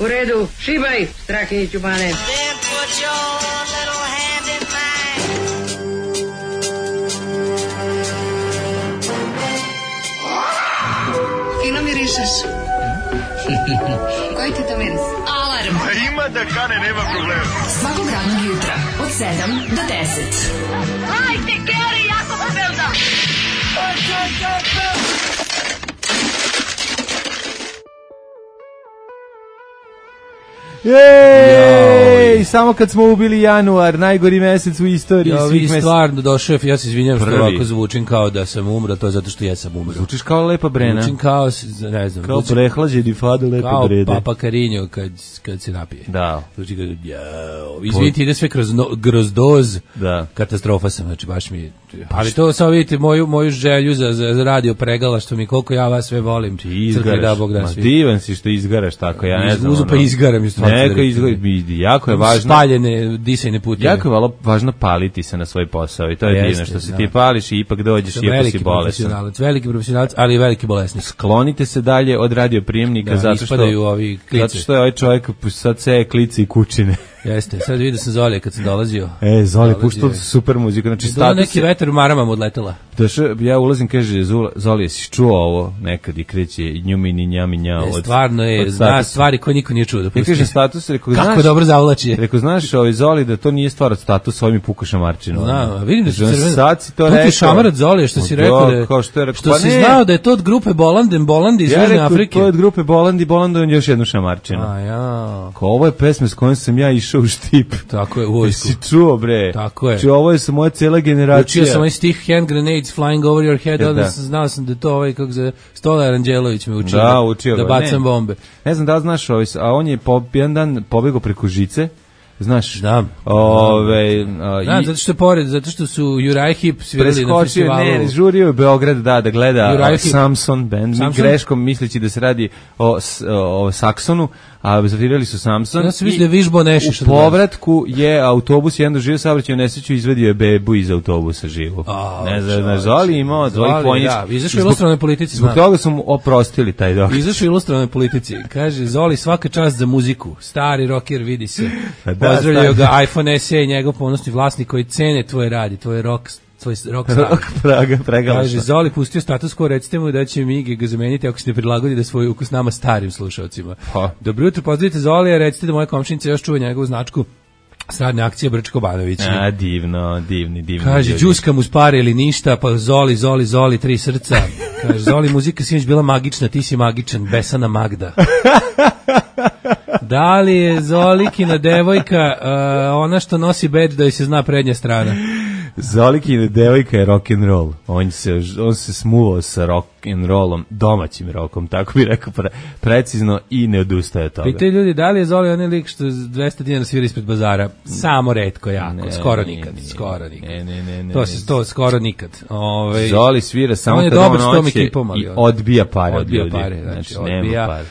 U redu, šibaj, Strahinji Ćubane. Fino mirišeš. Koji ti to miris? Alarm. Ima da kane, nema problema. Svakog radnog jutra, od 7 do 10. Hajde, Geri, jako se velda. Jej, samo kad smo ubili januar, najgori mesec u istoriji svih meseci. Stvarno došao, ja se izvinjam što ovako zvučim kao da sam umro, to je zato što jesam umro. Zvučiš kao Lepa Brena. Zvučim kao, ne znam. Kao prehlađeni Fado Lepe Brede. Kao Papa Carinho kad se napije. Da. Zvuči kao, izvinite, ide sve kroz doz. Da. Katastrofa sam, znači baš mi... Ali to samo vidite moju želju za radio pregala, što mi koliko ja vas sve volim. Ti izgaraš, divan si što izgaraš tako, ja ne znam. Uzu pa izgaram isto. Neka jako je važno. Spaljene disajne putine. Jako je važno paliti se na svoj posao i to je divno što se ti pališ i ipak dođeš iako si bolestan. Veliki profesionalac, ali i veliki bolesnik. Sklonite se dalje od radioprijemnika zato što je ovaj čovjek sad seje klice i kućine. Jeste, sad vidio sam Zolije kad sam dolazio. Zoli, puštao super muzika. Znači, neki vetar u maramama odletela. Ja ulazim, kaže, Zoli, jesi čuo ovo nekad i kreće njumini njami njao. Stvarno je, zna stvari koje niko nije čuo. Ja kaže status, rekao, kako znaš, dobro zavlači. Rekao, znaš, Zoli, da to nije stvar od statusa, ovim puka šamarčinu. Vidim da si crveno. Sad si to rekao. Puti šamarac Zolije, što si rekao, što si znao da je to od grupe Bolandi iz Južne Afrike. To je od grupe Bolandi on još jednu šamarčinu. Ovo je pesma s kojom sam ja išao u štip. Tako je, u vojsku. Si čuo, bre. Tako je. Znači, ovo je moja cijela generacija. Učio sam ovaj stih Hand Grenades Flying Over Your Head, onda znao sam da to ovaj, kako se Stolar Anđelović me učio. Da bacam bombe. Ne znam da li znaš, a on je jedan dan pobegao preko žice. Znaš, znam, zato što su Juraj Hip svirali na festivalu. Ne, žurio je Beograd da gleda Samson band, greškom misleći da se radi o Saksonu, a zavirali su Samson. Ja sam vidio da je Vižbo Nešiš. U povratku je autobus jedan doživio saobraćajnu nesreću i izvadio je bebu iz autobusa živu. Ne znam, Zoli imao dvojih ponjička. Izašao u ilustrovnoj politici. Zbog toga su mu oprostili taj dok. Izašao u ilustrovnoj politici. Kaže, Zoli, svaka čast za muziku. Stari rocker, vidi se. Pozdravljaju ga iPhone SE i njegov ponosni vlasnik koji cene tvoje radi, tvoj rock pregalašta. Kaže, Zoli pustio status quo, recite mu da će Migi ga zameniti ako se ne prilagodi da svoj ukus nama starim slušalcima. Dobro jutro, pozdravite Zolija, recite da moja komšinica još čuva njegovu značku sradne akcije Brčko Banović. Divni. Kaže, džuskam uz pare ili ništa, pa Zoli, 3 srca. Kaže, Zoli, muzika sinoć bila magična, ti si magičan, besana Magda. Da li je Zolikina devojka ona što nosi bedž da joj se zna prednja strana? Zolikina devojka je rock and roll. On se smuvao sa rock and rollom, domaćim rockom, tako bi rekao precizno i ne odustaje od toga. Pitaju ljudi, da li je Zoli onaj lik što 200 dinara svira ispred bazara? Samo retko jako, skoro nikad. Ne. To skoro nikad. Zoli svira samo kad on hoće i odbija pare od ljudi. Znači, nema pare.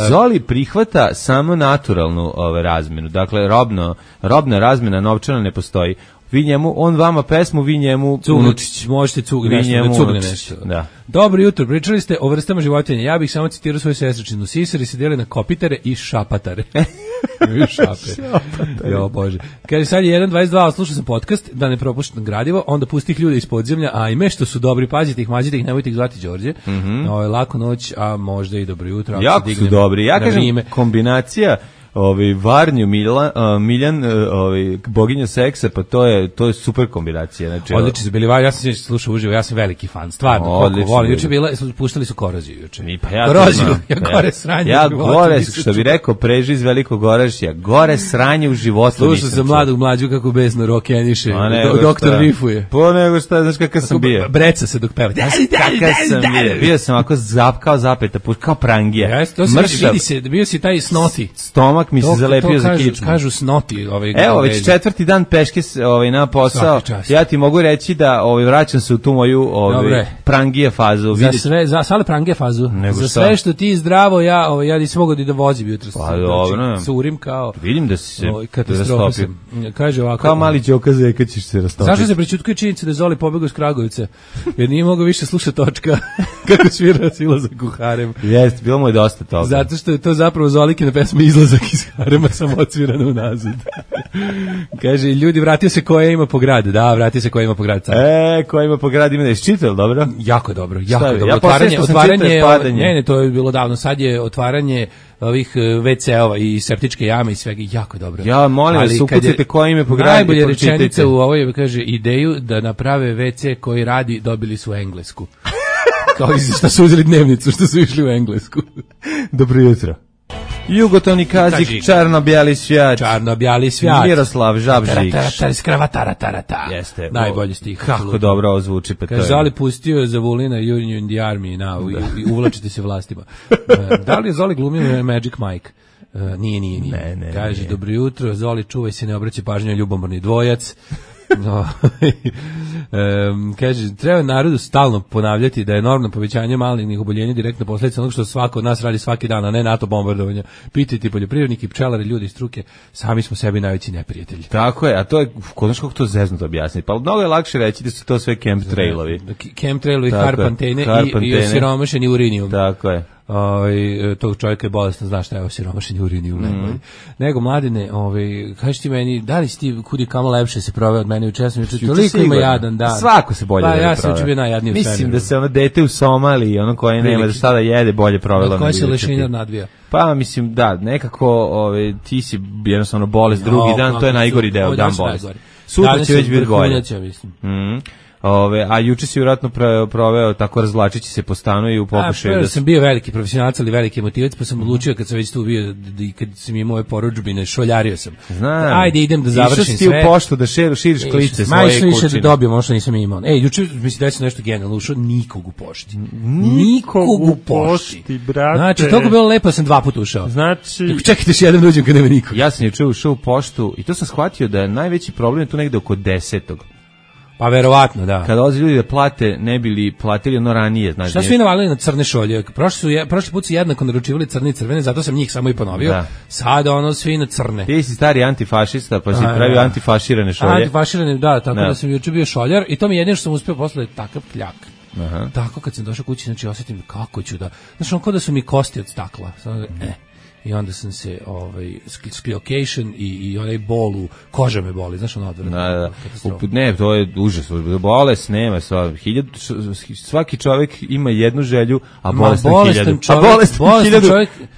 Zoli prihvata samo naturalnu razmenu, dakle robna razmena novčana ne postoji. Vi njemu, on vama pesmu, vi njemu Unučić, možete cugne nešto. Da. Dobro jutro, pričali ste o vrstama životinja. Ja bih samo citirao svoju sestričinu. Sisari se dijeli na kopitare i šapatare. Jo, Bože. Kaže, sad je 1.22, slušao sam podcast, da ne propuštam gradivo, onda pusti ih ljude iz podzemlja, ajme što su dobri, pazite ih, mazite ih, nemojte ih zvati Đorđe. Lako noć, a možda i dobro jutro. Jako su dobri, ja kažem, kombinacija Varnju Miljan, boginja seksa, pa to je super kombinacija. Znači, odlični su bili, ja sam slušao uživo, ja sam veliki fan, stvarno, koliko volim. Juče puštali su Koroziju juče. Koroziju, gore sranje. Ja gore, što bi rekao Preži iz Velikog Orašja, gore sranje u životu. Slušao sam mladog mlađu kako besno rokeniše, doktor rifuje. Po nego šta, znaš kakav sam bio. Breca se dok peva. Kakav sam bio sam ovako kao zapeta, kao prangija. Bio si taj snoti. Stomak stomak mi se zalepio za kičmu. Kažu snoti. Evo, već 4. dan peške na posao. Ja ti mogu reći da vraćam se u tu moju prangije fazu. Za sve prangije fazu. Za sve što ti zdravo, ja nisam mogao da vozim jutros. Pa dobro. Curim kao... Vidim da si se rastopio. Kaže ovako... Kao mali Đoka Zeka ćeš se rastopiti. Zašto se prećutkuje činjenica da je Zoli pobegao iz Kragovice? Jer nije mogao više slušati Točka kako svira Izlazak u harem. Jeste, bilo mu je dosta toga. Zato što je to zapravo Zolikina pesma Izlazak iz harema, samo odsvirana unazad. Kaže, ljudi, vratio se Koja ima po grad. Da, vratio se Koja ima po grad. Koja ima po grad, ima da je čitao, dobro? Jako je dobro, jako je dobro. Otvaranje, to je bilo davno. Sad je otvaranje ovih WC-ova i septičke jame i svega, jako dobro. Ja molim vas, ukucite Koja ime po grad. Najbolje rečenica u ovoj kaže, ideju da naprave WC koji radi, dobili su Englesku. Kao što su uzeli dnevnicu, što su išli u Englesku. Dobro jutro. Jugotovni Kazik, čarno-bijali svijat. Čarno-bijali svijat. Miroslav Žabžić. Jeste. Najbolji stih. Kako dobro ovo zvuči. Kaže, Zoli pustio za Vulina Union in the Army i uvlačite se vlastima. Da li je Zoli glumio Magic Mike? Nije. Ne. Kaže, dobro jutro, Zoli, čuvaj se, ne obraćaj pažnju na ljubomorni dvojac. No. Kaže, treba narodu stalno ponavljati da je enormno povećanje malignih oboljenja direktna posljedica onog što svako od nas radi svaki dan, a ne NATO bombardovanja. Pitajte poljoprivredniki, pčelari, ljudi iz struke, sami smo sebi najveći neprijatelji. Tako je, a to je, znaš kako to zeznuto objasniti, pa mnogo je lakše reći da su to sve chemtrailovi. Chemtrailovi, harpantene i osiromašeni urinijum. Tako je. Tog čovjeka je bolestan, znaš šta je osiromašeni urinijum. Nego, Mladine, kaži ti meni, da li si ti kudi kamo lepše se proveo od mene juče, sam juče toliko ima jadan dan. Svako se bolje proveo. Pa ja sam juče bio najjadniji u svemiru. Mislim da se ono dete u Somaliji, ono koje nema da šta da jede, bolje provelo. Od koje se lešinar nadvija. Pa mislim, da, nekako ti si jednostavno bolest drugi dan, to je najgori deo, dan bolest. Sutra će već biti bolje. A juče si vjerojatno proveo tako razvlačići se po stanu i u pokušaju da sam bio veliki profesionalac, ali veliki emotivac, pa sam odlučio kad sam već tu bio i kad sam imao moje porudžbine, šoljario sam. Znam. Ajde, idem da završim sve. Išao si u poštu da širiš klice svoje kućine. Više da dobijem, ono što nisam imao. Juče mi se desilo nešto genijalno, ušao nikog u pošti. Nikog u pošti, brate. Znači, toliko bilo lepo, sam 2 puta ušao. Znači, čekajte još jedan uđem kad nema nikog. Ja sam juče ušao u poštu i to sam shvatio da je najveći problem tu negde oko 10. Pa verovatno, da. Kada dolaze ljudi da plate, ne bili platili ono ranije. Znači, šta su vi navalili na crne šolje? Prošli put su jednako naručivali crne i crvene, zato sam njih samo i ponovio. Da. Sada svi na crne. Ti si stari antifašista, pa si pravio antifaširane šolje. Antifaširane, da, tako da sam juče bio šoljar i to mi jedino što sam uspio posle takav kljak. Aha. Tako kad sam došao kući, znači osjetim kako ću da... Znači, kao da su mi kosti od stakla. I onda sam se skliokation i onaj bol u koža me boli, znaš ono odvrano. Da. Ne, to je užas, bolest nema, svaki čovjek ima jednu želju, a bolestan 1000. A bolestan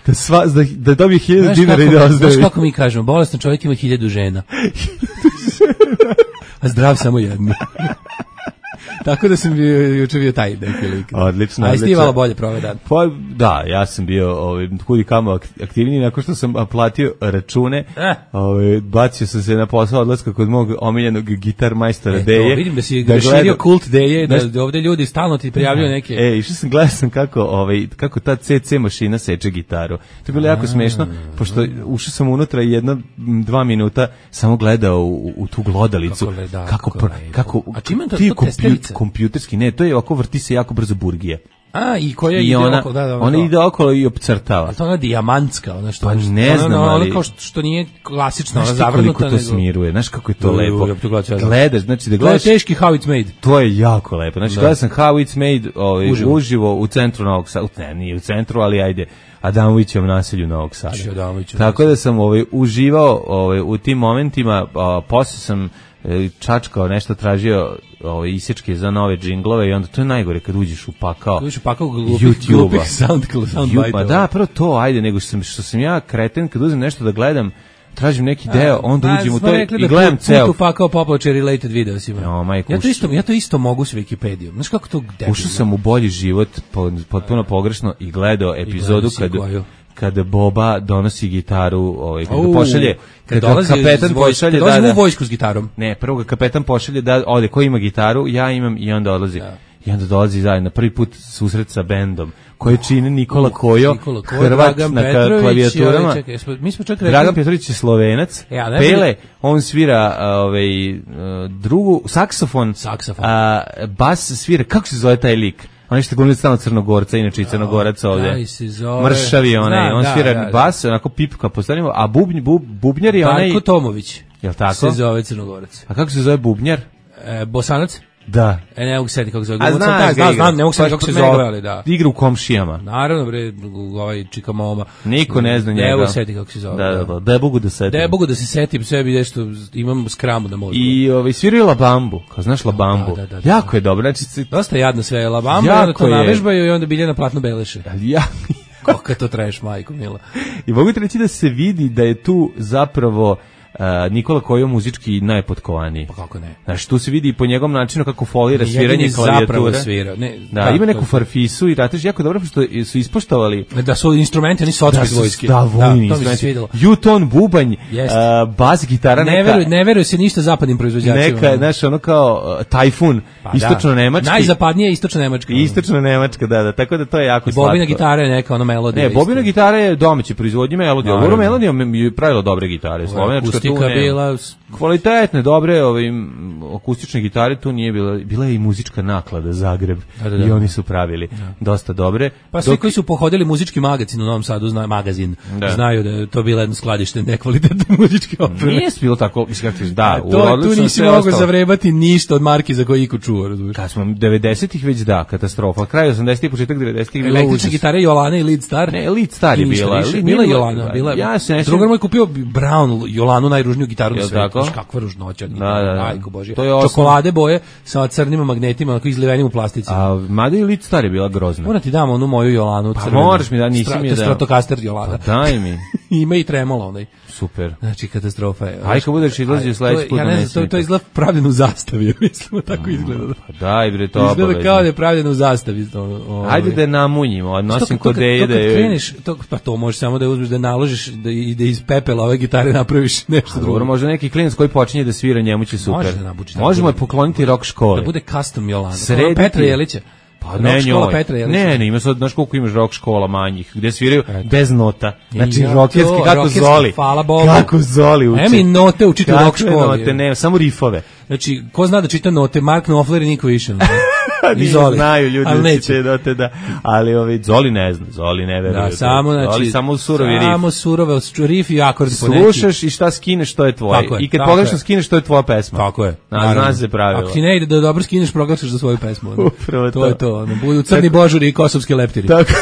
1000 da dobije 1000 dinara i da ozdravi. Znaš kako mi kažemo, bolestan čovjek ima 1000 žena. A zdrav samo jednu. Tako da sam juče bio taj neki lik. Odlično. A jesi ti malo bolje proveo dan? Pa da, ja sam bio kudi kamo aktivniji nakon što sam platio račune. Bacio sam se na posao odlaska kod mog omiljenog gitar majstora Deje. Vidim da si širio kult Deje, da ovde ljudi stalno ti prijavljaju neke. Išao sam, gledao sam kako ta CC mašina seče gitaru. To je bilo jako smešno, pošto ušao sam unutra i 1-2 minuta samo gledao u tu glodalicu. Kako a čime to testerica? Kompjuterski, ne, to je ovako, vrti se jako brzo burgije. I koja ide okolo, da. Ona ide okolo i opcrtava. A to ona dijamantska, ona što... Pa ne znam, ali... Ona kao što nije klasično, ona zavrnuta. Znaš koliko to smiruje, znaš kako je to lepo. Gledaš, znači da gledaš... To je teški How It's Made. To je jako lepo. Znači, gledao sam How It's Made uživo u centru Novog Sada. Ne, nije u centru, ali ajde. Adamovićevom naselju Novog Sada. Tako da sam uživao u tim momentima, posle sam čačkao nešto, tražio isječke za nove džinglove i onda to je najgore kad uđeš u pakao glupih soundbite. Da, prvo to, ajde, nego što sam ja kreten, kad uzem nešto da gledam, tražim neki deo, onda uđem u to i gledam ceo. Tu pakao popular related videos ima. Ja to isto mogu s Wikipedijom. Znaš kako to debilno? Ušao sam u bolji život, potpuno pogrešno, i gledao epizodu kada Boba donosi gitaru, kada pošalje, kada kapetan pošalje da u vojsku s gitarom. Ne, prvo ga kapetan pošalje da ode, ko ima gitaru, ja imam, i onda odlazi. I onda dolazi zajedno, prvi put susret sa bendom, koje čine Nikola Kojo, Hrvat na klavijaturama. Mi smo čak Dragan Petrović je Slovenac, Pele, on svira drugu, saksofon, bas svira, kako se zove taj lik? On je što glumio stalno Crnogorca, inače i Crnogorac ovde. Mršavi onaj, on svira bas, onako pipka postavljamo, a bubnjar je onaj... Darko Tomović. Jel tako? Se zove Crnogorac. A kako se zove bubnjar? Bosanac? Da. Ne mogu setiti kako se zove. Znam, ne mogu setiti kako se zove, ali da. Igra u Komšijama. Naravno, bre, ovaj Čikamoma. Niko ne zna njega. Ne mogu setiti kako se zove. Da mogu da setim. Da mogu da se setim, sebi nešto, imam skramu da mogu. I sviraju Labambu, kao znaš Labambu. Jako je dobro. Znači, dosta jadno sve Labambu, onda to navežbaju i onda Biljana platno beleše. Kako to traješ, majko mila. I mogu ti reći da se vidi da je tu zapravo Nikola Kojo muzički najpotkovaniji. Pa kako ne? Znaš, tu se vidi i po njegovom načinu kako folira sviranje klavijature. Da, ima neku farfisu i ratež jako dobro što su ispoštovali. Da su instrumenti, oni su otpred vojske. Da, vojni instrumenti. Juton, bubanj, bas, gitara, ne veruje se ništa zapadnim proizvođačima. Neka, znaš, ono kao Tajfun, istočno-nemački. Najzapadnije istočno-nemačka. Istočno-nemačka, da, tako da to je jako slatko. Bobina gitara je neka, ono melodija. Ne, bobina gitara je domaći proizvodnji melodija. Ovo melodija je pravilo dobre gitare, slovenačka. Bila kvalitetne, dobre akustične gitare, tu nije bila je i muzička naklada Zagreb i oni su pravili dosta dobre. Pa svi koji su pohodili muzički magazin u Novom Sadu, znaju da je to bila jedno skladište nekvalitetne muzičke opreme. Nije bilo tako, tu nisi mogao zavrebati ništa od marki za koje iko čuo, razumiješ. Kad smo 90-ih već katastrofa, kraj 80-ih, početak 90-ih bilo električne gitare Jolana i Lead Star. Ne, Lead Star je bila Jolana, drugar moj kupio Brown Jolanu, najružniju gitaru na svetu. Kakva ružnoća. Majko Božja. Čokolade boje sa crnim magnetima, onako izlivenim u plastici. A mada i Lead Star je bila grozna. Moram ti dam onu moju Jolanu. Pa moraš mi da, nisi mi da. Stratocaster Jolana. Pa daj mi. Ima i tremola onaj. Super. Znači, katastrofa je. Aj, kad budeš izlazio sledeći put. Ja ne znam, to izgleda pravljeno u zastavi, mislimo, tako izgleda. Pa daj, bre, to obavezno. Izgleda kao da je pravljeno u zastavi. Ajde da je namunjimo, odnosim kod deje da je... Kreneš, pa to možeš samo da uzmeš, da naložiš, da iz pepela ove gitare napraviš nešto drugo. Može neki klinac koji počinje da svira, njemu će super. Može da nabuči. Možemo je pokloniti rock škole. Da bude custom Jolana. Petra Jelića. Pa ne, ima sad, znaš koliko imaš rock škola manjih, gde sviraju bez nota. Znači, rockerski, kako Zoli. Hvala Bogu. Kako Zoli uči. Emi note učiti u rock školi. Note, ne, samo rifove. Znači, ko zna da čita note, Mark Knopfler i niko više. Znaju ljudi da će note, da. Ali Zoli ne zna, Zoli ne veruje. Zoli samo surovi rif. Samo surove rif i akord po neki. Slušaš i šta skineš, to je tvoje. I kad pogrešno skineš, to je tvoja pesma. Tako je. Zna se pravilo. Ako ti ne ide da dobro skineš, proglašaš za svoju pesmu. Upravo to. To je to. Budu crni božuri i kosovski leptiri. Tako.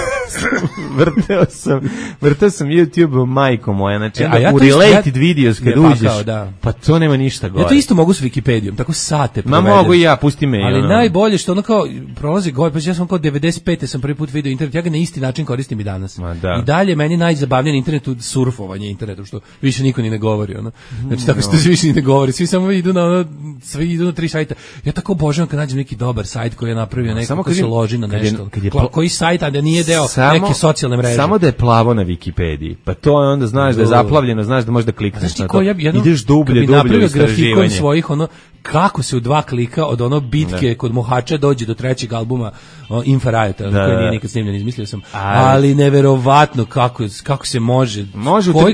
Vrteo sam YouTube, majko moja, znači u related videos kad uđeš, pa to nema ništa gore. Ja to isto mogu s Wikipedijom, tako sate provedem. Ma mogu i ja, pusti me. Ali najbolje što ono kao prolazi gore, pa ja sam kao 95. sam prvi put video internet, ja ga na isti način koristim i danas. I dalje meni najzabavnije na internetu surfovanje internetu, što više niko ni ne govori. Ono. Znači tako što se više ni ne govori, svi samo idu na tri sajta. Ja tako obožavam kad nađem neki dobar sajt koji je napravio neko ko se loži na nešto. Koji sajt, a da nije deo neke socijalne mreže. Samo da je plavo na Wikipediji, pa to je onda znaš da je zaplavljeno, znaš da možeš da klikneš na to. Ideš dublje u istraživanje. Svojih kako se u 2 klika od ono bitke kod Mohača dođe do 3. albuma Infrarajota, koji nije nikad snimljen, izmislio sam. Ali neverovatno kako se može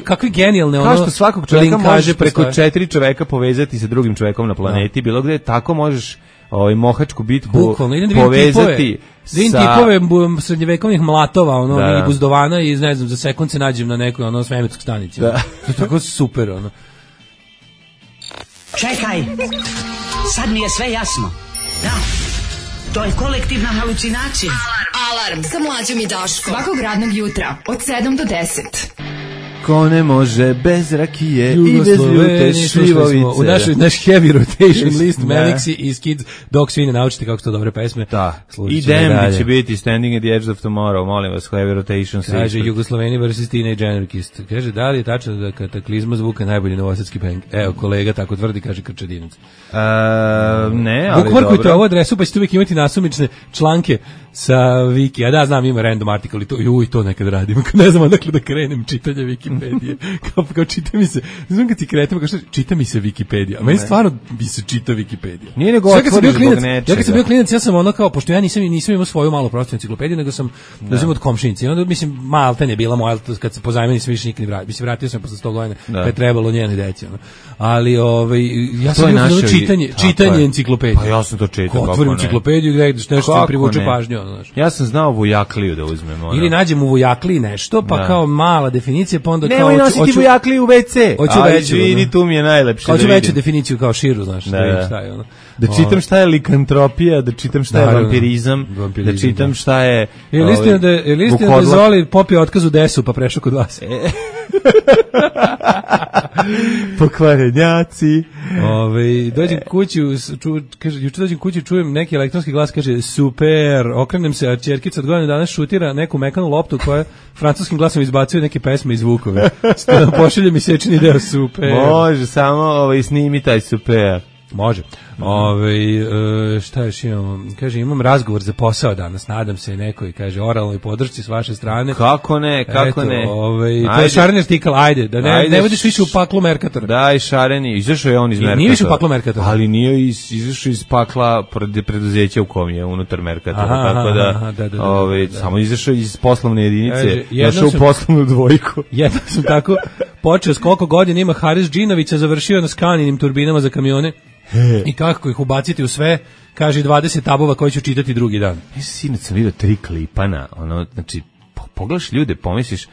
kakve genijalne kao što svakog čovjeka može preko 4 čoveka povezati sa drugim čovekom na planeti, bilo gde, tako možeš Mohačku bitku povezati sa tipove srednjevekovnih mlatova, i buzdovana i ne znam, za sekund se nađem na nekoj svemirskoj stanici. To je tako super, Čekaj, sad mi je sve jasno. Da, to je kolektivna halucinacija. Alarm sa Mlađom i Daškom. Svakog radnog jutra od 7 do 10. Ko ne može bez rakije i bez ljute šljivovice. U naš heavy rotation list Melixi i Skids, dok svi ne naučite kako su to dobre pesme. Da, i Dembi će biti Standing at the Edge of Tomorrow, molim vas, heavy rotation. Kaže Jugosloveni vs. Teenage Anarchist. Kaže, da li je tačno da Kataklizma zvuka najbolji novosadski band? Evo, kolega tako tvrdi, kaže Krčedinac. Ne, ali dobro. Bukvarkujte ovu adresu, pa ćete uvijek imati nasumične članke sa Wiki. A da, znam, ima random article i to nekad radim. Ne znam odakle da krenem čitanje Wiki. Wikipedije. Kao čita mi se, znam kad ti kretem, kao što čita mi se Wikipedija, a meni stvarno bi se čita Wikipedija. Nije nego otvoriš zbog nečega. Ja kad sam bio klinac, ja sam ono kao, pošto ja nisam imao svoju malu prostornu enciklopediju, nego sam uzimao od komšinice. I onda, mislim, Malten je bila moja, kad se pozajmio nisam više nikad ni vratio. Mislim, vratio sam posle 100 godina, kad je trebalo njenoj deci. Ali, ja sam bio čitanje enciklopedije. Pa ja sam to čitao. Otvorim enciklopediju i gledaš nešto privuče pažnju. Ja sam znao Vujakliju da uzmem. Ili nađem u Vujakliji nešto, pa kao mala definicija, pa onda kao... Nemoj nositi Vujakliju u WC. Hoću veću. Vidi, tu mi je najlepše. Hoću veću definiciju kao širu, znaš, šta je ono. Da čitam šta je likantropija, da čitam šta je vampirizam, da čitam šta je... Je li istina da Zoli popio otkaz u desu pa prešao kod vas? Pokvarenjaci. Dođem kući, juče dođem kući, čujem neki elektronski glas, kaže super, okrenem se, a ćerkica od godina danas šutira neku mekanu loptu koja francuskim glasom izbacuje neke pesme i zvukove. Pošalje mi sečni deo super. Može, samo snimi taj super. Može. Šta još imamo? Kaže, imam razgovor za posao danas, nadam se nekoj, kaže, oralnoj podršci s vaše strane. Kako ne? To je šareni artikal, ajde, da ne vodiš više u paklu Merkatora. Daj, šareni, izašao je on iz Merkatora. Nije više u paklu Merkatora. Ali nije izašao iz pakla preduzeća u kom je unutar Merkatora, tako da, samo izašao iz poslovne jedinice, našao u poslovnu dvojku. Jedno sam tako počeo, s koliko godina ima Haris Džinovića, završio na Skaninim turbinama za kamione. I kako ih ubaciti u sve, kaže 20 tabova koje ću čitati drugi dan. Sinoć sam vidio 3 klipana, znači, pogledaš ljude, pomisliš,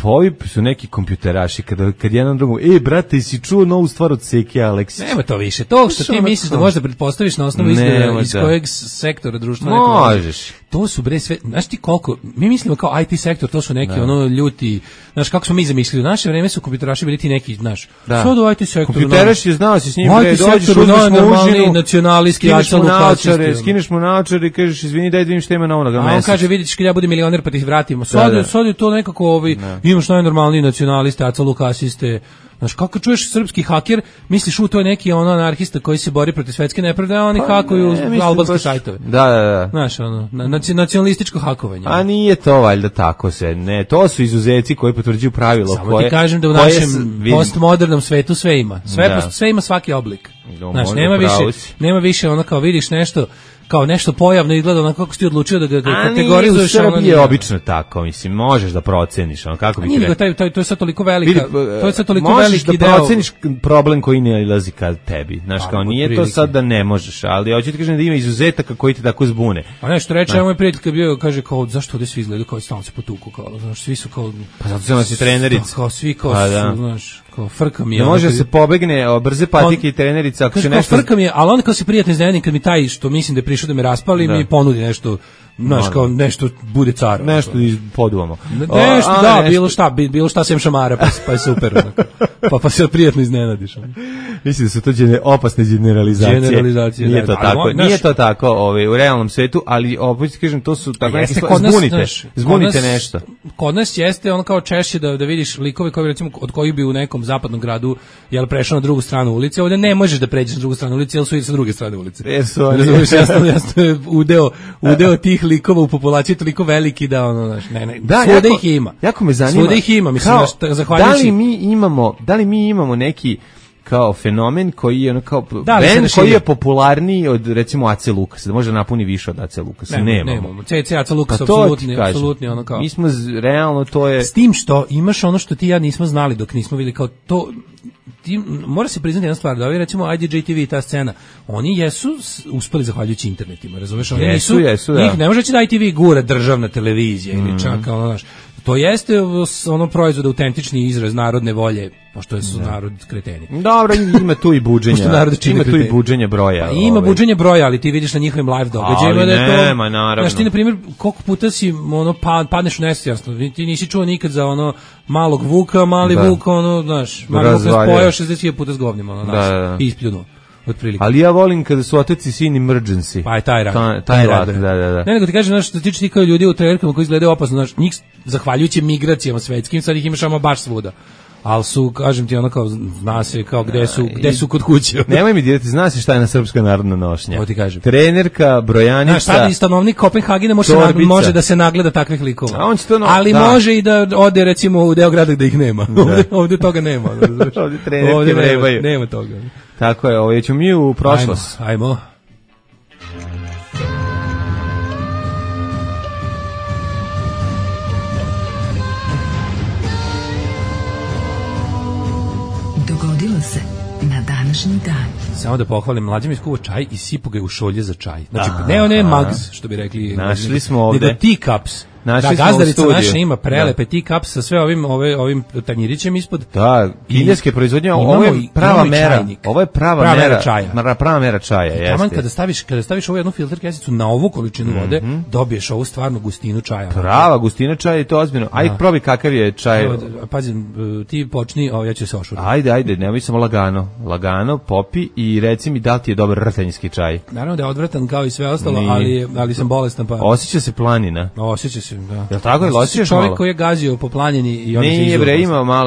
ovi su neki kompjuteraši, kad jedan drugom, brate, si čuo novu stvar od Seke Aleksića? Nema to više, to što ti misliš da možda pretpostaviš na osnovu iz kojeg sektora društva možeš. To su bre sve, znaš ti koliko, mi mislimo kao IT sektor, to su neki ljuti, znaš kako smo mi zamislili, u naše vreme su kompjuteraši bili ti neki, znaš, sad u IT sektoru. Kompjuteraš je znao si s njim, dođeš, normalni nacionalisti, skineš mu naočar i kažeš, izvini, daj da vidim šta ima na onoga mesec. A on kaže, vidiš kad ja budem milioner pa ti ih vratimo. Sad je to nekako, imaš najnormalniji nacionaliste, Aca Lukasiste. Znaš, kako čuješ srpski haker, misliš to je neki anarhista koji se bori protiv svetske nepravde, a oni hakuju albanske sajtove. Da. Znaš, nacionalističko hakovanje. A nije to valjda tako se, ne, to su izuzeci koji potvrđuju pravilo. Samo ti kažem da u našem postmodernom svetu sve ima. Sve ima svaki oblik. Znaš, nema više kao vidiš nešto, kao nešto pojavno izgleda onako kako si ti odlučio da ga kategorizuješ. A nije, u Srbiji je obično tako, mislim, možeš da proceniš, kako bi to je sad toliko velika, to je sad toliko veliki deo. Možeš da proceniš problem koji ne ilazi ka tebi, znaš, kao nije to sad da ne možeš, ali hoću ti kažem da ima izuzetaka koji ti tako zbune. A nešto reče, moj prijatelj kad bio, kaže kao, zašto ovdje svi izgledaju kao stalno se potuku, kao, znaš, svi su kao... Pa zato se nosi trenerica. Kao svi kao su, znaš, kao frka mi je. Ne može se pobegne, brze patike i trenerica, ako će nešto... Frka mi je, ali onda kao se prijatno iznenadim kad mi taj što mislim da je prišao da me raspali, mi ponudi nešto, znaš, kao nešto bude car. Nešto poduvamo. Nešto, bilo šta sem šamara, pa je super. Pa se prijatno iznenadiš. Mislim da su to opasne generalizacije. Nije to tako. Nije to tako u realnom svetu, ali opet kažem, to su tako neki zbunite nešto. Kod nas jeste ono kao češće da vidiš likove koji recimo od kojih bi u nekom zapadnom gradu prešao na drugu stranu ulice, ovdje ne možeš da pređeš na drugu stranu ulice, jer su i sa druge strane ulice. Jasno je udeo tih likova u populaciji toliko veliki da svuda ih ima. Jako me zanima. Svuda ih ima, mislim, zahvaljujući. Da li mi imamo neki kao fenomen koji je kao band koji je popularniji od recimo Ace Lukasa, da može napuni više od Ace Lukasa. Nemamo. CC Aca Lukas apsolutni ono kao. Mi smo realno to je. S tim što imaš ono što ti ja nismo znali dok nismo vidjeli kao to. Mora se priznati jedna stvar, da ovi recimo IDJ TV i ta scena, oni jesu uspeli zahvaljujući internetima, razumeš? Oni jesu, njih ne može da ITV gura državna televizija ili čak ono, znaš, to jeste ono proizvod autentični izraz narodne volje, pošto su narod kreteni. Dobro, ima tu i buđenja. Ima tu i buđenje broja. Pa ima buđenje broja, ali ti vidiš na njihovim live događajima da je to. Nema, naravno. Znaš, ti na primjer, koliko puta si ono padneš u nesvijest, ti nisi čuo nikad za ono malog Vuka, mali Vuk, ono, znaš, mali Vuk nas pojao 60 puta s govnjem, ono, znaš, ispljunuo. Otprilike. Ali ja volim kada su otac i sin emergency. Pa je taj rad. Taj rad, da. Ne, nego ti kažem, znaš, što tiče ti kao ljudi u trenerkama koji izgledaju opasno, znaš, njih, zahvaljujući migracijama svetskim, sad ih imaš ama baš svuda. ali su, kažem ti, ono kao, zna se kao gde su kod kuće. Nemoj mi dirati, zna se šta je na srpska narodna nošnja. Ovo ti kažem. Trenerka, brojanica. Znaš, sad i stanovnik Kopenhagena može da se nagleda takvih likova. A on će to ali može i da ode, recimo, u deo grada gde ih nema. Ovde toga nema. Ovde trenerke vrebaju. Nema toga. Tako je, ovo ćemo mi u prošlost. Ajmo. Dogodilo se na današnji dan. Samo da pohvalim, mlađe mi skuva čaj i sipu ga je u šolje za čaj. Znači, ne mugs, što bi rekli. Našli smo ovde. Nego teacups. Da, gazdarica naša ima prelepe teacups sa sve ovim tanjirićem ispod. Da, kineske proizvodnje, ovo je prava mera. Ovo je prava mera čaja. Prava mera čaja, jeste. Taman kada staviš ovu jednu filter kesicu na ovu količinu vode, dobiješ ovu stvarnu gustinu čaja. Prava gustina čaja i to ozbiljno. Ajde, probi kakav je čaj. Pazi, ti počni, ja ću se ošuriti. Ajde, nemoj samo lagano, popi i reci mi da li ti je dobar rtanjski čaj. Naravno da je odvratan kao i sve ostalo, ali sam bolestan pa. Osjeća se planina. Osjeća se, da. Jel tako je, osjećaš čovjek malo? Koji je gazio po planini i on se izuzeo. Nije bre,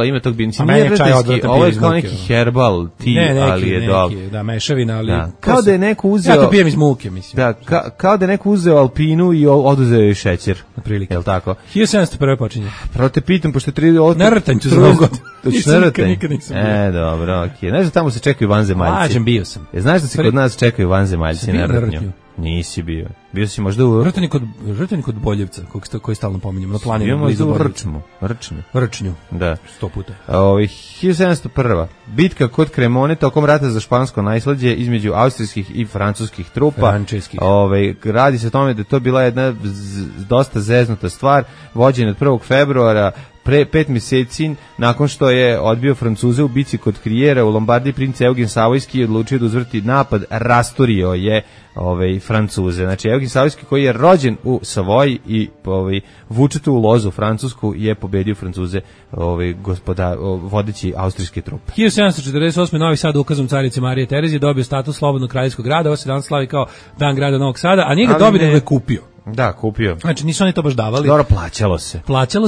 ima tog binca. Nije rtanjski, ovo je kao neki herbal tea, ali je dobro. Da, mešavina, ali... Da. Kao da je neko uzeo... Ja to pijem iz muke, mislim. Da, kao da je neko uzeo alpinu i oduzeo je šećer. Na prilike. Jel tako? 1701. počinje. Pravo te pitam, pošto je 3... Na rtanj ću za novu godinu. Nikad nisam bio. Dobro, okej. Znaš da tamo se čekaju vanzemaljci? Lažem, bio sam. Znaš da se kod nas čekaju vanzemaljci na rtnju? Nisi bio. Bio si možda u... Rtanik kod Boljevca, koji stalno pominjemo, na planinu. Bio u Rčnju. Da. 100 puta. 1701. Bitka kod Cremone tokom rata za špansko nasleđe između austrijskih i francuskih trupa. Radi se o tome da je to bila jedna dosta zeznuta stvar, vođena od 1. februara pre 5 mjeseci nakon što je odbio Francuze u bici kod Krijera u Lombardiji. Princ Eugen Savojski je odlučio da uzvrti napad, rastorio je Francuze. Znači Eugen Savojski koji je rođen u Savoji i vučetu u lozu Francusku je pobedio Francuze vodeći austrijske trupe. 1748. Novi Sad ukazom carice Marije Terezije dobio status slobodnog kraljevskog grada. Ovo se danas slavi kao Dan grada Novog Sada, a nije ga dobio, nego je kupio. Da, kupio. Znači nisu oni to baš davali. Dobro, plaćalo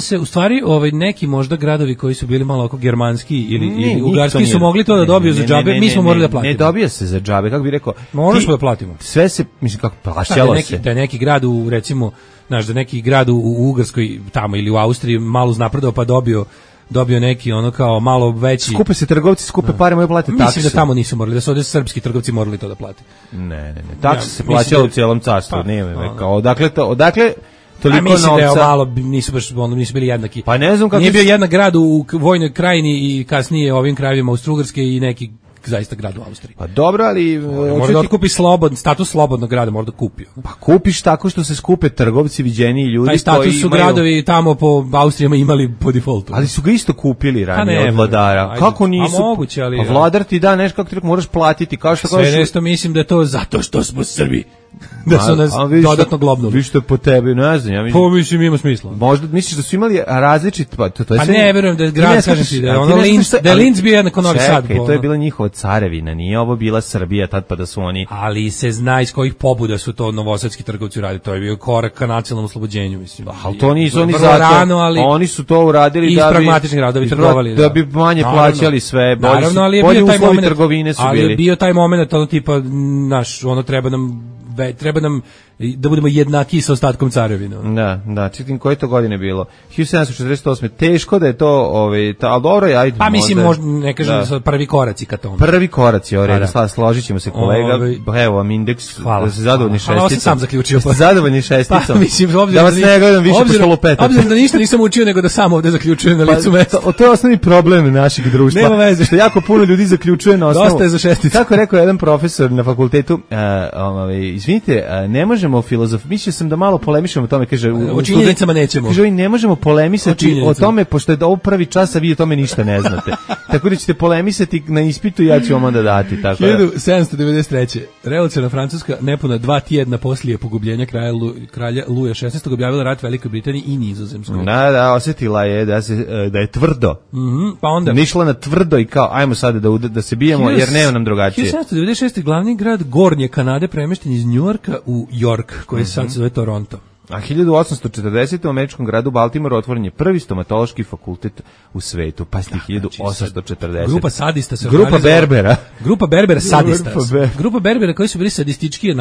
se. U stvari, neki možda gradovi koji su bili malo oko germanski ili ugarski su mogli to da dobiju za džabe, mi smo morali da platimo. Ne dobija se za džabe, kako bi rekao. Možemo da platimo. Sve se, mislim, kako plaćalo se. Da je neki grad u, recimo, znaš, da neki grad u Ugarskoj tamo ili u Austriji malo znapredao pa dobio neki ono kao malo veći. Skupe se trgovci, pare, moju plate takse. Mislim da tamo nisu morali, da su ovdje srpski trgovci morali to da plate. Ne. Takse se plaćalo u cijelom carstvu, nije kao odakle toliko novca. Mislim da je malo nisu bili jednaki. Pa ne znam kako. Nije bio jedan grad u Vojnoj krajini i kasnije ovim krajevima Austro-Ugarske i neki zaista grad u Austriji. Pa dobro, ali može da otkupi status slobodnog grada, možda kupio. Pa kupiš tako što se skupe trgovci, viđeniji ljudi koji imaju... Taj status su gradovi tamo po Austrijama imali po defaultu. Ali su ga isto kupili ranije od vladara. Kako nisu? Moguće, ali... Pa vladar ti da nešto kako ti moraš platiti. Kao što sve nešto mislim da je to zato što smo Srbi. Da su nas dodatno globnuli. Vi što po tebi, ne znam. Mislim ima smisla. Možda misliš da su imali različit... Pa ne, verujem da je grad, kažem ti, da je Linz bio jednako Novi Sad. Čekaj, to je bila njihova carevina, nije ovo bila Srbija tad pa da su oni... Ali se zna iz kojih pobuda su to novosadski trgovci uradili, to je bio korak ka nacionalnom oslobođenju, mislim. Ali to nisu oni zato, oni su to uradili iz pragmatičnih razloga, da bi manje plaćali sve, bolji uslovi trgovine su bili. Ali je bio taj moment, ono tipa, ono treba nam da budemo jednaki sa ostatkom carevine. Da, čitim koje to godine bilo. 1748. Teško da je to, ali dobro je, ajde. Pa mislim, možda ne kažem da su prvi koraci ka tome. Prvi koraci, složit ćemo se kolega. Evo vam indeks, da se zadovoljni šesticom. Hvala, sam sam zaključio. Zadovoljni šesticom. Pa mislim, da vas ne gledam više pošto lupetate. Obzirom da ništa nisam učio, nego da sam ovde zaključujem na licu mesta. To je osnovni problem našeg društva. Nema veze. Što jako puno ljudi zaključuje na osnovu. Dosta je za šesticu. Kako je rekao jedan profesor na fakultetu, izvinite, ne možemo mislio sam da malo polemišemo o tome, kaže, o činjenicama nećemo. Kaže, ne možemo polemisati o tome, pošto je ovo prvi čas, a vi o tome ništa ne znate. Tako da ćete polemisati na ispitu i ja ću vam onda dati. 1793. Revolucionarna Francuska, nepuna 2 tjedna poslije pogubljenja kralja Luja XVI. objavila rat Velikoj Britaniji i Nizozemskoj. Da, osjetila je da je tvrdo. Pa onda išla na tvrdo i kao, ajmo sada da se bijemo, jer nema nam drugačije. 1796. glavni grad Gornje Kanade premješten iz Njujorka u York, koji sad se zove Toronto. A 1840. u američkom gradu Baltimore otvoren je prvi stomatološki fakultet u svetu. Pa sti 1840. Grupa sadista se Grupa Berbera. Grupa Berbera sadista. Grupa Berbera koji su bili sadistički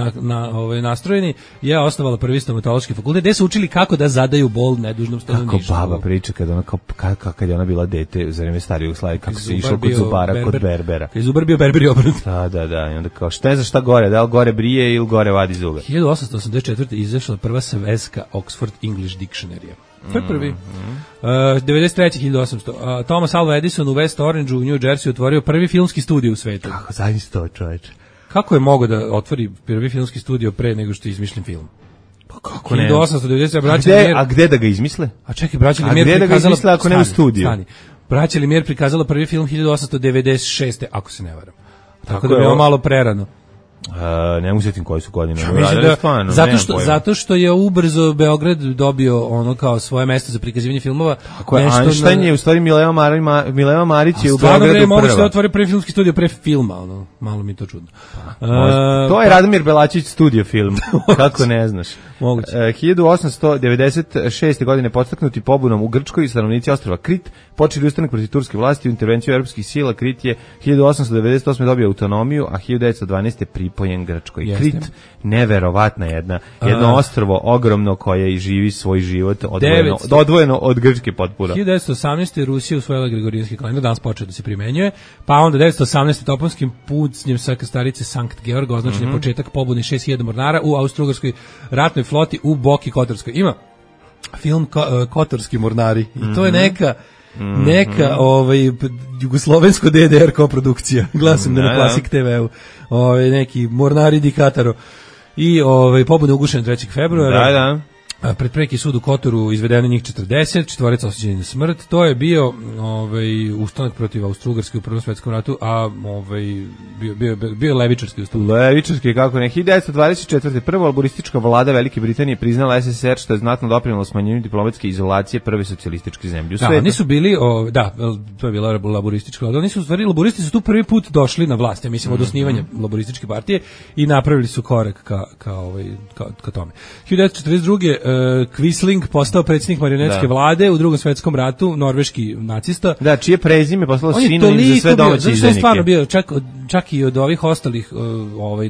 nastrojeni je osnovala prvi stomatološki fakultet gde su učili kako da zadaju bol nedužnom stanovništvu. Kako baba priča kad je ona bila dete za vreme stare Jugoslavije, kako se išlo kod zubara, kod Berbera. Kad je zubar bio Berberi obrnut. Da. I onda kao šta je za šta gore, da li gore brije ili gore vadi zube. 1884. izašla prva sveska Oxford English Dictionary. To je prvi. 93. 1800. Thomas Alva Edison u West Orangeu u New Jersey otvorio prvi filmski studio u svetu. Kako zaista to, čoveče? Kako je mogao da otvori prvi filmski studio pre nego što je izmišljen film? Pa kako ne? 1890. A gde da ga izmisle? A čekaj, braća Lumière prikazala... A gde da ga izmisle ako ne u studiju? Braća Lumière prikazala prvi film 1896. ako se ne varam. Tako da je ovo malo prerano. Ne usjetim koji su godine. Zato što je ubrzo Beograd dobio ono kao svoje mesto za prikazivanje filmova. Ako je Einstein je u stvari Mileva Marić je u Beogradu prva. Moguće da otvori prvi filmski studio pre filma, ono, malo mi to čudno. To je Radomir Belačić studio film, kako ne znaš. 1896. godine podstaknuti pobunom u Grčkoj stanovnici ostrva Krit počeli ustanak protiv turske vlasti u intervenciju europskih sila. Krit je 1898. dobio autonomiju, a 1912. pripojen Grčkoj. Krit, neverovatna jedno ostrvo ogromno koje živi svoj život odvojeno od Grčke potpuno. 1918. Rusija usvojila Gregorijanski kalendar, danas počeo da se primenjuje, pa onda 1918. Toponskim pucnjem sa Krstarice Sankt Georg označen je početak pobune 6000 mornara u Austro-Ugarskoj ratnoj floti u Boki Kotorskoj. Ima film Kotorski mornari i to je neka jugoslovensko DDR koprodukcija. Glasam na Klasik TV-u. Neki mornari di Kataro. I pobuda ugušena 3. februara. Da. Pred preki sud u Kotoru izvedeno njih 40, četvorica osuđeni na smrt. To je bio ustanak protiv Austro-Ugarske u Prvom svetskom ratu, a bio levičarski ustanak. Levičarski, kako ne. 1924. prva laboristička vlada Velike Britanije priznala SSR, što je znatno doprinelo smanjenju diplomatske izolacije prve socijalističke zemlje u svetu. Oni su bili, to je bila laboristička vlada. Oni su, u stvari, laboristi su tu prvi put došli na vlast, ja mislim, od osnivanja laborističke partije i napravili su korak ka tome. 1942. Quisling postao predsjednik marionetske vlade u Drugom svetskom ratu, norveški nacista. Da, čije prezime poslalo sinonim za sve domaće izdajnike. On je stvarno bio, čak i od ovih ostalih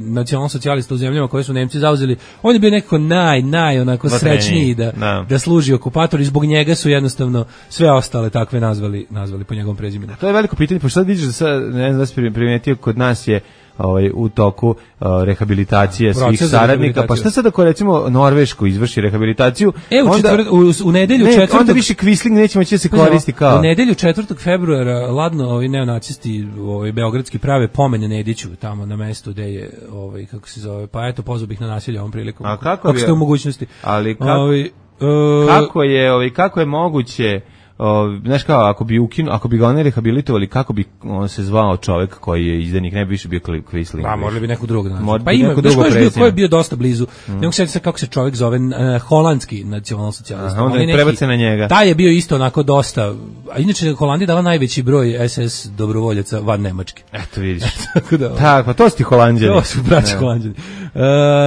nacionalno-socijalista u zemljama koje su Nemci zauzeli, on je bio nekako onako srećniji da služi okupator i zbog njega su jednostavno sve ostale takve nazvali po njegovom prezimenu. To je veliko pitanje, pošto sad vidiš da sad, ne znam da si primetio, kod nas je u toku rehabilitacije svih saradnika. Pa šta sad ako recimo Norveško izvrši rehabilitaciju? U nedelju 4. Onda više Quisling neće moći da se koristi kao... U nedelju 4. februara ladno ovi neonacisti beogradski prave pomen Nediću tamo na mestu gde je kako se zove, pa eto pozvao bih na nasilje ovom prilikom. A kako ste u mogućnosti? Ali kako je moguće, znaš kao, ako bi ga oni rehabilitovali, kako bi on se zvao čovjek koji je izdajnik, ne bi više bio Quisling. Pa možda bi neko drugog naći. Pa ima, ko je bio dosta blizu. Ne mogu se kako se čovjek zove, holandski nacionalno-socijalista. Onda je prebace na njega. Taj je bio isto onako dosta, a inače Holandija dala najveći broj SS dobrovoljaca van Nemačke. Eto vidiš. Tak, pa to su ti Holanđani. To su braći Holanđani.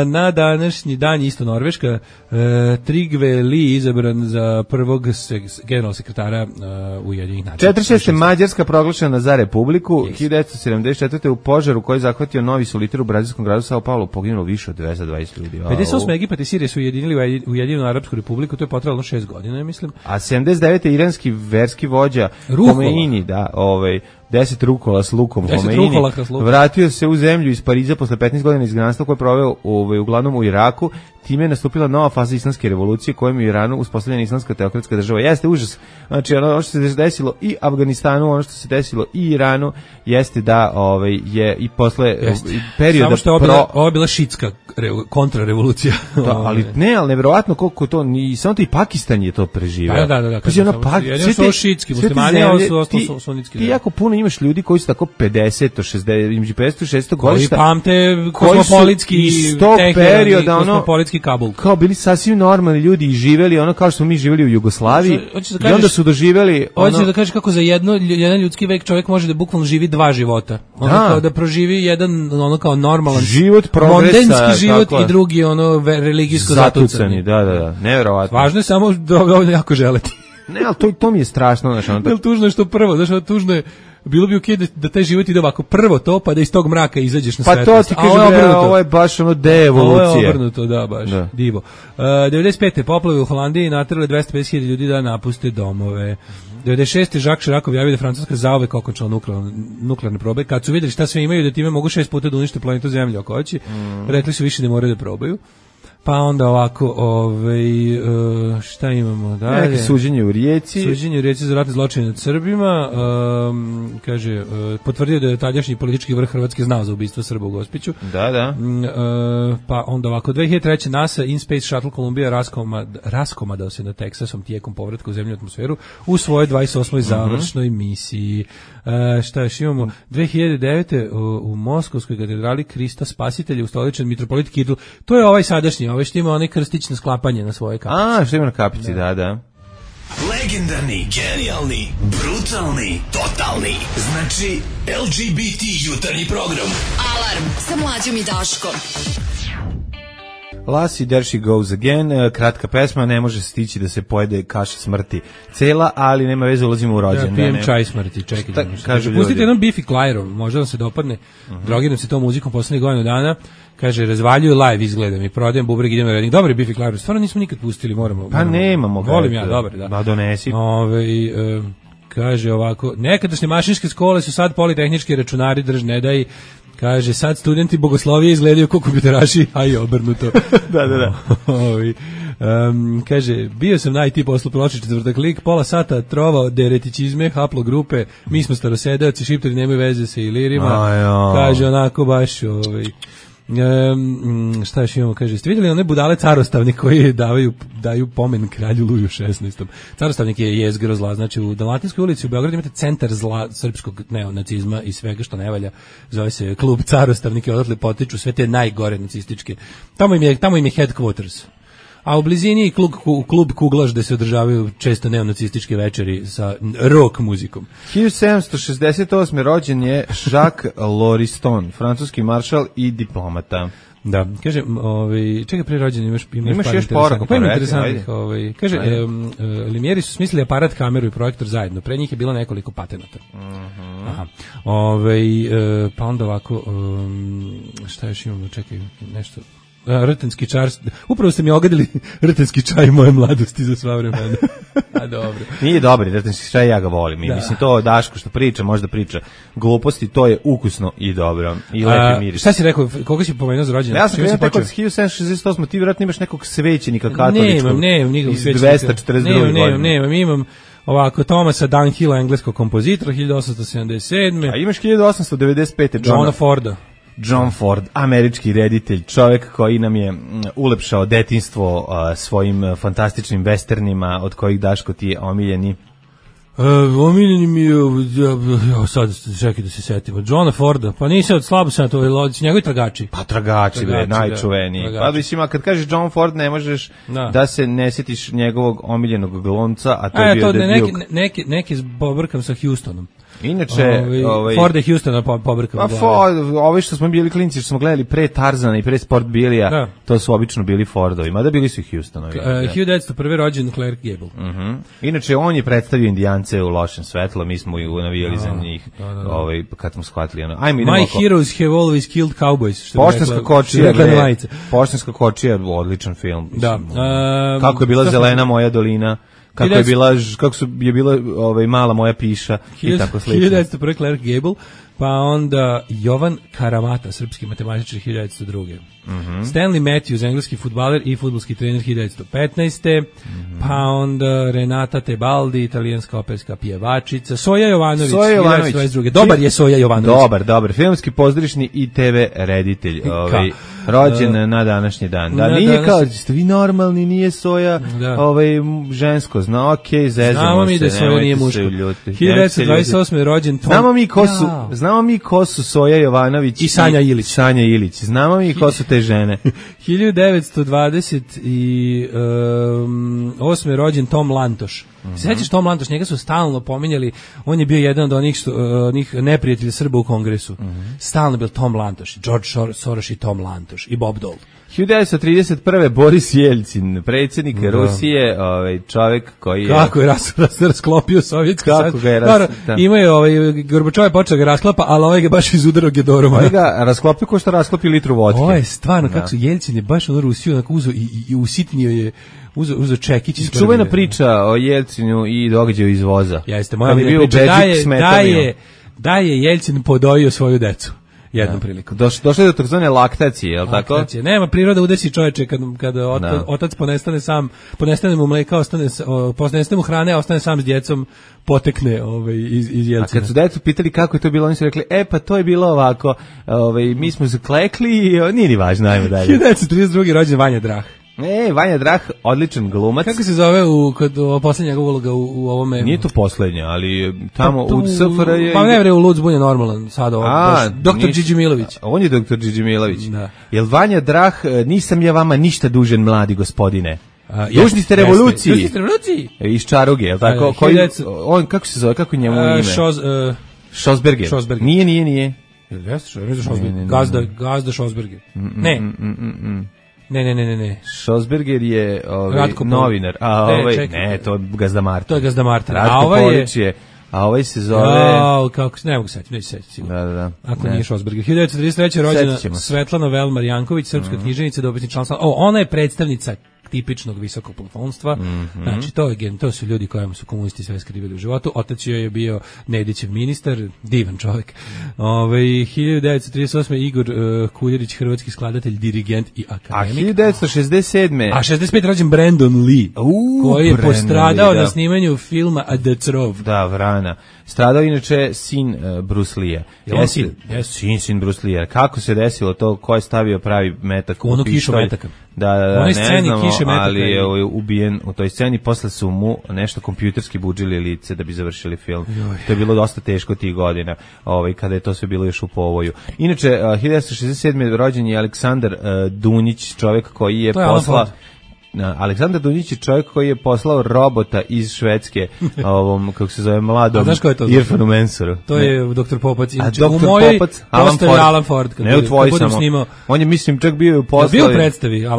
Na današnji dan isto Norveška, Trygve Lie izabran za prvog generalnog sekretara Ujedinjenih nacija. 46. Mađarska proglašena za republiku, 1974. u požaru koji je zahvatio novi soliter u brazilskom gradu Sao Paulo poginulo više od 220 ljudi. 58. Egipat i Sirija su ujedinili u Ujedinjenu arapsku republiku, to je potrajalo 6 godina, mislim. A 79. iranski verski vođa Khomeini, 10 rukola s lukom Khomeini, vratio se u zemlju iz Pariza posle 15 godina izgnanstva koje je proveo uglavnom u Iraku. Time je nastupila nova faza islamske revolucije kojom je u Iranu uspostavljena islamska teokratska država. Jeste užas. Znači ono što se desilo i Afganistanu, ono što se desilo i Iranu, jeste da je i posle perioda... Samo što ovo je bila šitska kontrarevolucija. Ali nevjerovatno koliko to, samo to i Pakistan je to preživeo. Da. Jedino su ovo šitski muslimani, a ovo su sunitski. Ti jako puno imaš ljudi koji su tako 50, 60, između 50 i 60 godišta. Koji pamte kosmopolitski perioda, kosmopolitski Kabul. Kao bili sasvim normalni ljudi i živeli ono kao što smo mi živeli u Jugoslaviji. I onda su doživeli hoćeš da kažeš kako za jedan ljudski vek čovjek može da bukvalno živi 2 života. Ono kao da proživi jedan ono kao normalan život, progresa, mondenski život i drugi ono religijsko zatucani. Da, neverovatno. Važno je samo da jako želeti. Ne, ali to mi je strašno, znači ono. Jel tužno je što prvo, znači tužno je bilo bi okej da taj život ide ovako, prvo to, pa da iz tog mraka izađeš na svetlost. Pa to ti kažem, ovo je baš ono deevolucija. Ovo je obrnuto, da, baš, divo. 95. poplave u Holandiji naterale 250.000 ljudi da napuste domove. 96. Jacques Chirac objavio da Francuska zauvek okončala nuklearne probe. Kad su vidjeli šta sve imaju, da time mogu 6 puta da unište planetu Zemlju oko oči, rekli su više ne moraju da probaju. Pa onda ovako, šta imamo dalje? Neki suđenje u Rijeci. Suđenje u Rijeci za ratne zločine nad Srbima. Kaže, potvrdio da je tadašnji politički vrh Hrvatske znao za ubistvo Srba u Gospiću. Da. Pa onda ovako, 2003. NASA In Space Shuttle Columbia raskomadao se na Teksasom tijekom povratka u zemlju atmosferu u svojoj 28. završnoj misiji. Šta još imamo? 2009. u Moskovskoj katedrali Krista Spasitelja ustoličen mitropolit Kiril. To je ovaj sadašnji, ovaj što ima onaj krstić na sklapanje na svoje kapici. Što ima na kapici, da. Legendarni, genijalni, brutalni, totalni. Znači, LGBT jutarnji program. Alarm sa Mlađom i Daškom. Lassie, There She Goes Again, kratka pesma, ne može stići da se pojede kaša smrti cela, ali nema veze, ulazimo u rođendan. Pijem čaj smrti, čekaj. Pustite jednom Biffy Clyro, možda vam se dopadne, drogiram se tom muzikom poslednjih godina dana, kaže, razvaljuju live izgledam i prodajem bubreg, idem na reding. Dobar je Biffy Clyro, stvarno nismo nikad pustili, moramo. Pa nemamo. Volim ja, dobar, da. Da, donesi. Kaže ovako, nekadašnje mašinske škole su sad politehnički računari, ne daj. Kaže, sad studenti bogoslovije izgledaju kao kompjuteraši, a i obrnuto. Da. Kaže, bio sam na IT poslu prošli četvrtak lik, pola sata trovao deretičizme, haplogrupe, mi smo starosedeoci, šiptari nemaju veze sa ilirima. Kaže, onako baš, šta još imamo, kaže, ste vidjeli one budale carostavni koji daju pomen kralju Luju 16. Carostavnik je jezgro zla, znači u Dalmatinskoj ulici u Beogradu imate centar zla srpskog neonacizma i svega što ne valja, zove se klub Carostavnik i odatle potiču sve te najgore nacističke. Tamo im je headquarters. A u blizini je klub Kuglaš gde se održavaju često neonacističke večeri sa rock muzikom. 1768. rođen je Jacques Lauriston, francuski maršal i diplomata. Da, kaže, čekaj, pre rođen imaš još poruka. Pa ima interesantnih, kaže, Limijeri su smislili aparat, kameru i projektor zajedno, pre njih je bilo nekoliko patenata. Aha. Pa onda ovako, šta još imamo, čekaj, nešto... Rtenski čaj, upravo ste mi ogadili rtenski čaj moje mladosti za sva vremena. A dobro. Nije dobri rtenski čaj, ja ga volim. Mislim, to Daško što priča, možda priča gluposti, to je ukusno i dobro. I lepi miris. Šta si rekao, koga si pomenuo za rođendan? Ja sam krenuo tako od 1768, ti vjerojatno imaš nekog svećenika katoličkog. Nemam nikog svećenika. Iz 242. Nemam, imam ovako Thomasa Dunhilla, engleskog kompozitora, 1877. A imaš 1895. John Ford, američki reditelj, čovjek koji nam je ulepšao detinjstvo svojim fantastičnim westernima, od kojih, Daško, ti je omiljeni. Omiljeni mi je, sad čekaj da se setimo, Johna Forda, pa nisi od slabo sam to, njegovi tragači. Pa tragači, najčuveniji. Pa mislim, kad kažeš John Ford, ne možeš da se ne setiš njegovog omiljenog glumca, a to je bio The Duke. Neki pobrkam sa Houstonom. Inače, Ford i Houstona pobrkam. Ovi što smo bili klinci, što smo gledali pre Tarzana i pre Sport Bilija, to su obično bili Fordovi, mada bili su i Houstonovi. 1901. rođen Clark Gable. Inače, on je predstavio Indijance u lošem svetlu, mi smo i navijali za njih, kad smo shvatili. My heroes have always killed cowboys. Poštanska kočija, odličan film. Kako je bila zelena moja dolina, kako je bila mala moja piša i tako slično. 1901. Clark Gable, pa onda Jovan Karamata, srpski matematičar, 1902. Stanley Matthews, engleski fudbaler i fudbalski trener, 1915. Pa onda Renata Tebaldi, italijanska operska pjevačica, Soja Jovanović, 1922. Dobar je Soja Jovanović. Dobar, filmski, pozorišni i TV reditelj. rođen na današnji dan. Da, nije kao, ste vi normalni, nije soja žensko, zna, okej, zezamo se. Znamo mi da soja nije muško. 1928. rođen Tom. Znamo mi ko su Soja Jovanović i Sanja Ilić. Znamo mi ko su te žene. 1928. rođen Tom Lantoš. Sećaš Tom Lantoš, njega su stalno pominjali, on je bio jedan od onih neprijatelja Srba u Kongresu. Stalno bio Tom Lantoš, George Soros i Tom Lantoš i Bob Dole. 1931. Boris Jeljcin, predsjednik Rusije, čovjek koji je... Kako je rasklopio Sovjetski savez. Kako ga je Imaju, Gorbačov je počeo ga rasklapa, ali ovaj ga baš izudarao Gedorom. Ovaj ga rasklopio ko što rasklopi litru vodke. Ovo je stvarno, kako su Jeljcin je baš ono Rusiju uzo i usitnio je uzo čekić iz čuvena priča o Jeljcinu i događaju izvoza. Jeste, moja priča da je Jeljcin podojio svoju decu. Jednom prilikom. Došlo je do takozvane laktacije, je li tako? Nema, priroda udesi čoveče kada otac ponestane mu mleka, ponestane mu hrane, a ostane sam s djecom, potekne iz Jeljcina. A kad su decu pitali kako je to bilo, oni su rekli, pa to je bilo ovako, mi smo zaklekli i nije ni važno, ajmo dalje. 1932. rođen Vanja Drah. Vanja Drah, odličan glumac. Kako se zove kod poslednjega uloga u ovome? Nije to poslednja, ali tamo u SFR je... Pa ne bre, u Lud zbunje normalan, sad ovo. Dr. Điđi Milović. On je Dr. Điđi Milović. Da. Jel Vanja Drah, nisam ja vama ništa dužan, mladi gospodine. Dužni ste revoluciji. Iz Čaruge, jel tako? On, kako se zove, kako je njemu ime? Šosberger. Nije. Gazda Šosberger. Ne. Šosberger je novinar. To je Gazda Martin. To je Gazda Martin. A ovaj se zove... kako ne mogu seći, neću seći sigurno. Da. Ako nije Šosberger. 1933. rođena Svetlana Velmar Janković, srpska književnica, dobitnik članstva. Ona je predstavnica tipičnog visokog plafonsstva. Znači, to su ljudi kojima su komunisti sve skrivili u životu. Otac joj je bio Nedićev ministar, divan čovjek. 1938. Igor Kuljerić, hrvatski skladatelj, dirigent i akademik. A 1967. A 65. rođen Brandon Lee, koji je postradao na snimanju filma A Death's Row. Da, vrana. Stradao inače sin Bruce Lee-a. Sin Bruce Lee-a. Kako se desilo to, ko je stavio pravi metak u pištolj? Metaka. Da, ne znamo, ali je ubijen u toj sceni. Posle su mu nešto kompjuterski budžili lice da bi završili film. To je bilo dosta teško tih godina, kada je to sve bilo još u povoju. Inače, 1967. rođen je Aleksandar Dunjić, čovjek koji je poslao... Aleksandar Dunjić je čovjek koji je poslao robota iz Švedske ovom, kako se zove, mladom Irfanu Mensuru. To je Dr. Popac. U mojoj postoji Alan Ford. Ne u tvoj samo. On je, mislim, čak bio u poslavi. Bio u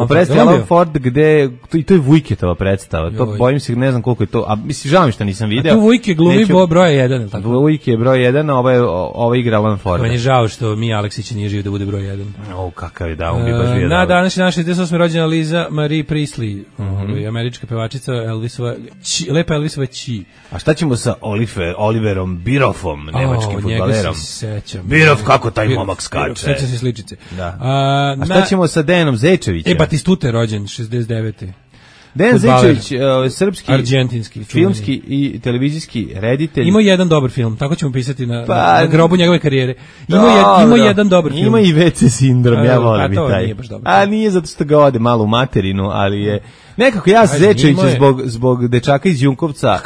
predstavi Alan Ford, gde, i to je Vujketova predstava. To bojim se, ne znam koliko je to, a mislim, žao mi što nisam video. A tu Vujke glumi broj 1. Vujke je broj 1, a ovo igra Alan Ford. Meni je žao što mi Aleksić nije živ da bude broj 1. Kakav je da, on bi baš bio. Na današnji 68. rođena Liza Marie Priestley, američka pevačica, lepa Elvisova Ći. A šta ćemo sa Oliverom Bierhoffom, nemačkim fudbalerom? Bierhoff, kako taj momak skače. Seća se sličice. A šta ćemo sa Dejanom Zečevićem? Batistuta je rođen, 69. Dejan Zečević, srpski, argentinski, filmski i televizijski reditelj. Ima jedan dobar film, tako ćemo pisati na grobu njegove karijere. Ima jedan dobar film. Ima i WC sindrom, ja volim i taj. A nije zato što ga ode malo u materinu, ali je... Nekako ja Zečevića zbog dečaka iz Junkovca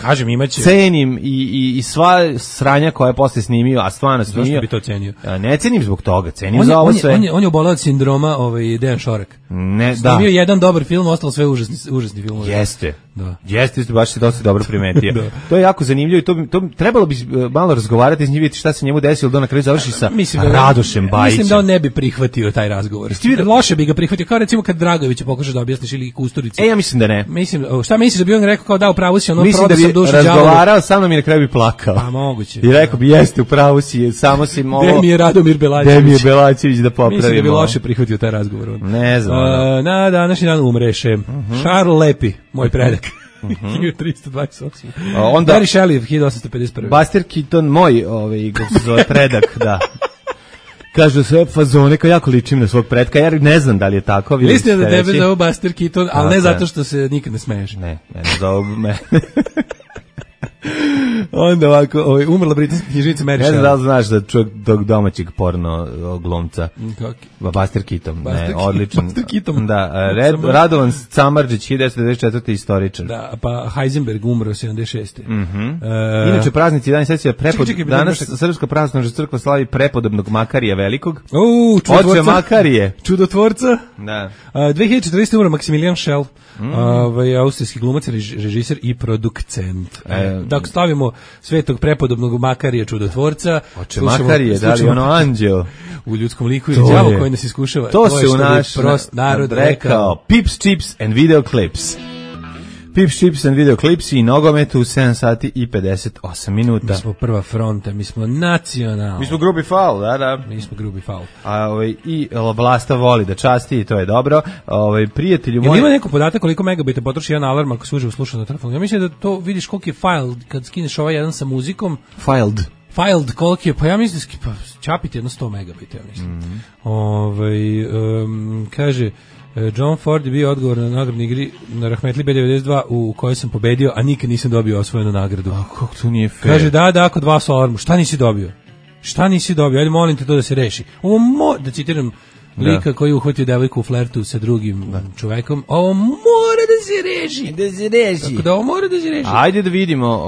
cenim i sva sranja koja je posle snimio, a stvarno snimio. Zašto bi to cenio? Ne cenim zbog toga, cenim za ovo sve. On je obolao od sindroma Dejan Šorek. Snimio jedan dobar film, ostalo sve užasni filmovi. Jeste. Jeste, baš si dosta dobro primetio. To je jako zanimljivo i to trebalo bi malo razgovarati s njim, vidjeti šta se njemu desilo da na kraju završi sa Radošem Bajićem. Mislim da on ne bi prihvatio taj razgovor. Loše bi ga prihvatio, kao recimo kad Dragović pokušaš da objasniš ili Kusturici. Ja mislim da ne. Šta misliš da bi on rekao kao da u pravu si, ono prodao sam dušu đavolu? Razgovarao sa mnom i na kraju bi plakao. Pa moguće. I rekao bi jeste u pravu si, samo si ovo. Gde mi je Radomir Belačević da popravimo. Mislim da bi loše prihvatio taj razgovor. Ne znam. Na današnji dan umreše Charles Lepi, moj predak. 1328. Onda Mary Shelley 1851. Buster Keaton, moj kako se zove predak, da. Kažu sve fazone, kao jako ličim na svog pretka, ja ne znam da li je tako. Mislim da tebe zove Buster Keaton, ali ne zato što se nikad ne smeješ. Ne zovu me. Onda ovako, umrla britanska knjižnica Mary Shelley. Ne znam da li znaš da čovjek tog domaćeg porno glumca. Buster Keaton. Ne, odličan. Buster Keaton. Da, Radovan Samardžić, 1994. istoričar. Da, pa Heisenberg umro 76. Inače, praznici dan sesija danas Srpska pravoslavna crkva slavi prepodobnog Makarija Velikog. Oče Makarije. Čudotvorca. Da. 2014. umro Maximilian Schell, austrijski glumac, režiser i producent. Dakle, slavimo svetog prepodobnog Makarija Čudotvorca. Oče Makarije, da li ono anđeo? U ljudskom liku ili đavo koji nas iskušava. To se u naš narod rekao. Pips, chips and video clips. Pips, chips and video clips i nogometu u 7 sati i 58 minuta. Mi smo prva fronta, mi smo nacionalni. Mi smo grubi faul, da. Mi smo grubi faul. I Vlasta voli da časti i to je dobro. Prijatelju moj... Ima neko podatak koliko megabajta potroši jedan alarm ako se uživo sluša na telefonu? Ja mislim da to vidiš koliko je file kad skineš ovaj jedan sa muzikom. Filed, koliko je, pa ja mislim da čapiti jedno 100 megabajta, ja mislim. Kaže... John Ford je bio odgovor na nagradnoj igri na Rahmetli B92 u kojoj sam pobedio, a nikad nisam dobio osvojenu nagradu. Kako to nije fair? Kaže, da, kod vas u alarmu. Šta nisi dobio? Ajde, molim te to da se reši. Da citiram lika koji uhvatio devojku u flertu sa drugim čovekom. Ovo mora da se reši. Tako da ovo mora da se reši. Ajde da vidimo.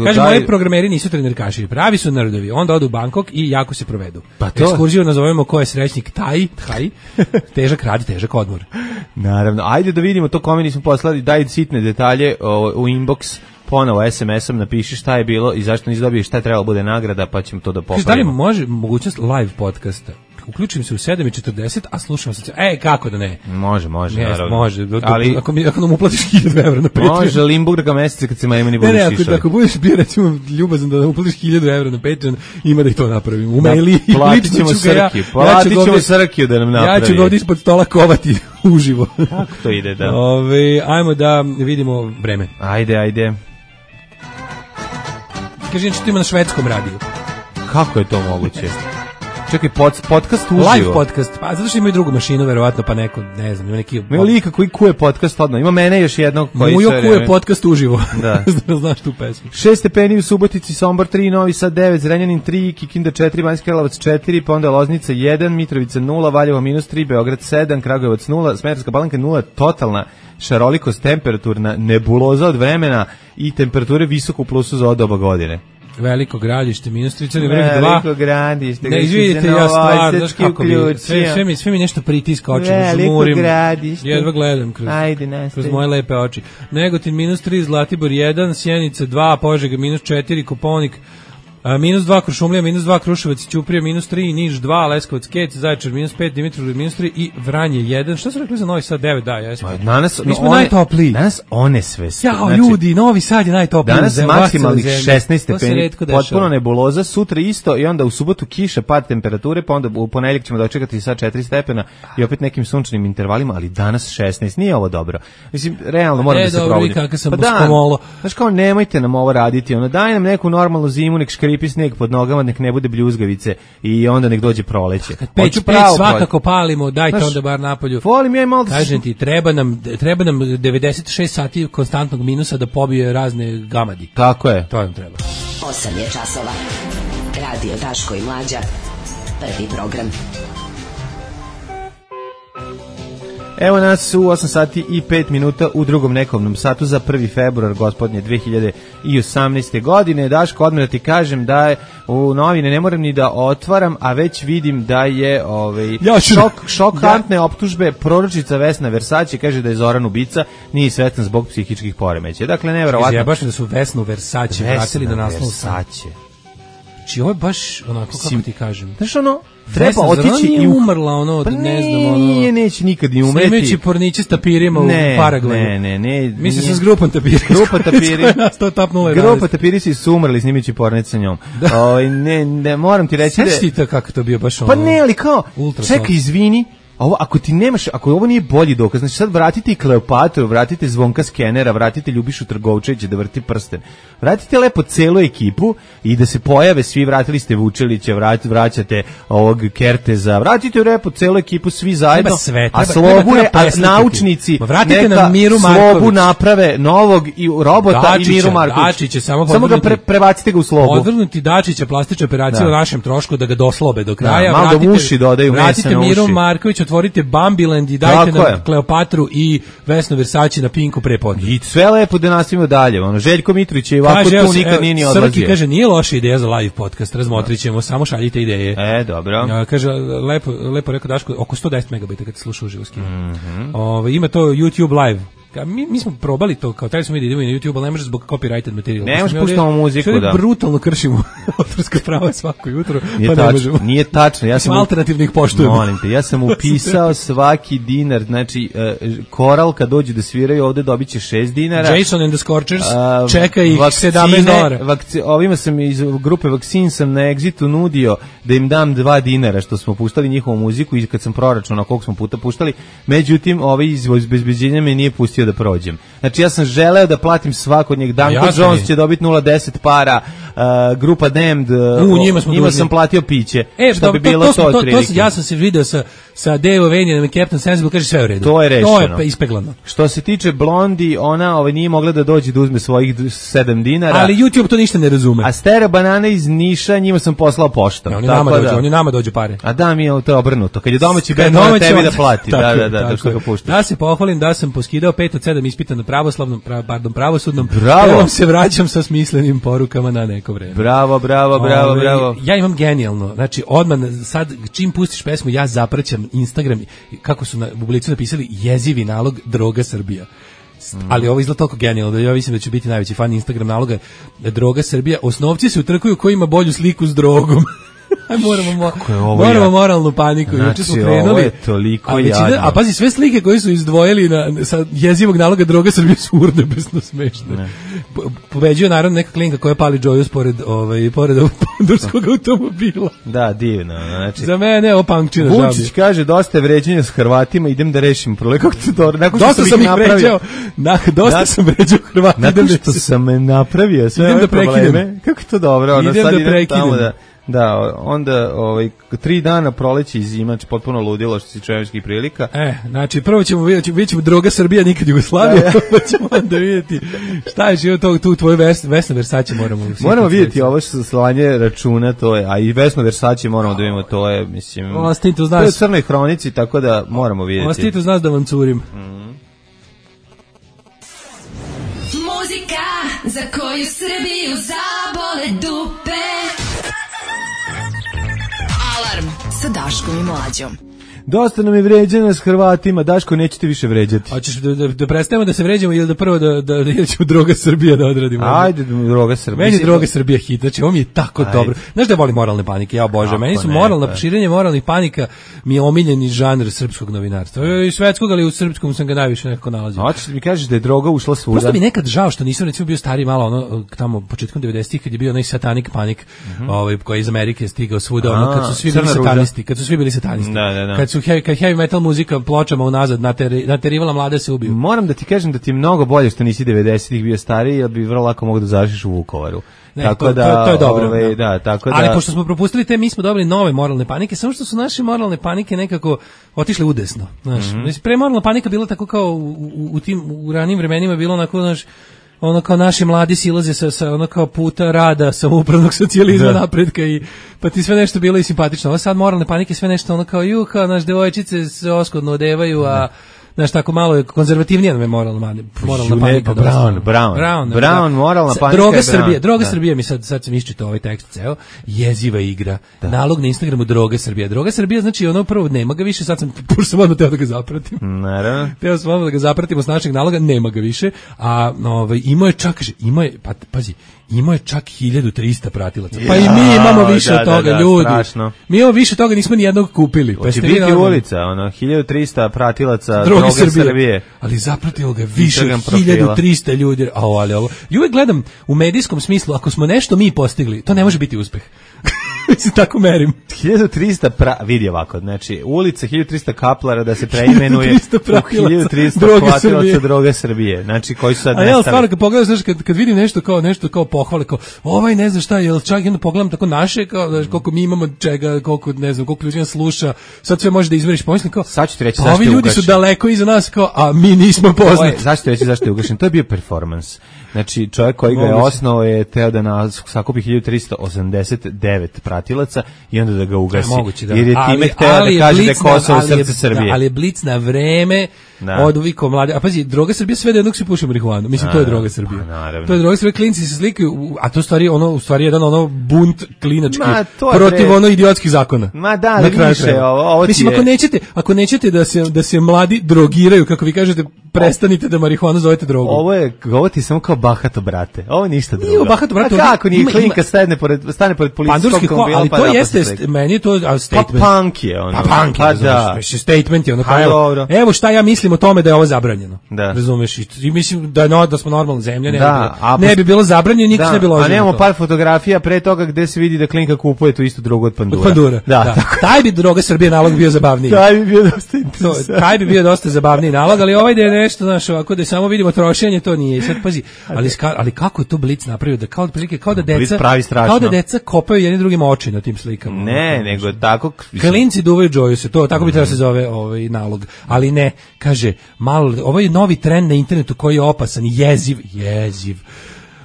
Kaže, moji programeri nisu trenerkaši, pravi su narodovi. Onda odu u Bangkok i jako se provedu. Pa to? Ekskurziju nazovemo ko je srećnik Taj, težak rad, težak odmor. Naravno, ajde da vidimo to kome nismo poslali, daj sitne detalje u inbox, ponovo SMS-om napiši šta je bilo i zašto nisi dobio, šta je trebalo bude nagrada, pa ćemo to da popravimo. Da li može mogućnost live podcasta? Uključim se u 7:40, a slušam se. Kako da ne? Može, naravno. Može. Ali ako nam uplatiš 1000 evra na Patreon. Može, Limburga meseca kad se meni budeš išao. Ako budeš bio recimo ljubazan da uplatiš 1000 evra na Patreon, ima da i to napravimo. U maili platit ćemo Srkiju da nam napravi. Ja ću ga ovdje ispod stola kovati uživo. Kako to ide, da? Ajmo da vidimo vreme. Ajde. Kaže, što ima na švedskom radiju. Kako je to moguće? Čekaj, podcast uživo. Live podcast, pa zato što ima i drugu mašinu, verovatno, pa neko, ne znam, ima neki... Ima lika koji kuje podcast odno, ima mene još jednog koji... Mujo kuje podcast uživo, da. Znaš tu pesmu. 6 stepeni u Subotici, Sombor 3, Novi Sad 9, Zrenjanin 3, Kikinda 4, Banjski Karlovac 4, pa onda Loznica 1, Mitrovica 0, Valjevo -3, Beograd 7, Kragujevac 0, Smederevska Palanka 0, totalna šarolikost temperaturna, nebuloza od vremena i temperature visoko u plusu za doba godine. Veliko Gradište, -3, vreme 2. Veliko Gradište. Ne, izvidite, ja stvar, znaš kako bi, sve mi nešto pritiska oči, Veliko Gradište. Jedva gledam kroz moje lepe oči. Negotin -3, Zlatibor 1, Sjenica 2, Požega -4, Koponik -2, Krušumlija -2, Kruševac i Ćuprija -3, Niš 2, Leskovac Kec, Zaječar -5, Dimitrovgrad -3 i Vranje 1. Šta su rekli za Novi Sad 9? Da, jesmo. Mi smo najtopliji. Danas one sve. Jao, ljudi, Novi Sad je najtopliji. Danas maksimalnih 16 stepeni, potpuno nebuloza, sutra isto i onda u subotu kiša, pad temperature, pa onda u ponedjeljak ćemo dočekati sad 4 stepena i opet nekim sunčanim intervalima, ali danas 16. Nije ovo dobro. Mislim, realno moram da se probudim. Znaš kao, nemojte nam ovo raditi, daj nam neku normalnu zimu, nek škripi snijeg pod nogama, nek ne bude bljuzgavice i onda nek dođe proleće. Kad peć svakako palimo, dajte onda bar napolju. Volim ja i malo da... Kažem ti, treba nam 96 sati konstantnog minusa da pobije razne gamadi. Tako je. To nam treba. 8 je časova. Radio Daško i Mlađa. Prvi program. Evo nas u 8 sati i 5 minuta u drugom nekovnom satu za 1. februar gospodnje 2018. godine. Daško, odmah da ti kažem da je u novine ne moram ni da otvaram, a već vidim da je šokantne optužbe. Proročica Vesna Versace kaže da je Zoran ubica, nije sretan zbog psihičkih poremećaja. Dakle, neverovatno. Ja baš da su Vesnu Versace vratili na naslov Versace. Znači, ovo je baš onako, kako ti kažem. Znaš treba otići i umrla ne znam neće nikad ni umreti. Snimeći porniće s tapirima u Paragvaju. Ne. Mislim se s grupom tapiri. Grupa tapiri su umrli snimeći pornić sa njom. Ne, moram ti reći da... Sveći ti to kako to bio baš Pa ne, ali kao, čekaj, izvini, ovo, ako ovo nije bolji dokaz, znači sad vratite i Kleopatru, vratite Zvonka Skenera, vratite Ljubišu Trgovčevića da vrti prsten. Vratite lepo celu ekipu i da se pojave svi, vratili ste Vučelića, vraćate ovog Kerteza, vratite lepo celu ekipu svi zajedno, a Slobu je, naučnici neka Slobu naprave novog i robota i Miru Markovića. Samo ga prebacite ga u Slobu. Odvrnuti Dačića plastična operacija u našem trošku da ga doslobe do kraja. Malo da uši dodaju mesa na uši. Vratite Miru Marković, otvorite Bambiland i dajte nam Kleopatru i Vesnu Versace na Pinku prepodne. I sve lepo da nastavimo dalje. Željko Mitrović je ovako tu nikad nije odlazio. Srki kaže, nije loša ideja za live podcast, razmotrit ćemo, samo šaljite ideje. Dobro. Kaže, lepo rekao Daško, oko 110 megabajta kad se sluša uživo skinu. Ima to YouTube live. Mi smo probali to, kao taj smo vidjeli da idemo na YouTube, ali ne može zbog copyrighted materijala. Ne možeš puštamo muziku, da. Brutalno kršimo autorska prava svako jutro, pa ne možemo. Nije tačno. Ja sam alternativnih poštujemo. Molim te, ja sam upisao svaki dinar, znači Koral kad dođe da sviraju ovde dobit će 6 dinara. Jason and the Scorchers čeka ih $17. Ovima sam iz grupe Vakcin sam na Exitu nudio da im dam 2 dinara što smo puštali njihovu muziku i kad sam proračunao koliko smo puta puštali, međutim iz obezbeđenja me nije pustio da prođem. Znači ja sam želeo da platim svakog od njih. Danko Jones će dobiti 0,10 para, grupa Damned, njima sam platio piće. Što bi bilo to otprilike. Ja sam se video sa Dave Ovenijem i Captain Sensible, kaže sve u redu. To je rešeno. To je ispeglano. Što se tiče Blondi, ona nije mogla da dođe da uzme svojih 7 dinara. Ali YouTube to ništa ne razume. A Stera Banana iz Niša, njima sam poslao poštom. Oni nama dođu pare. A da, mi je to obrnuto. Kad je domaći bend, mora tebi da plati. Da, što ga puštaš. Da se pohvalim da sam poskidao 5 od 7 ispita na pravosudnom. Bravo. Se vraćam sa smislenim porukama na neko vreme. Bravo. Ja imam genijalno. Znači, odmah sad, čim pustiš pesmu, ja zapraćam Instagram, kako su u Blicu napisali, jezivi nalog Droga Srbija. Ali ovo izgleda toliko genijalno da ja mislim da ću biti najveći fan Instagram naloga Droga Srbija. Osnovci se utrkuju ko ima bolju sliku s drogom. Moramo moralnu paniku. Znači, ovo je toliko jadno. A pazi, sve slike koje su izdvojili sa jezivog naloga Droga Srbije su urnebesno smešne. Pobeđuje naravno neka klinka koja pali Džojus pored pandurskog automobila. Da, divno. Znači, za mene ovo punkčina žabi. Vučić kaže, dosta je vređenja s Hrvatima, idem da rešim problem. Dosta sam ih vređao. Dosta sam vređao Hrvati. Nakon što sam napravio sve ove probleme. Kako to dobro. Idem da prekidem. Da, onda 3 dana proleće i zima, potpuno ludilo što se čovječkih prilika. Znači prvo ćemo vidjeti Droga Srbija, nikad Jugoslavija, pa ćemo onda vidjeti šta je život tu tvoju Vesna Versace moramo vidjeti ovo što slanje računa, to je, a i Vesna Versace moramo da vidimo, to je, mislim, to je u Crnoj hronici, tako da moramo vidjeti. Ostite uz nas da vam curim. Muzika za koju Srbiju zabole dupe. Alarm sa Daškom i Mlađom. Dosta nam je vređana s Hrvatima, Daško, nećete više vređati. Hoćeš da prestanemo da se vređamo ili da prvo da ćemo Droga Srbija da odradimo? Ajde, Droga Srbija. Meni je Droga Srbija hit, znači ovo mi je tako dobro. Znaš da volim moralne panike, ja obožavam. Meni su širenje moralnih panika mi je omiljeni žanr srpskog novinarstva. I svetskog, ali u srpskom sam ga najviše nekako nalazio. Hoćeš da mi kažeš da je droga ušla svuda? Prosto mi nekad žao što nisam recimo bio stariji malo, tamo početkom 90-ih kad je bio onaj Satanic Panic, koji je iz Amerike stigao svuda, kad su svi bili satanisti. Kad su heavy metal muzika pločama unazad naterivala mlade se ubiju. Moram da ti kažem da ti je mnogo bolje što nisi 90-ih bio stariji, jer bi vrlo lako mogao da završiš u Vukovaru. Ne, to je dobro. Ali pošto smo propustili mi smo dobili nove moralne panike, samo što su naše moralne panike nekako otišle udesno. Pre moralna panika bila tako kao u ranim vremenima bilo onako, ono kao naši mladi silaze sa ono kao puta rada, samoupravnog socijalizma, napretka i pa ti sve nešto bilo i simpatično. Ovo sad moralne panike, sve nešto ono kao naš devojčice se oskodno odevaju, a znaš, tako malo je konzervativnija nam je moralna panika. Brown, moralna panika. Droga Srbija mi sad sam iščitao ovaj tekst ceo, jeziva igra. Nalog na Instagramu Droga Srbija. Droga Srbija znači ono prvo nema ga više, sad sam odmah teo da ga zapratim. Naravno. Teo sam odmah da ga zapratimo s našeg naloga, nema ga više, a imao je čak, imao je čak 1300 pratilaca. Pa i mi imamo više od toga, ljudi. Strašno. Mi imamo više toga, nismo ni jednog kupili. Hoće biti ulica, 1300 pratilaca Droge Srbije. Ali zapratilo ga više od 1300 ljudi. Ali ovo. I uvijek gledam u medijskom smislu, ako smo nešto mi postigli, to ne može biti uspeh. se tako merim. 1300 vidi ovako, znači ulica 1300 kaplara da se preimenuje 1300 platilaca droga Srbije. Znači koji su sad nestali. A ja stvarno kad pogledaš, znači kad vidim nešto kao pohvale, kao ovaj ne znam šta, jel čak jedno pogledam tako naše, kao znači, koliko mi imamo čega, koliko ne znam, koliko ljudi nas sluša, sad sve možeš da izmeriš, pomislim kao. Sad ću ti reći zašto je ugašen. Ovi ljudi su daleko iza nas, kao, a mi nismo poznati. Zašto je ugašen? To je bio performans. Znači, čovjek koji ga je osnovao je teo da sakupi 1389 pratilaca i onda da ga ugasi. Moguće, da. Jer je time hteo da kaže da je Kosovo srce Srbije. Ali je blic na vreme od uviko mlade. A pazi, droga Srbije sve do jednog se puši marihuanu. Mislim, to je droga Srbije. To je droga Srbije, klinci se slikaju, a to u stvari jedan bunt klinački protiv idiotskih zakona. Ma da, više ovo mislim, ako nećete da se mladi drogiraju, kako vi kažete, prestanite da marihuanu zovete drogom. Ovo ti samo kao bahato, brate. Ovo je ništa drugo. Nije bahato, brate. A kako nije klinka stane pored policijskog automobila? Ali to jeste, meni je to statement. Pa punk je ono. Pa punk je, da. Statement je ono. Evo šta ja mislim o tome da je ovo zabranjeno. Razumeš? I mislim da smo normalna zemlja. Ne bi bilo zabranjeno, nikad ne bi bilo ozbiljno. A nemamo par fotografija pre toga gde se vidi da klinka kupuje tu istu drogu od pandura. Od pandura, da. Taj bi droga Srbije nalog bio zabavniji. Taj bi bio dosta zabavniji nalog, ali ovaj da je nešto, znaš, ovako da samo vidimo trošenje, to nije. I sad pazi, ali kako je to Blic napravio da kao da deca kopaju jedni drugima oči na tim slikama. Ne, nego tako klinci duvaju džoju se, to tako bi trebalo se zove ovaj nalog. Ali ne, kaže, malo ovaj novi trend na internetu koji je opasan, jeziv.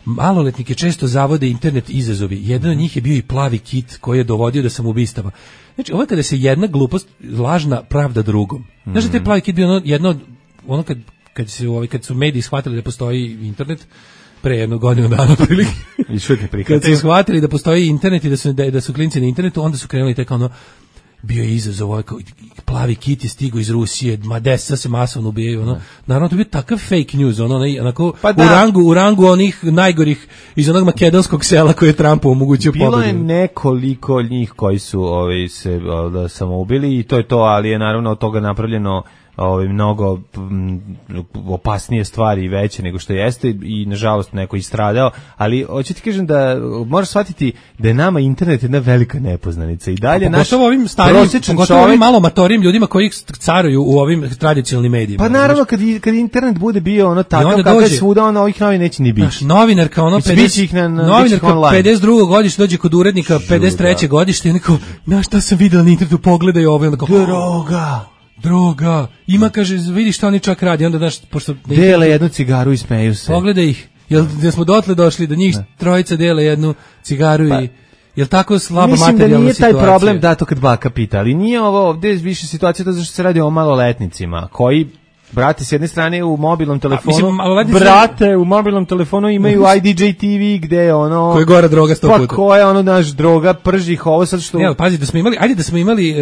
Maloletnike često zavode internet izazovi. Jedan od njih je bio i plavi kit koji je dovodio do samoubistava. Znači, ovo je kada se jedna glupost lažna pravda drugom. Znaš da taj plavi kit bio jedno kad su mediji shvatili da postoji internet pre jednog godinu dana prilike. Kad su shvatili da postoji internet i da su klinci na internetu, onda su krenuli tek ono, bio je izazov, ovaj plavi kit je stigao iz Rusije, Madesa se masovno ubijaju, ono. Naravno, to je bio takav fake news, onako, u rangu onih najgorih iz onog makedonskog sela koje je Trumpu omogućio pobedu. Bilo je nekoliko njih koji su se samoubili i to je to, ali je naravno od toga napravljeno mnogo opasnije stvari i veće nego što jeste i nažalost neko istradao, ali hoću ti kažem da moraš shvatiti da je nama internet jedna velika nepoznanica i dalje naš prosječan čovjek, ovim malo matorim ljudima koji caruju u ovim tradicionalnim medijima. Pa naravno kad internet bude bio ono takav kako je svuda, ono ovih novina neće ni biti. Novinarka ono 52. godište dođe kod urednika 53. godište i neko, znaš šta sam videla na internetu, pogledaj ovo, onda droga, ima, kaže, vidi šta oni čak radi, onda daš, pošto dele jednu cigaru i smeju se. Pogledaj ih, da smo dotle došli, da njih trojica dele jednu cigaru i jel tako slaba materijalna situacija? Mislim da nije taj problem da to kad baka pita, ali nije ovo ovdje više situacija to zašto se radi o maloletnicima, koji brate, s jedne strane u mobilnom telefonu, u mobilnom telefonu imaju IDJ TV gde je ono... Koje gora droga 100 puta. Pa koja ono naš droga, prži ih ovo sad što... Ne, ali pazi, da smo imali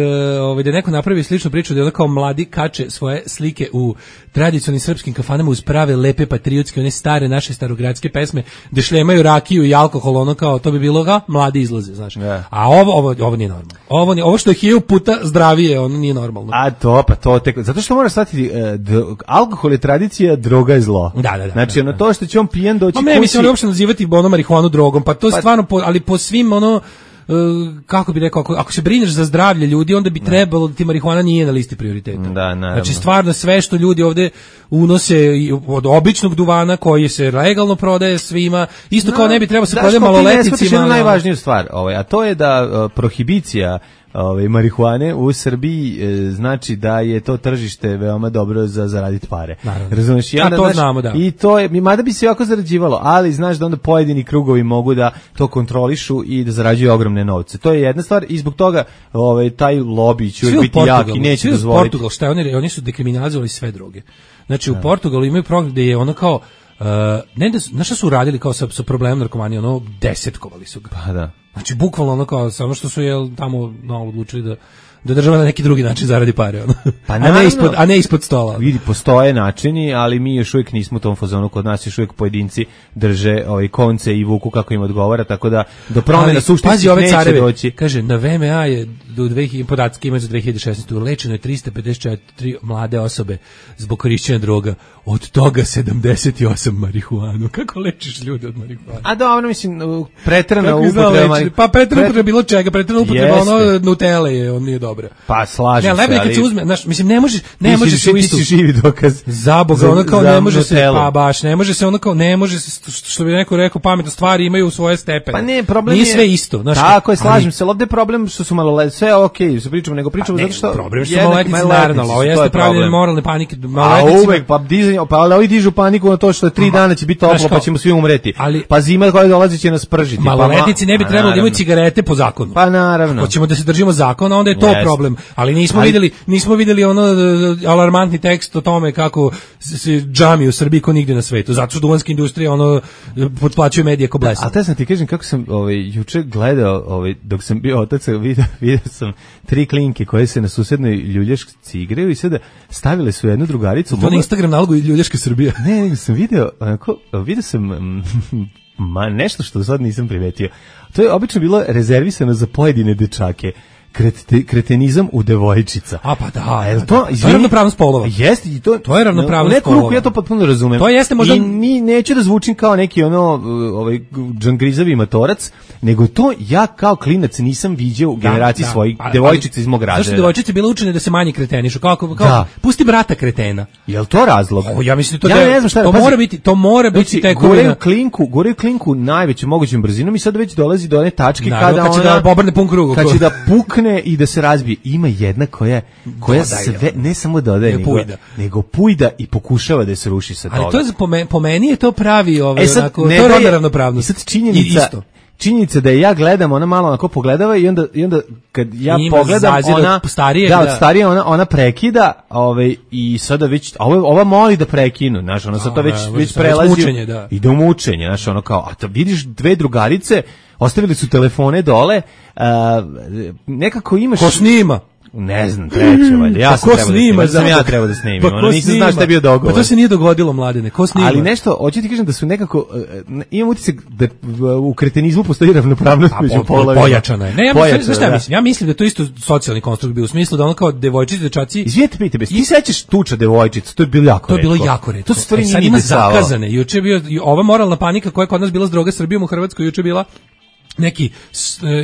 da neko napravi sličnu priču, da je ono kao mladi kače svoje slike u tradicionalnim srpskim kafanama uz prave, lepe, patriotske, one stare, naše starogradske pesme, gde šlemaju rakiju i alkohol, ono kao, to bi bilo mladi izlaze, znaš. Yeah. A ovo nije normalno. Ovo što je 1000 puta zdravije, ono nije normalno. A to tek... Zato što moraš shvatiti... alkohol je tradicija, droga je zlo. Da. Znači, ono to što će on pijen doći kući... Ne, mislim, uopšte nazivati marihuanu drogom, pa to je stvarno, ali po svim, kako bi rekao, ako se brineš za zdravlje ljudi, onda bi trebalo da ti marihuana nije na listi prioriteta. Da, naravno. Znači, stvarno sve što ljudi ovde unose od običnog duvana koji se legalno prodaje svima, isto kao ne bi trebalo se prodaje maloletnicima. Da, najvažniju stvar, a to je da prohibicija marihuane u Srbiji znači da je to tržište veoma dobro za zaraditi pare. Razumeš? I onda, to znamo, da. I to je, mada bi se jako zarađivalo, ali znaš da onda pojedini krugovi mogu da to kontrolišu i da zarađuju ogromne novce. To je jedna stvar i zbog toga taj lobby će biti jak i neće dozvoliti. Portugal, šta je, oni su dekriminalizovali sve droge. Znači u Portugalu imaju program gde je ono kao znaš šta su uradili kao sa problemom narkomanije, desetkovali su ga. Pa da. Znači, bukvalno kao, samo što su tamo odlučili da država na neki drugi način zaradi pare, Pa a ne ispod stola. Vidi, postoje načini, ali mi još uvijek nismo u tom fazonu, kod nas još uvijek pojedinci drže konce i vuku kako im odgovara, tako da do promjena suštinskih neće doći. Kaže, na VMA je podatke imaju za 2016. Lečeno je 354 mlade osobe zbog korišćenja droga, od toga 78 marihuanu. Kako lečiš ljude od marihuana? A dobro, mislim, preterana upotreba. Pa preterana upotreba bilo čega, preterana upotreba ono Nutelle je, on nije dobra. Pa slažem se, ali... kad se uzme, znaš, mislim, ne može se u istu... Ti si živi dokaz. Za Boga, ono kao ne može se, pa baš, ne može se ono kao, ne može se, što bi neko rekao, pametne stvari imaju svoje stepene. Pa ne, problem nije sve isto. Znaš, tako je, slažem se, ali ovde je problem što su maloletnici, sve okej, se pričamo, nego pričamo zato što... Problem što su maloletnici, naravno, ovo jeste pravljanje moralne panike. A uvek, pa ovi dižu paniku na to što 3 dana će biti toplo, pa ćemo svi umreti. Pa zima koja dolazi će nas pržiti. Maloletnici ne bi trebalo da imaju cigarete po zakonu. Pa naravno. Hoćemo da se držimo zakona, onda je to problem. Ali nismo videli ono alarmantni tekst o tome kako se džami u Srbiji ko nigde na svetu. Zato što duvanska industrija ono potplaćuje medije ko blesa. A te sam ti kažem kako sam juče gledao, dok sam bio otac, vidio sam 3 klinke koje se na susednoj ljuljašci igraju i sada stavile su jednu drugaricu. To na Instagram nalogu Ljuljaške Srbije. Ne, sam vidio sam nešto što sad nisam primetio. To je obično bilo rezervisano za pojedine dečake. Kretenizam u devojčica. A pa da, to je ravnopravnost polova. Jeste i to je ravnopravnost polova. U neku ruku ja to potpuno razumem. To jeste možda i neću da zvučim kao neki džangrizavi matorac, nego to ja kao klinac nisam viđao u generaciji svojih devojčica iz mog razreda. Zašto devojčice bile učene da se manje kretenišu? Kao pusti brata kretena. Jel to razlog? Ja mislim to ne znam šta. To mora biti taj gore klinku najvećom mogućom brzinom i sad već dolazi do one tačke kada ona obrne pun krug. Kad će da pukne i da se razbije. Ima jedna koja sve ne samo dodaje, nego pujda i pokušava da se ruši sa toga. Ali to je po meni je to pravi to je rodna ravnopravnost. I sad činjenica da ja gledam, ona malo onako pogledava i onda kad ja pogledam ona starije ona prekida, i sada već ova moli da prekinu, znaš, ona sad to već prelazi i do mučenja, znaš, ono kao, a vidiš dve drugarice ostavili su telefone dole, nekako imaš... Ko snima? Ne znam, treće, valjda. Ja sam trebao da snimim. Nisam znao šta je bio dogovor. Pa to se nije dogodilo, mladene. Ko snima? Ali nešto, hoću ti kažem da su nekako, imam utisak da u kretenizmu postoji ravnopravnost među polovima. Pojačana je. Ne, ja mislim da je to isto socijalni konstrukt bio, u smislu da ono kao devojčice, dečaci... Izvijete, pite, ti sećaš tuča devojčica, to je bilo jako retko. To je bilo jako retko. To stvari sad ima zakazane. Juče je bio, ova moralna panika koja je kod nas bila s droga Srbijom u Hrvatskoj, juče je bila neki,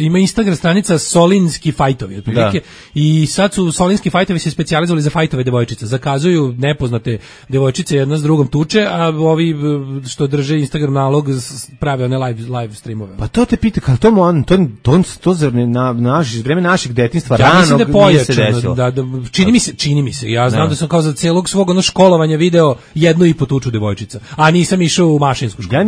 ima Instagram stranica Solinski fajtovi otprilike, i sad su Solinski fajtovi se specijalizovali za fajtove devojčica, zakazuju nepoznate devojčice jedna s drugom tuče, a ovi što drže Instagram nalog prave one live streamove. Pa to te pita, kao to za vreme našeg detinjstva ranog nije se desilo. Čini mi se, ja znam da sam kao za celog svog školovanja video 1,5 tuču devojčica, a nisam išao u mašinsku školu.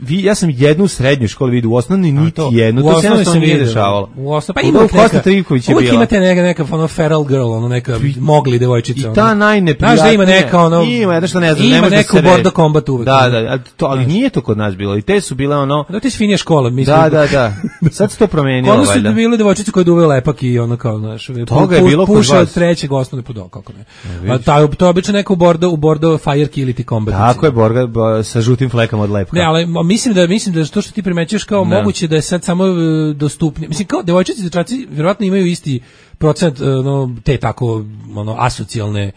Ja sam jednu u srednjoj školi vidio, u osnovnoj niti jednu, to se jednostavno nije dešavalo. Pa ima Kosta Trivković je bila. Uvijek imate neka feral girl, neka mogli devojčica. I ta najneprijatnija. Znaš da ima neka Ima jedno što ne znam. Ima neku bordo kombat uvijek. Da, ali nije to kod nas bilo. I te su bile Da, te su finija škola. Da. Sad se to promenilo. Onda su bile devojčice koje duve lepak i ono kao, znaš. Toga je bilo kod vas. Puša od trećeg osnovne podao, kako ne. To je obično neko u bordo fire killiti kombat. Tako je, borga sa žutim flekama od lepka. Ne, ali mislim da to što ti primećuješ kao moguće da je sad samo dostupni. Mislim, kao devojčice i dečaci vjerovatno imaju isti procent te tako asocijalne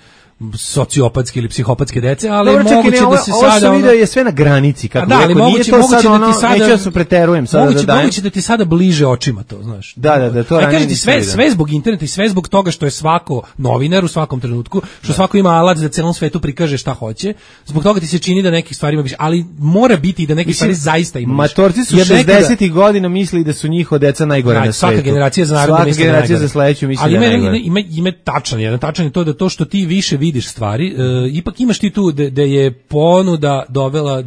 sociopatske ili psihopatske dece, ali dobro, moguće da se sada... Ovo sam vidio je sve na granici, kako rekao, nije to sad neću da se preterujem. Moguće da ti sada bliže očima to, znaš. Da, to ranije nisam vidio. Sve zbog interneta i sve zbog toga što je svako novinar u svakom trenutku, što svako ima alat da celom svetu prikaže šta hoće, zbog toga ti se čini da nekih stvari ima više, ali mora biti i da nekih stvari zaista ima više. Matorci su 60-ih godina mislili da su njihova deca najgore na svetu. Svaka generacija za narod misli najgore. Svaka generacija za sledeću misli da najgore. Ima tačan je to da to što ti više vidiš stvari, ipak imaš ti tu da je ponuda dovela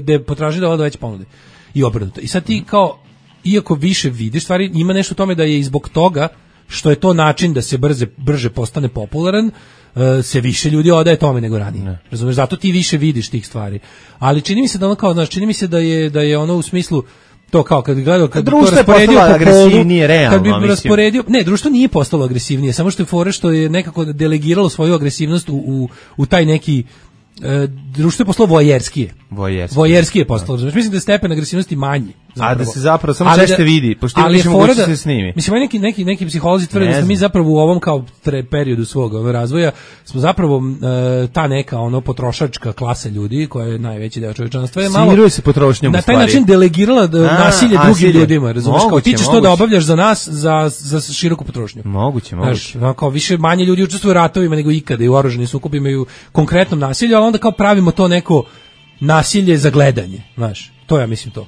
da je potražnja dovela do veće ponude i obrnuto. I sad ti kao, iako više vidiš stvari, ima nešto u tome da je i zbog toga što je to način da se brže postane popularan, se više ljudi odaje tome nego ranije. Razumeš, zato ti više vidiš tih stvari. Ali čini mi se da ono kao, znaš, čini mi se da je ono u smislu to kao kad gledao, kad društvo to rasporedio po agresivnije, realno, kad bi rasporedio, ne, društvo nije postalo agresivnije, samo što je fora što je nekako delegiralo svoju agresivnost u taj neki društvo je postalo vojerskije. Vojerski je postalo. Mislim da je stepen agresivnosti manji. A da se zapravo samo češće vidi, pošto ima više moguće se snimi. Mislim, neki psiholozi tvrde da smo mi zapravo u ovom kao periodu svog razvoja, smo zapravo ta neka potrošačka klasa ljudi, koja je najveći deo čovječanstva, je malo... Smiruje se potrošnjom na taj način delegirala nasilje drugim ljudima, razumiješ? Kao ti ćeš to da obavljaš za nas, za široku potrošnju. Moguće. Kao više manje ljudi učestvuju u ratovima nego ikada i u oružanim sukobima i u konkretnom nasilju, ali onda kao pravimo to neko nasilje za gledanje, znaš. To ja mislim to.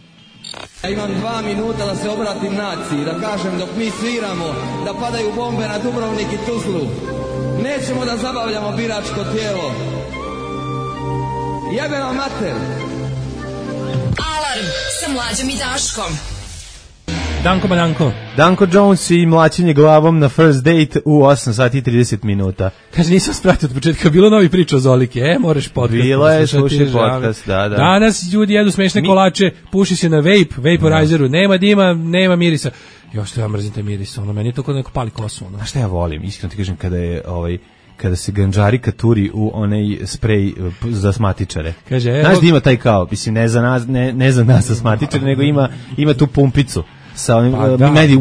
Ja imam 2 minuta da se obratim naciji, da kažem dok mi sviramo, da padaju bombe na Dubrovnik i Tuzlu. Nećemo da zabavljamo biračko tijelo. Jebe vam mater. Alarm sa Mlađom i Daškom. Danko Badanko. Danko Jones i mlaćenje glavom na first date u 8 sati i 30 minuta. Kaže, nisam spratio od početka, bilo novi priča o Zoliki, moraš podcast. Bilo je, slušaj podcast, da. Danas ljudi jedu smešne kolače, puši se na vaporizeru, nema dima, nema mirisa. Što ja mrzim te mirisa, meni je to kod neko pali kosu. A šta ja volim, iskreno ti kažem, kada se ganđarika turi u onaj sprej za asmatičare. Kaže, znaš da ima taj kao, mislim, ne za nas asmatičare, nego ima tu pumpicu sa onim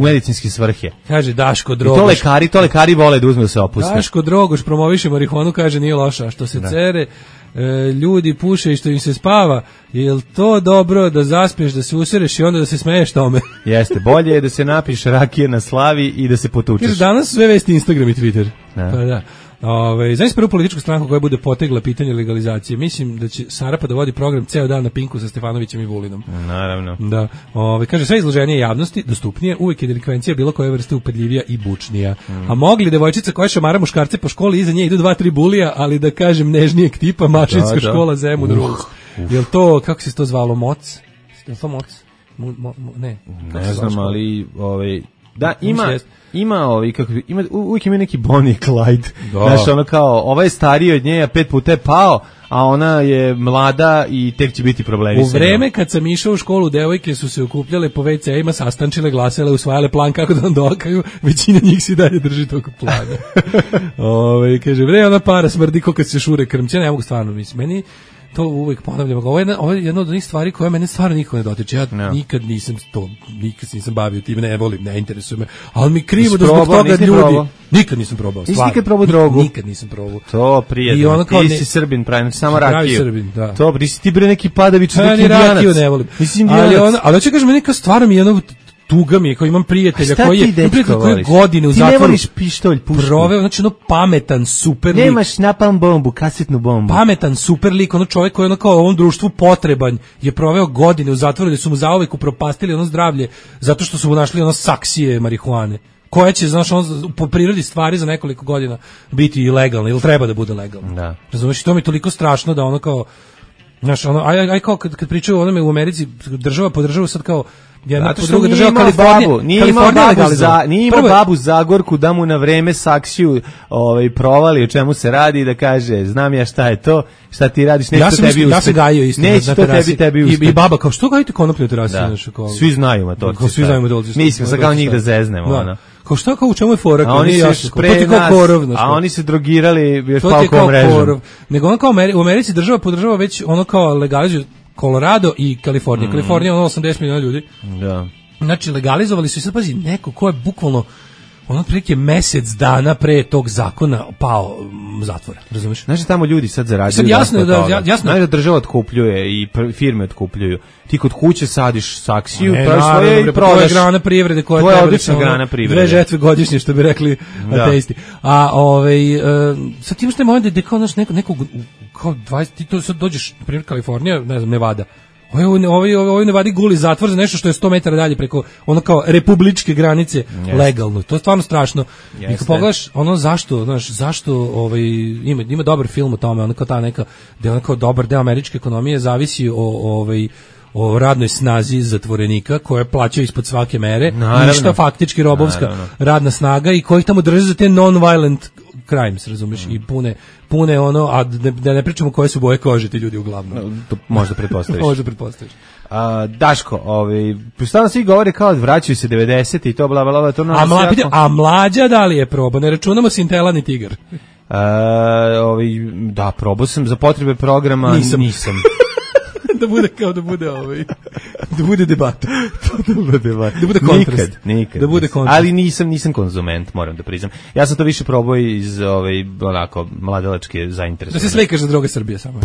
medicinske svrhe. Kaže Daško Drogoš. I to lekari vole da uzme da se opuste. Daško Drogoš promoviše marihuanu, kaže nije loša. Što se cere, ljudi puše i što im se spava, je to dobro da zaspiješ, da se usereš i onda da se smeješ tome? Jeste, bolje je da se napiš rakije na slavi i da se potučeš. Kaže, danas sve vesti Instagram i Twitter. Pa da. Znaš prvu političku stranku koja bude potegla pitanje legalizacije. Mislim da će Sarapa da vodi program ceo dan na Pinku sa Stefanovićem i Vulinom. Naravno. Da. Kaže, sve izloženije javnosti, dostupnije, uvijek je delikvencija bilo koje vrste upadljivija i bučnija. A mogli devojčica koja šamara muškarce po školi, iza nje idu 2-3 bulija, ali da kažem nežnijeg tipa, mašinska škola Zemun Rules. Jel to, kako se to zvalo, Moc? Jel to Moc? Ne znam, ali da, uvijek ima neki Bonnie i Clyde. Znaš, ono kao, ovaj je stariji od nje, a 5 puta je pao, a ona je mlada i tek će biti problemi. U vreme kad sam išao u školu, devojke su se okupljale po WC-ima, sastančile, glasale, usvajale plan kako da vam dokaju, većina njih si dalje drži tog plana. Kaže, ona para smrdi ko kad se šure krmće, ne mogu stvarno, mislim, meni to uvijek ponavljam. Ovo je jedna od onih stvari koje mene stvarno niko ne dotiče. Ja nikad nisam bavio tim, ne volim, ne interesuje me. Ali mi krivo da zbog toga ljudi... Nikad nisam probao. Nisi nikad probao drogu? Nikad nisam probao. To prijedno. Ti si Srbin, pravi, samo rakiju. Srbin, da. To, ti bre neki Padavić, neki indijanac. Rakiju ne volim. Ali hoće kažem, neka stvarno mi je jedno... Tuga mi je, kao imam prijatelja koji je godine u zatvoru. Ti ne voliš pištolj, pušku. Proveo, znači pametan, super lik. Nemaš napalm bombu, kasetnu bombu. Pametan, super lik, čovjek koji je kao ovom društvu potreban, je proveo godine u zatvoru gdje su mu zauvek upropastili zdravlje, zato što su mu našli saksije marihuane, koja će, znaš, po prirodi stvari za nekoliko godina biti ilegalna, ili treba da bude legalna. Da. Razumiješ, to mi je toliko strašno da kao, znaš, kao kad pričaju o onome u Americi, država podržava sad kao jedna po druga država, Kalifornija. Nije imao babu Zagorku da mu na vreme saksiju provali o čemu se radi i da kaže, znam ja šta je to, šta ti radiš, neće to tebi uspjeti. Ja sam gajio isto na terasi. Tebi i baba kao, što gajite konoplju na terasi? Svi znaju matorci. Mislim, sad kao njih da zeznemo. Kao šta, kao u čemu je fora? A oni se drogirali još palkom mrežom. Nego kao u Americi država podržava već kao legalizuju Colorado i Kalifornija. Kalifornija je 80 miliona ljudi. Da. Znači, legalizovali su i sad, pazi, neko ko je bukvalno otprilike mesec dana pre tog zakona pao zatvora, razumiješ? Znači, tamo ljudi sad zarađuju. Jasno da država otkupljuje i firme otkupljuju. Ti kod kuće sadiš saksiju, i prodaš. To je grana privrede koja to je odlična grana privrede. 2 žetve godišnje, što bi rekli ateisti. A sad ti imaš taj moment gde kao nekog kao 20, ti to sad dođeš, na primjer Kalifornija, ne znam, Nevada. Ovo Nevadi guli zatvor za nešto što je 100 metara dalje preko kao republičke granice legalno. To je stvarno strašno. I kad pogledaš zašto ima dobar film o tome, kao ta neka, gde kao dobar deo američke ekonomije zavisi o radnoj snazi zatvorenika koja plaća ispod svake mere, ništa faktički robovska radna snaga i koji tamo drže za te non-violent crimes, razumiješ, i pune a da ne pričamo koje su boje kože ti ljudi uglavnom. To možda pretpostaviš. Možda pretpostaviš. Daško, stalno svi govore kao vraćaju se 90 i to bla bla bla, to a mlađa da li je probao? Ne računamo Sintela ni Tigar. Da, probao sam za potrebe programa, nisam. da bude kao da bude debata. Da bude kontrast. Nikad. Da bude kontrast. Ali nisam konzument, moram da priznam. Ja sam to više probao iz onako mladalačke zainteresovane. Da se slikaš za droge Srbije samo.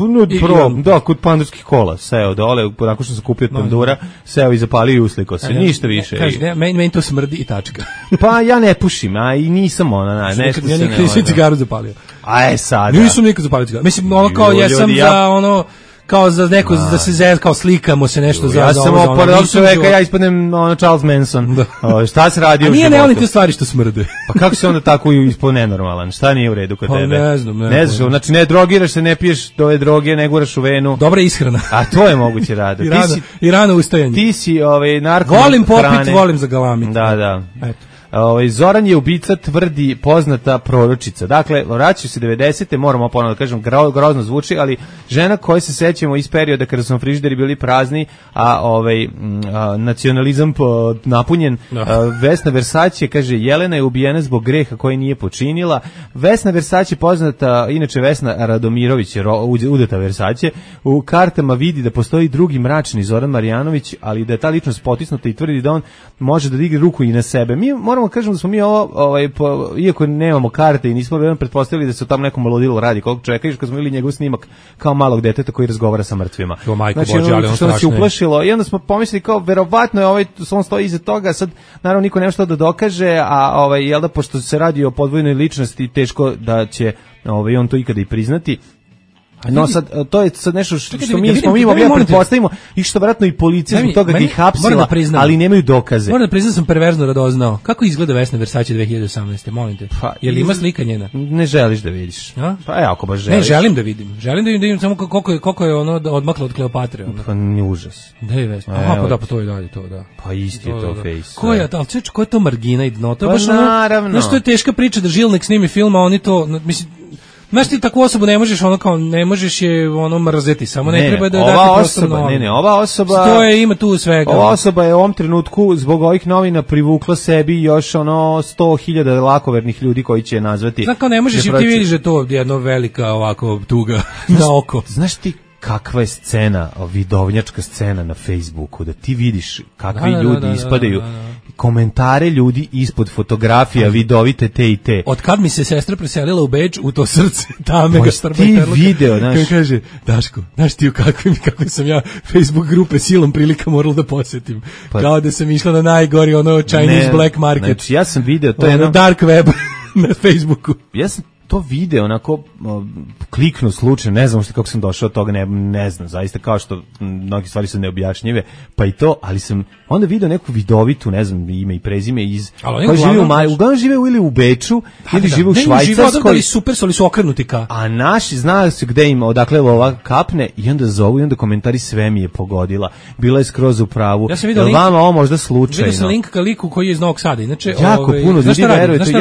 Da, kod pandurskih kola, seo dole, nakon što sam kupio od pandura, seo i zapalio i uslikao se. Ništa više. Kaže, meni to smrdi i tačka. Pa ja ne pušim, a i nisam nešto se ne. Ja nikad nisam cigaru zapalio. A sada. Nisam nikad zapalio cigaru. Mislim, ono kao jesam za ono kao za neko da se kao slikamo se nešto za ja sam oporedao čoveka, ja ispadnem Charles Manson. Šta se radi u životu? A nije ne volim te stvari što smrde. Pa kako se onda tako ispod nenormalan? Šta nije u redu kod tebe? Ne znam. Znači ne drogiraš se, ne piješ ove droge, ne guraš u venu. Dobra ishrana. A to je moguće rada. I rano ustajanje. Ti si narko. Volim popit, volim zagalamiti. Da. Eto. Zoran je ubica, tvrdi poznata proročica. Dakle, vraćaju se 90-te, moramo ponovno da kažem, grozno zvuči, ali žena koju se sećamo iz perioda kada su frižideri bili prazni, a nacionalizam napunjen. Vesna Versace kaže, Jelena je ubijena zbog greha koji nije počinila. Vesna Versace poznata, inače Vesna Radomirović, udeta Versace, u kartama vidi da postoji drugi mračni Zoran Marjanović, ali da je ta ličnost potisnuta i tvrdi da on može da digne ruku i na sebe. Mi moramo kažem da smo mi iako nemamo karte i nismo pretpostavili da se tamo nekom ludilu radi koliko čovjeka, kad smo vidjeli njegov snimak kao malog deteta koji razgovara sa mrtvima. Znači, što nas je uplašilo i onda smo pomislili kao verovatno je on stoji iza toga, sad naravno niko nema što da dokaže, a jel da pošto se radi o podvojnoj ličnosti teško da će on to ikada i priznati. No sad, to je sad nešto što mi mogli da pretpostavimo i što vjerojatno i policija zbog toga ih hapsila, ali nemaju dokaze. Moram da priznam sam perverzno radoznao. Kako izgleda Vesna Versace 2018. Molim te. Je li ima slika njena? Ne želiš da vidiš. Pa ako baš želiš. Ne, želim da vidim. Želim da vidim samo koliko je ono odmaklo od Kleopatre. Pa ni užas. Da je Vesna. Aha, pa to je dalje to, da. Pa isti je to face. Ko je to? Ko je to margina i dno? To je baš naravno. Znaš, to je teška priča da Žilnik snimi film, a oni to, mislim, znaš ti takvu osobu ne možeš ne možeš je mrzeti, samo ne treba da dati prostor. Ova osoba stoje, ima tu svega. Ova osoba je u ovom trenutku zbog ovih novina privukla sebi još 100.000 lakovernih ljudi koji će je nazvati. Znači, ne možeš i ti vidiš da to jedna velika ovako tuga na oko. Znaš ti kakva je scena, vidovnjačka scena na Facebooku, da ti vidiš kakvi ljudi ispadaju, komentare ljudi ispod fotografija vidovite te i te. Od kad mi se sestra preselila u Beč, u to srce tame ga štrba ti video, znaš. Kako kaže, Daško, znaš ti u kakvim sam ja Facebook grupe silom prilika moral da posjetim. Kao da sam išla na najgori Chinese black market. Znači, ja sam video, to je dark web na Facebooku. Ja sam to video onako kliknu slučajno, ne znam kako sam došao od toga, ne znam, zaista kao što mnogi stvari su neobjašnjive, pa i to, ali sam onda video neku vidovitu, ne znam ime i prezime iz koji žive uglavnom žive ili u Beču ili žive u Švajcarskoj. Ali super su, ali su okrenuti ka. A naši znaju se gde ima, odakle lova kapne i onda zovu i onda komentari sve mi je pogodila. Bila je skroz u pravu. Ja sam video link, vama ovo možda slučajno. Vidio sam link ka liku koji je iz Novog Sada. Inače, jako puno ljudi veruje, to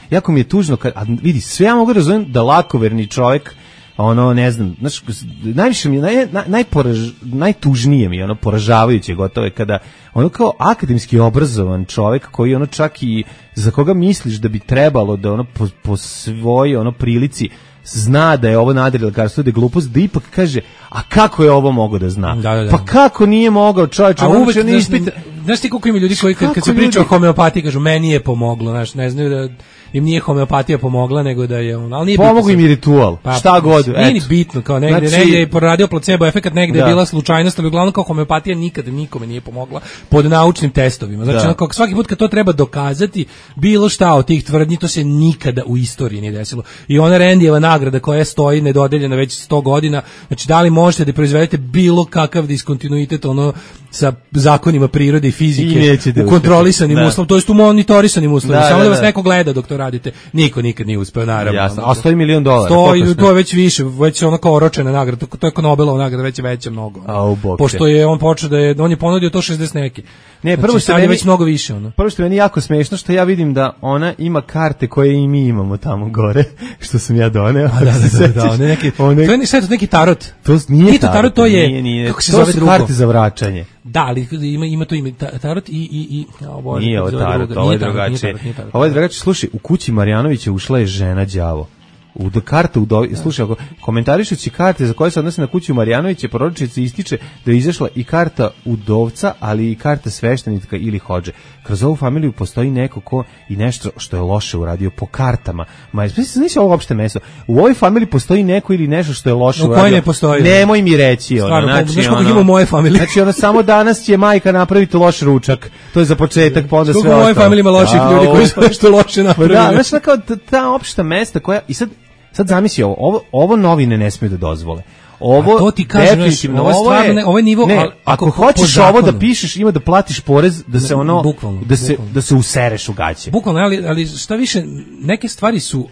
jako mi je tužno kad vidi, sve ja mogu razumjeti da lakoverni čovjek, ne znam, znaš, najviše mi je, najtužnije mi je, poražavajuće gotovo je kada, kao akademski obrazovan čovjek koji čak i za koga misliš da bi trebalo da po svojoj prilici zna da je ovo nadrilekarstvo, da je glupost, da ipak kaže, a kako je ovo mogao da zna? Da. Pa kako nije mogao, čovječe? A uvek, znaš ti koliko ima ljudi koji kad se priča o homeopatiji kažu, meni je pomoglo, znaš, ne znaju da im nije homeopatija pomogla, nego da je ali nije pomogu im i ritual, šta god. Nije ni bitno, kao negde je poradio placebo efekat, negde je bila slučajnost, ali uglavnom kao homeopatija nikada nikome nije pomogla pod naučnim testovima. Znači, kao svaki put kad to treba dokazati, bilo šta od tih tvrdnji, to se nikada u istoriji nije desilo. I ona Rendijeva nagrada koja stoji nedodeljena već 100 godina, znači da li možete da proizvedete bilo kakav diskontinuitet sa zakonima prirode i fizike u kontrolisanim uslovima, to jest u monitorisanim uslovima, samo da vas neko gleda dok to radite. Niko nikad nije uspeo, naravno. Jasno. A $100 milion. To je već više, već je kao oročena nagrada, to je kao Nobelova nagrada, već je veća mnogo. Pošto je on počeo on je ponudio to 60 neki. Ne, prvo što je već mnogo više. Prvo što je meni jako smešno, što ja vidim da ona ima karte koje i mi imamo tamo gore, što sam ja doneo. Da, to je neki tarot. To nije tarot, to je, kako se zove drugo? To su karte za vraćanje. Da, ali ima to ime tarot i nije ovo tarot, ovo je drugačije. Ovo je drugačije. Slušaj, u kući Marjanovića ušla je žena đavo. Karta slušaj, komentarišući karte za koje se odnose na kuću Marjanovića, proročica ističe da je izašla i karta udovca, ali i karta sveštenika ili hodže. Kroz ovu familiju postoji neko ko i nešto što je loše uradio po kartama. Znači ovo uopšte meso. U ovoj familiji postoji neko ili nešto što je loše uradio. U kojoj ne postoji? Nemoj mi reći. Znači, ima u moje familije. Znači, samo danas će majka napraviti loš ručak. To je za početak, pa onda sve ostalo. U mojoj familiji ima loših ljudi koji su nešto loše napravili. Da, znači, kao ta opšta mesta koja... I sad zamisli ovo novine ne smiju da dozvole. Ovo to ti kažem, definitivno ovo je nivo, ako hoćeš ovo da pišeš, ima da platiš porez da se ono bukvalno. Da se usereš u gaće. Bukvalno, ali šta više, neke stvari su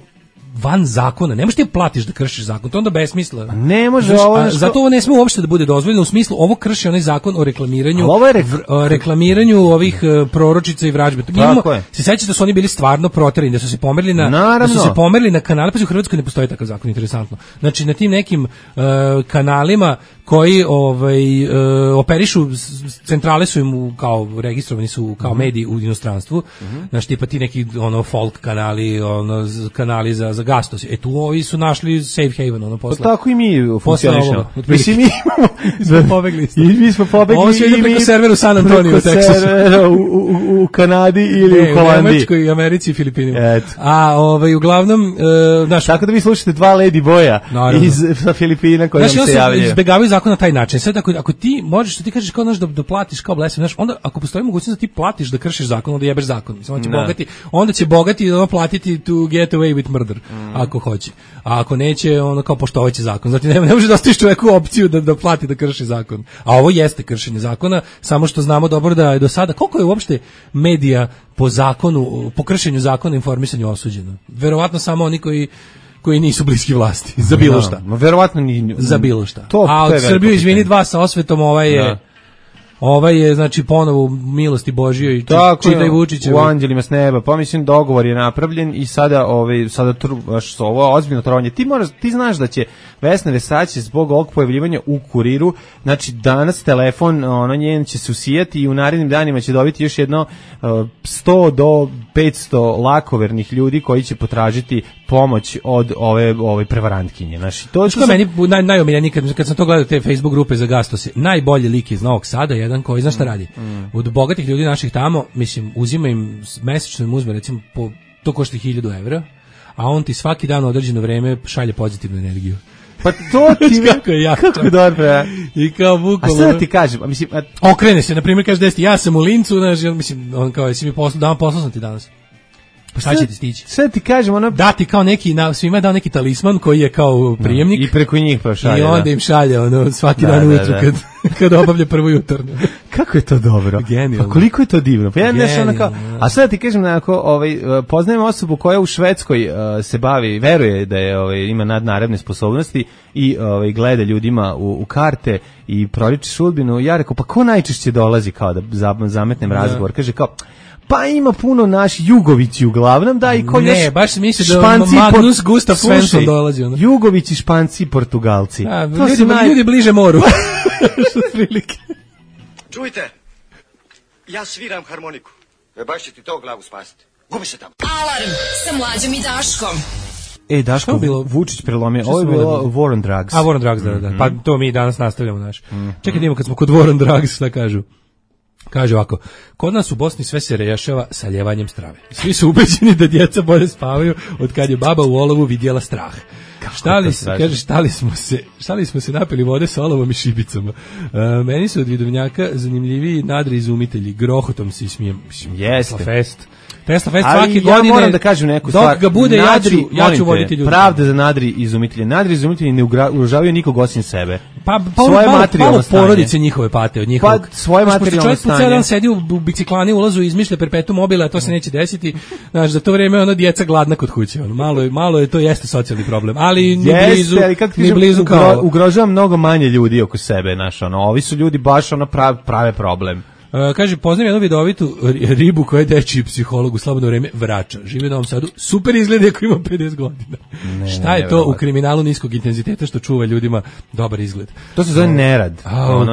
van zakona. Ne možeš ti platiš da kršiš zakon, to onda besmisla. Ne može zato ovo ne sme uopšte da bude dozvoljeno u smislu ovo krši onaj zakon o reklamiranju reklamiranju ovih proročica i vražbe. Se sećate da su oni bili stvarno proterani, da su se pomerili na kanale, pa u Hrvatskoj ne postoji takav zakon, interesantno. Znači na tim nekim kanalima koji operišu, centrale su im kao registrovani su kao mediji u inostranstvu. Znači tipa ti neki folk kanali, kanali za gastos. Tu ovi su našli safe haven posle. Tako i mi funkcionišemo. Mislim mi smo pobegli. Ovo se ide preko servera u San Antonio, u Teksasu. U Kanadi ili u Holandiji. U Nemačkoj, Americi i Filipinima. A uglavnom tako da vi slušate dva lady boya iz Filipina koji nam se javljaju. Izbegavaju zakon na taj način. Sad ako ti možeš, što ti kažeš kao da platiš kao blesav, onda ako postoji mogućnost da ti platiš da kršiš zakon, onda jebeš zakon. Onda će bogati platiti to get away with murder, ako hoće. A ako neće, ono kao poštovaće zakon. Znači ne može da ostaviš čoveku opciju da plati da krši zakon. A ovo jeste kršenje zakona, samo što znamo dobro da je do sada, koliko je uopšte medija po zakonu, po kršenju zakona informisanju osuđeno. Verovatno samo oni koji nisu bliski vlasti, za bilo šta. Verovatno ni za bilo šta. A od Srbiju, izvini, 2 sa osvetom, ovaj je znači ponovo milosti Božjoj i čitaj Vučića u anđelima s neba. Pa mislim dogovor je napravljen i sada ovo ozbiljno trovanje. Ti znaš da će Vesna Vesač zbog ovog pojavljivanja u Kuriru, znači danas telefon njen će se usijati i u narednim danima će dobiti još jedno 100 do 500 lakovernih ljudi koji će potražiti pomoć od ove prevarantkinje. Znači to što meni najomiljeniji kad sam to gledao te Facebook grupe za gastose, najbolji lik iz Novog Sada, jedan koji zna šta radi. Od bogatih ljudi naših tamo, mislim, uzima im mesečno im uzme, recimo to košta 1000 evra, a on ti svaki dan određeno vreme šalje pozitivnu energiju. Pa to ti kako dobro. I kao bukvalno. A sad ti kažem, mislim, okrene se, na primjer kaže desti, ja sam u Lincu, mislim, on kao jesi mi poslao sam ti danas. Pa šta će ti stići? Sve ti kažem, dati kao neki, svima je dao neki talisman koji je kao prijemnik. I preko njih prošalje. I onda im šalje svaki dan ujutru kad obavlja prvo jutarnje. Kako je to dobro? Genijalno. Pa koliko je to divno? Pa ja a sad ti kažem, poznajem osobu koja u Švedskoj se bavi, veruje da je ima nadnaravne sposobnosti i gleda ljudima u karte i proriče sudbinu. Ja rekao, pa ko najčešće dolazi kao da zametnem razgovor? Kaže kao, pa ima puno naši Jugovići uglavnom, da, i ko još... Ne, baš misli da Magnus Gustav Svensson dolazi. Jugovići, Španci, Portugalci. Ljudi bliže moru. Što prilike. Čujte, ja sviram harmoniku. Baš će ti to glavu spasiti. Gubi se tamo. Alarm sa Mlađom i Daškom. Daško, Vučić prelomio. Ovo je bilo War on Drugs. War on Drugs, da. Pa to mi danas nastavljamo, naš. Čekaj, idemo kad smo kod War on Drugs, šta kažu? Kaže ovako, kod nas u Bosni sve se rešava saljevanjem strave. Svi su ubeđeni da djeca bolje spavaju od kad je baba u olovu vidjela strah. Štali smo se napili vode sa olovom i šibicama. Meni su od vidovnjaka zanimljiviji nadri izumitelji. Grohotom se ismijem. Jeste. Tesla Fest svake godine. Ja moram da kažem neku stvar. Dok ga bude, ja ću voditi ljudi. Pravda za nadri izumitelje. Nadri izumitelji ne ugrožavaju nikog osim sebe. Pa svoje materijalno stanje. Porodice njihove pate od njihovog. Pa svoje materijalno stanje. Čovjek po cijel dan sedi u biciklani, ulazu i izmišlja perpetuum mobile, a to se neće desiti. Znaš, za to vrijeme ono djeca gladna kod kuće. Malo je to jeste socijalni problem. Ali ni blizu kao. Ugrožava mnogo manje ljudi oko sebe, ovi su ljudi baš prave problem. Kaže, poznam jednu vidovitu ribu koja je dečiji psiholog u slobodno vreme vrača. Živi u Novom Sadu, super izgleda ako ima 50 godina. Šta je to u kriminalu niskog intenziteta što čuva ljudima dobar izgled? To se zove nerad.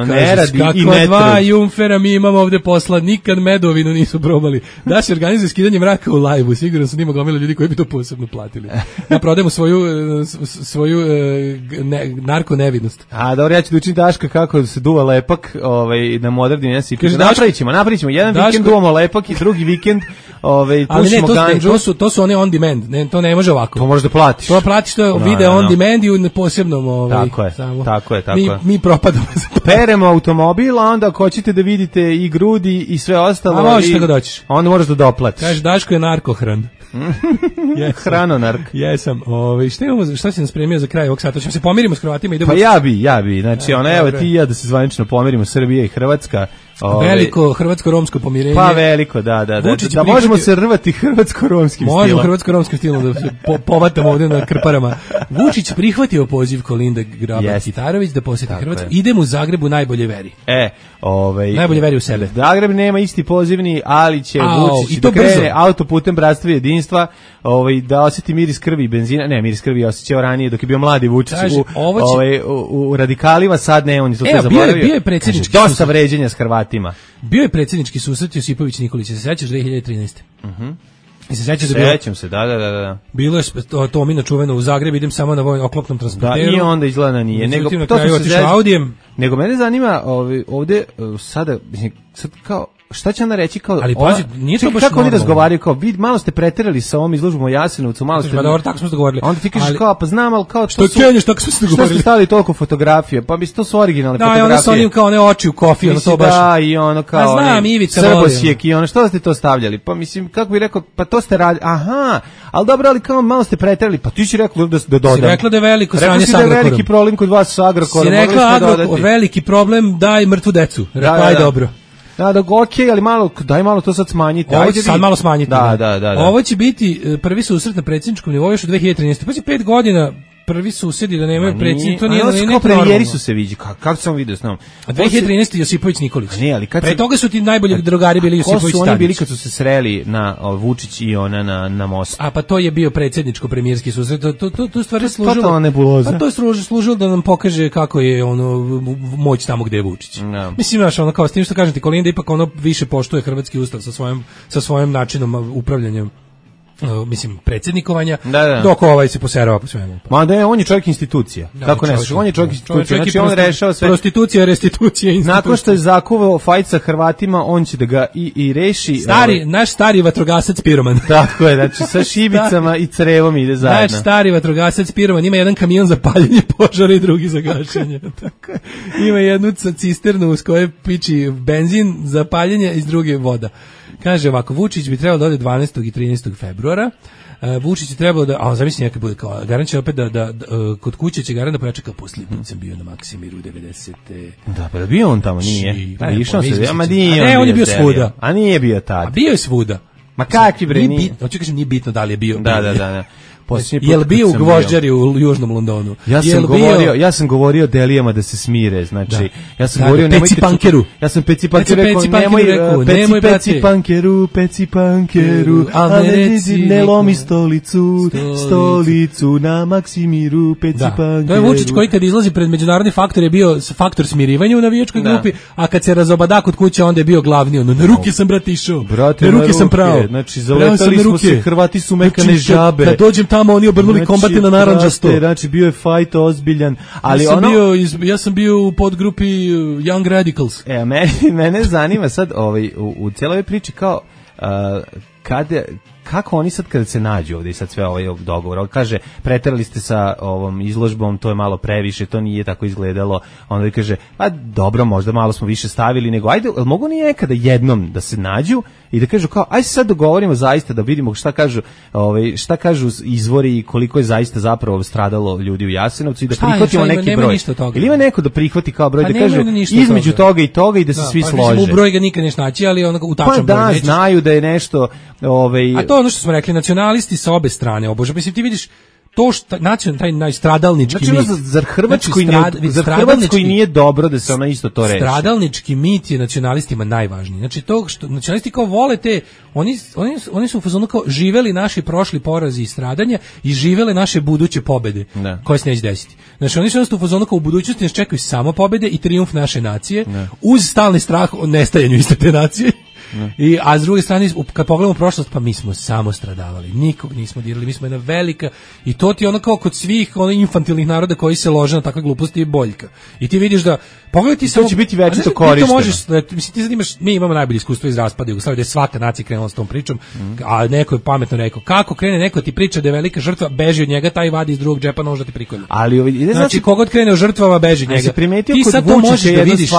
Nerad i kako dva jumfera mi imamo ovde posla, nikad medovinu nisu probali. Da se organizuje skidanje mraka u live-u, sigurno su nima gomila ljudi koji bi to posebno platili. Da prodajemo svoju narko nevidnost. A dobro, ja ću da učim Daška kako se duva lepak na moderni jesi. Napravit ćemo jedan vikend duvamo lepak i drugi vikend pušimo ganđu. To su one on demand, ne, to ne može ovako. To možeš da platiš. To platiš, to je video on demand i u posebnom Tako je. Mi propadamo. Peremo automobil, a onda ako hoćete da vidite i grudi i sve ostalo. A možeš da ga doćiš. Onda možeš da doplatiš. Kaže, Daško je narkohran. Hranonark. Jesam. Šta si nam spremio za kraj ovog sata? Ćemo se pomirimo s Hrvatima i Pa ja bi. Znači, evo ti i ja da se zvanično pomirimo, Srbija i Hrvatska. Veliko hrvatsko-romsko pomirenje. Pa veliko, da. Da možemo se rvati hrvatsko-romskim stilom. Možemo hrvatsko-romskim stilom da se povatamo ovdje na krparama. Vučić prihvatio poziv Kolinde Grabar-Kitarović da posjeti Hrvatsku. Idem u Zagrebu najbolje veri. Najbolje veri u sebe. Zagreb nema isti pozivni, ali će Vučić da krene autoputem Bratstva i jedinstva, da osjeti miris krvi i benzina. Ne, miris krvi je osjećao ranije dok je bio mladi Vučić u radikalima, sad ne, on je to zaboravio. Bio je predsjednički dosta vređenja s Hrvatima. Bio je predsjednički susret Josipović Nikolić, se sećaš 2013. Sećam se, da. Bilo je to mi načuveno u Zagrebu, idem samo na vojno oklopnom transporteru. Da, i onda izgleda nije. Nego mene zanima ovdje sada kao šta će ona reći kao ali pazi, nije to baš kako oni razgovaraju kao vi malo ste preterali sa ovom izložbom o Jasenovcu, malo ste. Pa dobro, tako smo se dogovorili. Onda ti kažeš kao pa znam, al kao što kenješ, tako smo se dogovorili. Što ste stavili toliko fotografije? Pa mislim to su originalne fotografije. Da, onda su onim kao one oči u kofi, ono to baš. Da, i ono kao. A znam, Ivica Srbosjek i ono što ste to stavljali? Pa mislim kako bih rekao, pa to ste radili. Aha, al dobro, ali kao malo ste preterali. Pa ti si rekao da dodam. Si rekla da je veliko sranje sa Agrokorom. Veliki problem kod vas sa Agrokorom. Si rekla veliki problem, daj mrtvu decu. Rekla je dobro. Da, okej, ali daj malo to sad smanjite. Ovo će sad malo smanjiti. Da. Ovo će biti prvi susret na predsjedničkom nivou još u 2013. Pa će 5 godina prvi susedi da nemaju predsjednik, to nije kao premijeri su se viđi, kako sam vidio s njom. 2013. Josipović Nikolić. Ne, ali pre toga su ti najbolji drugari bili Josipović Tadić. Ko su oni bili kad su se sreli na Vučić i ona na mostu? A pa to je bio predsjedničko-premijerski susret, to stvari služilo. Totalna nebuloza. Pa to je služilo da nam pokaže kako je moć tamo gde je Vučić. No. Mislim, znaš, kao s tim što kažem ti, Kolinda ipak više poštuje hrvatski ustav sa svojim načinom upravljanja. Mislim, predsjednikovanja, dok se poserava po svemu. Ma da, on je čovjek institucija. Kako ne, on je čovjek institucija. Znači, on rešava sve. Prostitucija, restitucija, institucija. Nakon što je zakuvao fajt sa Hrvatima, on će da ga i reši. Naš stari vatrogasac Piroman. Tako je, znači sa šibicama i crevom ide zajedno. Naš stari vatrogasac Piroman ima jedan kamion za paljenje požara i drugi za gašenje. Tako je. Ima jednu cisternu uz koje piči benzin za paljenje i s druge voda. Kaže ovako, Vučić bi trebalo da ode 12. i 13. februara. Vučić je trebalo da, zamisli nekad bude kao, Garan će opet da kod kuće će Garan da pojača kao poslije put sam bio na Maksimiru 90. Da, pa da bio on tamo, nije. Išao se, on je bio svuda. A nije bio tad. A bio je svuda. Ma kakvi bre, nije. Hoću kažem, nije bitno da li je bio. Da. Jel bio u Gvožđari u Južnom Londonu? Ja sam govorio Delijama da se smire, znači ja sam govorio nemojte Pecipankeru. Ja sam Pecipankeru nemoj Pecipankeru, ne lomi stolicu na Maksimiru Pecipankeru. To je Vučić koji kad izlazi pred međunarodni faktor je bio faktor smirivanja u navijačkoj grupi, a kad se razobada kod kuće onda je bio glavni, na ruke sam brat išao. Na ruke sam pravo. Znači zaletali smo se, Hrvati su mekane žabe. Kad dođem tamo oni obrnuli kombate na narandžasto. Znači bio je fight ozbiljan, ali ja sam bio u podgrupi Young Radicals. Mene zanima sad u cijeloj priči kao kako oni sad kada se nađu ovdje i sad sve dogovor, kaže preterali ste sa ovom izložbom, to je malo previše, to nije tako izgledalo, onda kaže pa dobro, možda malo smo više stavili, nego ajde, mogu oni nekada jednom da se nađu i da kažu kao ajde sad dogovorimo zaista da vidimo šta kažu izvori i koliko je zaista zapravo stradalo ljudi u Jasenovcu i da prihvatimo neki broj. Ili ima neko da prihvati kao broj, da kaže između toga i toga i da se svi slože. U broj ga nikad neš naći, ali u tačan broj nećeš. Znaju da je nešto a to ono što smo rekli, nacionalisti sa obe strane, mislim ti vidiš to što nacionalni taj najstradalnički mit. Zar Hrvatskoj nije dobro da se ona isto to reši? Stradalnički mit je nacionalistima najvažniji. Znači to što nacionalisti kao vole te, oni su u fazonu kao živeli naši prošli porazi i stradanja i živele naše buduće pobede koje se neće desiti. Znači oni su u fazonu kao u budućnosti nas čekaju samo pobede i trijumf naše nacije uz stalni strah o nestajanju iste te nacije. A s druge strane, kad pogledamo prošlost, pa mi smo samo stradavali, nikog nismo dirali, mi smo jedna velika, i to ti ono kao kod svih infantilnih naroda koji se lože na takve gluposti je boljka. I ti vidiš da, pogledaj ti samo... To će biti večito korišteno. Mislim, ti sad imaš, mi imamo najbolje iskustvo iz raspada Jugoslavije, da je svaka nacija krenula s tom pričom, a neko je pametno rekao, kako krene neko ti priča da je velika žrtva, beži od njega, taj vadi iz drugog džepa nož da ti prikolje. Znači, kogod krene od žrtvama, beži od njega. Ti sad to možeš da vidiš.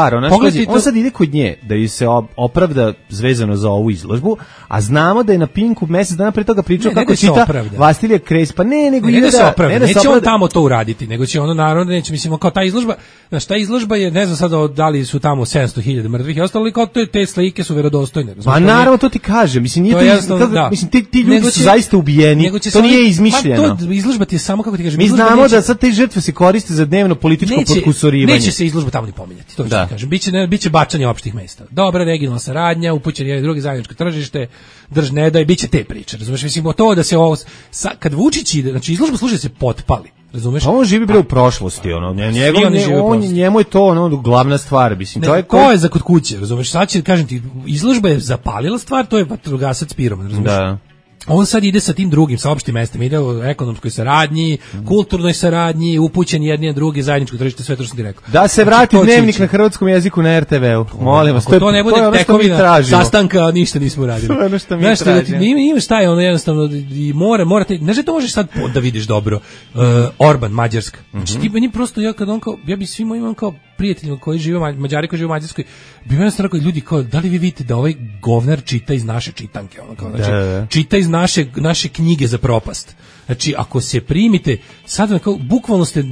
On sad ide kod nje, da ju se opravda vezano za ovu izložbu, a znamo da je na Pinku mjesec dana pre toga pričao kako čita Vastilija Kres, pa neće on tamo to uraditi, nego će ono naravno, neće, mislimo, kao ta izložba, znaš, ta izložba je, ne znam sada da li su tamo 700.000 mrtvih i ostalo, ali kao te slike su verodostojne. Pa naravno, to ti kaže, mislim, nije mislim, ti ljudi su zaista ubijeni, to nije izmišljeno. Izložba ti je samo, kako ti kažem, mi znamo da sad te žrtve se koriste za dnevno političko potkusurivanje. Neće se izložba tamo ni pominjati, to ću ti kažem, biće bačanje opštih mesta. Dobra regionalna saradnja, upućen jedan drugi zajedničko tržište, drž ne daj, biće te priče, razumeš? Mislim, to da se ovo, kad Vučić ide, znači izložba služi da se potpali, razumeš? A on živi bre u prošlosti, njemu je to ono glavna stvar, mislim. To je za kod kuće, razumeš? Sad će, kažem ti, izložba je zapalila stvar, to je vatrogasac pirom, razumeš? Da. On sad ide sa tim drugim, sa opštim mestima, ide u ekonomskoj saradnji, kulturnoj saradnji, upućen jedni na drugi, zajedničko tržište, sve to što sam ti rekao. Da se vrati dnevnik na hrvatskom jeziku na RTV-u, molim vas. To ne bude tekovina sastanka, ništa nismo radili. To je ono što mi tražimo. Imaš taj, ono jednostavno, i morate, znaš da to možeš sad da vidiš dobro, Orban, Mađarska. Znači ti meni prosto, ja bi svima imam kao prijateljima koji žive, Mađari koji žive u Mađarskoj, bi meni stvarno kao ljudi, kao, da li vi vidite da ovaj govnar čita iz naše čitanke, znači, čita iz naše knjige za propast. Znači, ako se primite, sad kao,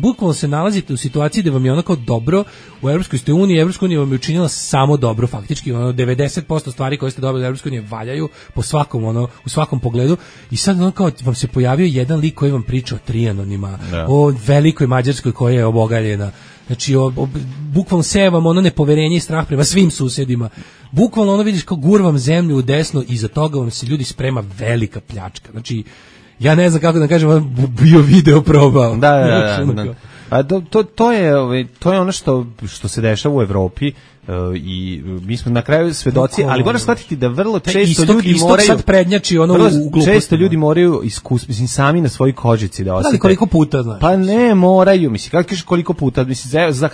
bukvalno se nalazite u situaciji da vam je onako dobro u Evropskoj uniji, Evropska unija vam je učinila samo dobro, faktički, 90% stvari koje ste dobili u Evropskoj uniji valjaju po svakom, u svakom pogledu, i sad kao vam se pojavio jedan lik koji vam priča o Trijanonima, o velikoj Mađarskoj koja je obogaljena. Znači, bukvalno seje vam nepoverenje i strah prema svim susedima. Bukvalno vidiš kao gurvam zemlju u desno i za toga vam se ljudi sprema velika pljačka. Znači, ja ne znam kako da kažem, bio video probao. Da. A to je ono što se dešava u Evropi. I mi smo na kraju svedoci, ali moraš shvatiti da vrlo često ljudi moraju sad prednjači u gluposti. Često ljudi moraju mislim sami na svojoj kožici da osjete. Da, koliko puta, znaš? Pa ne moraju, mislim, kako kažeš koliko puta, mislim, za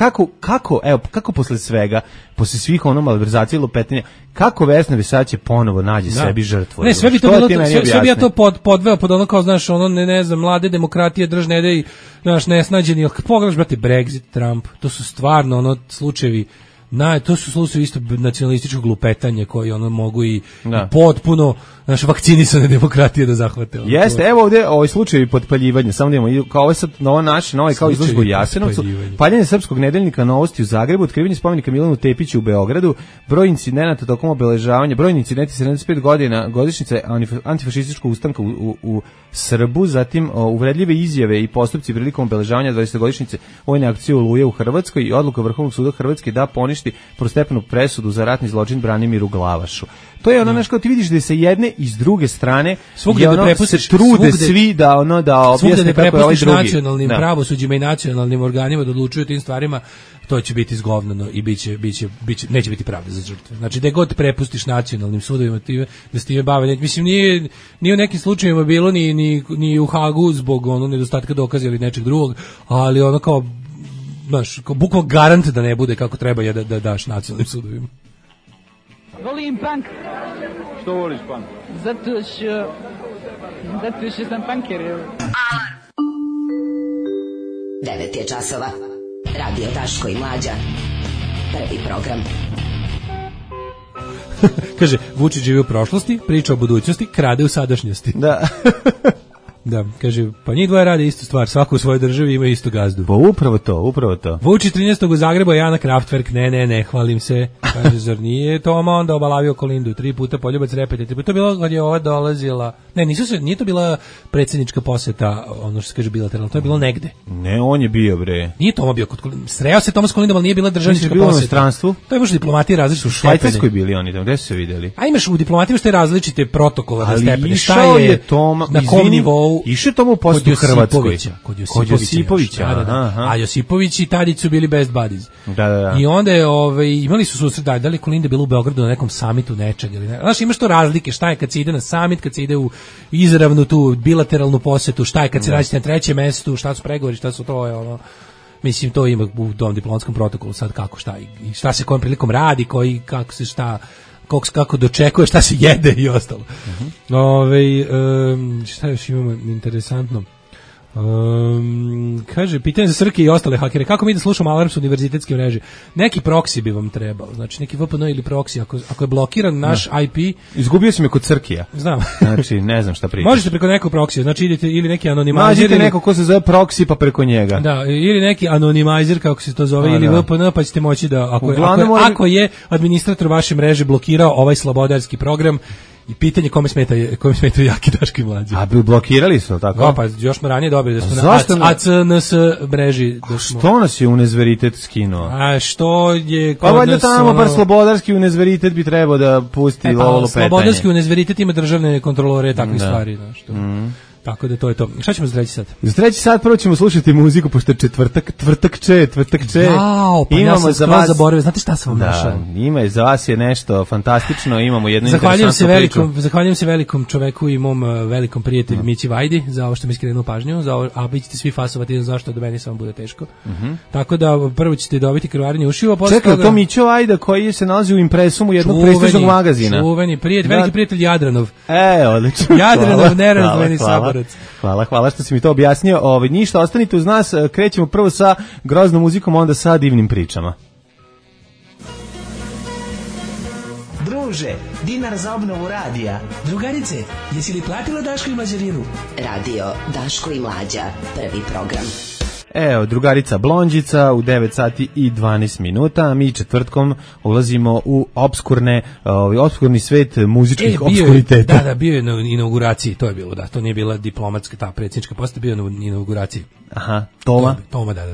kako posle svega, posle svih malverzacija i lupetenja, kako Vesna Bisać ponovo nađe sebi žrtvu? Ne, sve bi to bilo, sve bi ja to podveo pod ono kao, znaš, ne znam, mlade demokratije, drž ne dej, znaš, nesnađeni, pogledaš, brate, Brexit, Trump, to su stvarno slučajevi. To su slučajevi isto nacionalističkog lupetanja koji mogu i potpuno vakcinisane demokratije da zahvate. Jeste, evo ovdje ovaj slučaj potpaljivanja, samo da imamo, kao ovo sad novo kao izložbu u Jasenovcu, paljenje Srpskog nedeljnika Novosti u Zagrebu, otkrivanje spomenika Milanu Tepiću u Beogradu, broj incidenata tokom obeležavanja, brojni incidenti 75 godina godišnjice antifašističkog ustanka u Srbu, zatim uvredljive izjave i postupci prilikom obeležavanja 20-godišnjice vojne akcije Oluje u Hrvatskoj i odluka Vrhovnog suda Hrvatske da poništi prvostepenu presudu za ratni zločin Branimiru Glavašu. To je ono, kao ti vidiš da se jedne i s druge strane se trude svi da objasne kako je ovaj drugi. Nacionalnim pravosuđima i nacionalnim organima da odlučuju tim stvarima, to će biti izgovnano i neće biti pravde za žrtve. Znači, da god prepustiš nacionalnim sudovima da se time bave, mislim, nije u nekim slučajevima bilo ni u Hagu zbog nedostatka dokaza ili nečeg drugog, ali kao, znaš, bukvalno garant da ne bude kako treba je da daš nacionalnim sudovima. Volim punk. Što voliš punk? Zato što sam punker. 9 je časova. Radio Daško i Mlađa. Prvi program. Kaže, Vučić živi u prošlosti, priča o budućnosti, krade u sadašnjosti. Da. Da, kaže, pa njih dvoje rade istu stvar, svako u svojoj državi ima istu gazdu. Pa upravo to. Vučić 13. u Zagrebu, Jana Kraftwerk, ne, hvalim se. Kaže, zar nije Toma onda obalavio Kolindu, 3 puta Poljubac Repete, 3 puta. To je bilo kad je ova dolazila, Ne, nije to bila predsjednička poseta, ono što se kaže bilateralno, to je bilo negde. Ne, on je bio, bre. Nije Toma bio sreo se Toma s Kolindom, ali nije bila državnička poseta. Bilo u inostranstvu? To je možda diplomatije različite. U Švajcarskoj bili oni tamo, gde su se videli? A imaš u diplomatiji što je različite protokole na stepene. Ali išao je Toma, na kom nivou? Išao je Toma u posetu u Hrvatskoj. Kod Josipovića. Da. A Josipović i Tadić su bili best buddies. Da. I onda je, imali su susret, da li Kolinda bila u Beogradu na nekom samitu nečeg ili ne. Znaš, imaš to razlike, šta je kad se ide na samit, kad se ide u izravnu tu bilateralnu posetu, šta je kad se nađete na trećem mestu, šta su pregovori, šta su to je ono. Mislim, to ima u tom diplomatskom protokolu sad kako, šta i šta se kojom prilikom radi, kako se šta, kako dočekuje, šta se jede i ostalo. Šta još imamo interesantno? Kaže, pitanje za Srke i ostale hakere, kako mi da slušamo alarm s univerzitetske mreže? Neki proksi bi vam trebao, znači neki VPN ili proksi, ako je blokiran naš IP. Izgubio si me kod Srkija. Znam. Znači, ne znam šta pričaš. Možete preko nekog proksija, znači idete ili neki anonimizer. Nađite neko ko se zove proksi pa preko njega. Da, ili neki anonimizer, kako se to zove, ili VPN, pa ćete moći da, ako je administrator vaše mreže blokirao ovaj slobodarski program, i pitanje kome smetaju jaki Daško i Mlađa. A blokirali su, tako? Da, pa još smo ranije dobili da smo na ACNS mreži. Što nas je Unezveritet skinuo? A što je kod nas... Pa valjda tamo bar slobodarski Unezveritet bi trebao da pusti ovo lupetanje. Slobodarski Unezveritet ima državne kontrolore takvih stvari. Tako da to je to. Šta ćemo za treći sat? Za treći sat prvo ćemo slušati muziku, pošto je četvrtak če. Jao, pa ja sam skroz zaboravio. Znate šta sam vam našao? Ima, za vas je nešto fantastično, imamo jednu interesantnu priču. Zahvaljujem se velikom čoveku i mom velikom prijatelju Mići Vajdi za ovo što mi skrenuo pažnju, a vi ćete svi fasovati zašto da meni samo bude teško. Tako da prvo ćete dobiti krvarenje ušiva. Čekaj, to Mićo Vajda koji se nalazi u Impresumu jednog prestižnog magazina. Čuveni prijatelj, veliki prijatelj Jadranov. Odlično. Jadranov, nerazdvojeni saborac. Hvala što si mi to objasnio. Ništa, ostanite uz nas, krećemo prvo sa groznom muzikom, onda sa divnim pričama. Druže, dinar za obnovu radija. Drugarice, jesi li platila Daško i Mlađarinu? Radio Daško i Mlađa, prvi program. Evo, drugarica Blondžica u 9 sati i 12 minuta. Mi četvrtkom ulazimo u obskurni svet muzičkih obskuriteta. Da, bio je na inauguraciji, to je bilo, da. To nije bila diplomatska, ta predsjednička poseta, bio je na inauguraciji. Aha, Toma,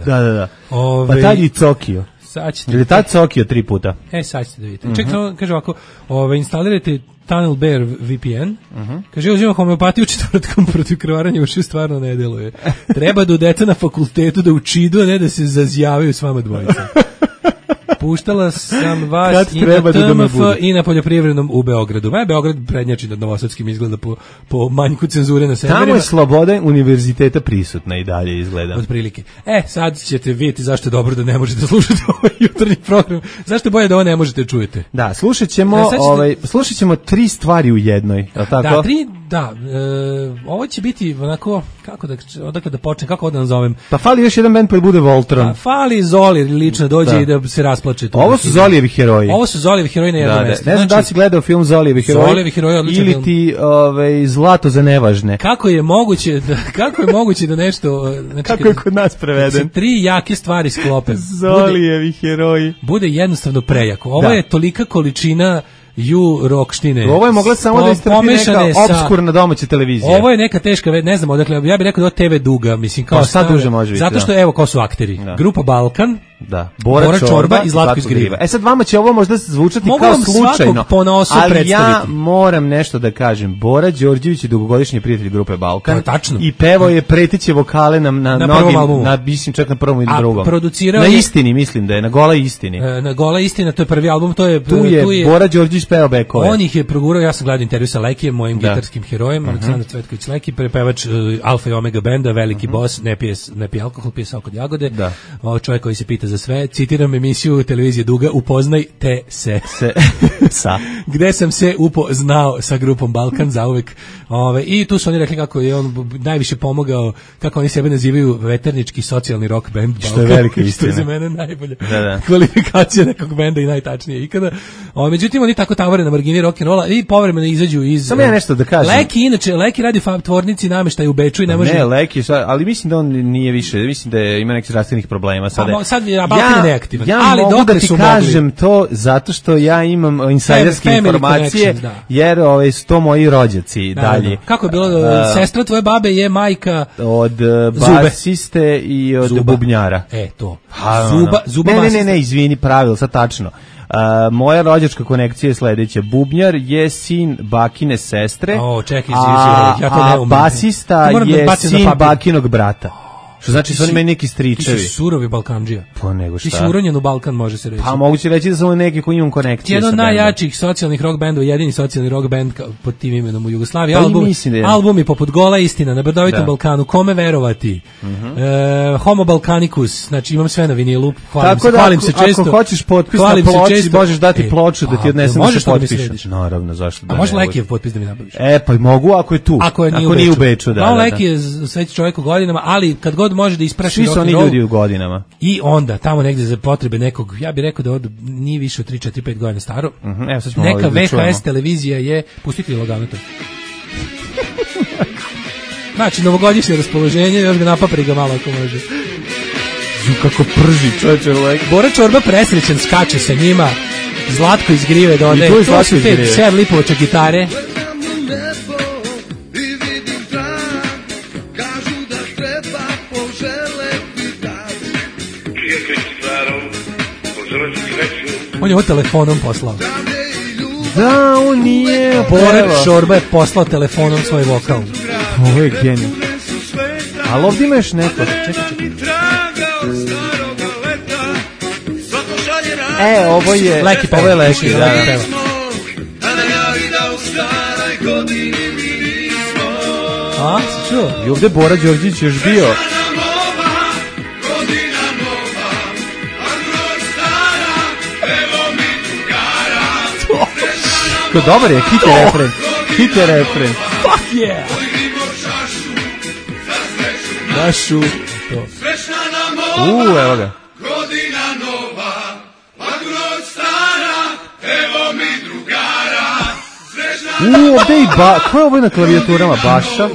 da. Pa tad i Cokio. Ili tad Cokio 3 puta. Sad ćete da vidite. Čekaj, kaže ovako, instalirajte Tunnel Bear VPN, kaže, uzimam homeopatiju četvrtkom protiv krvaranja ušiju, stvarno ne deluje. Treba da udete na fakultetu da učidu, a ne da se zazjavaju s vama dvojica. Puštala sam vas i na TMF i na poljoprivrednom u Beogradu. Beograd prednjači nad Novosadskim, izgleda po manjku cenzure na serverima. Tamo je sloboda univerziteta prisutna i dalje izgleda. Od prilike. Sad ćete vidjeti zašto je dobro da ne možete slušati ovaj jutarnji program. Zašto je bolje da ovo ne možete čujete? Da, slušat ćemo 3 stvari u jednoj. Tako? Ovo će biti onako, odakle da počnem, kako da nazovem? Pa fali još jedan band pa bude Voltron. Fali Zoli lično dođe i da se rasplače. Ovo su Zolijevi heroji. Ovo su Zolijevi heroji na jednom mjestu. Ne znam da si gledao film Zolijevi heroji ili ti Zlato za nevažne. Kako je moguće da nešto... Kako je kod nas preveden? 3 jake stvari sklope. Zolijevi heroji. Bude jednostavno prejako. Ovo je tolika količina rokštine. Ovo je mogla samo da istrpi neka obskurna domaća televizija. Ovo je neka teška, ne znam, odakle, ja bih rekao da TV duga, mislim, kao sad duže može biti. Zato što, evo, ko su akteri. Grupa Balkan, Bora Čorba i Zlatko iz Griva. Sad vama će ovo možda zvučati kao slučajno, ali ja moram nešto da kažem. Bora Đorđević je dugogodišnji prijatelj grupe Balkan i pevao je preteće vokale na mnogim, mislim čak na prvom i na drugom. Na Istini, mislim da je, na Gola Istini. Na Gola Istina, to je prvi album, tu je Bora Đorđević pevao bekove. On ih je progurao, ja sam gledao intervju sa Lekijem, mojim gitarskim herojem, Aleksandar Cvetković Leki, prepevač Alfa i Omega benda, veliki boss, ne pije alkohol, pije sok od jagode. Čovjek koji se pita za sve, citiram emisiju televizije Duga, upoznaj te se. Gde sam se upoznao sa grupom Balkan zauvek. I tu su oni rekli kako je on najviše pomogao, kako oni sebe nazivaju veternički socijalni rock band Balkan. Što je velika istina. Što je za mene najbolja kvalifikacija nekog benda i najtačnije ikada. Međutim, oni tako tavore na margini rock'n'rolla i povremeno izađu iz... Samo ja nešto da kažem. Leki radi tvornici namještaja u Beču i ne može... Ne, Leki, ali mislim da on nije više, mislim da ima nekih zdravstvenih problema sada. je Balkan neaktivan. Ja ali mogu da ti kažem mogli... to zato što ja imam insajderske informacije, jer su to moji rođaci dalje. Kako je bilo, sestra tvoje babe je majka od basiste i od bubnjara. To. Zuba ne, izvini, pravilo, sad tačno. Moja rođačka konekcija je sledeća. Bubnjar je sin bakine sestre, a basista je sin bakinog brata. Što znači su oni meni neki stričevi. Ti si surovi Balkandžija. Pa nego šta? Ti si uronjen u Balkan, može se reći. Pa moguće reći da sam neki koji imam konekcije. Jedan od najjačih socijalnih rock bendova, jedini socijalni rock band pod tim imenom u Jugoslaviji. Albumi poput Gola istina, Na brdovitom Balkanu, Kome verovati, Homo Balkanicus, znači imam sve na vinilu, hvalim se često. Ako hoćeš potpis na ploči, možeš dati ploču da ti odnesem da se potpišeš. Naravno, zašto da ne. A može Lekijev potpis da mi nabaviš? Pa mogu ako je tu. Ako nije u Beču, da. Leki je sveći čovjek u godinama, ali kad god može da ispraši rock and roll. Svi su oni ljudi u godinama. I onda, tamo negdje za potrebe nekog, ja bih rekao da od nije više od 3, 4, 5 godina staro, neka VHS televizija je, pustiti logano to. Znači, novogodišnje raspoloženje, još ga napapri ga malo ako može. Kako prži, čovječe, like. Bora Čorba presrećen, skače sa njima, Zlatko iz Grive dode, to su te 7 lipovača gitare. On je ovo telefonom poslao. Da, on nije. Bora Čorba je poslao telefonom svoj vokal. Ovo je genij. Ali ovdje ima još neko. Čekaj. Ovo je Leki peva. Ovo je Leki, da. A, si čuo? I ovdje Bora Đorđić još bio. Dobar je, hit je refren. Fuck yeah! Našu to. Evo ga. Godina nova, a groć stara, evo mi drugara. Ovdje i ko je ovo na klavijaturama? Baša?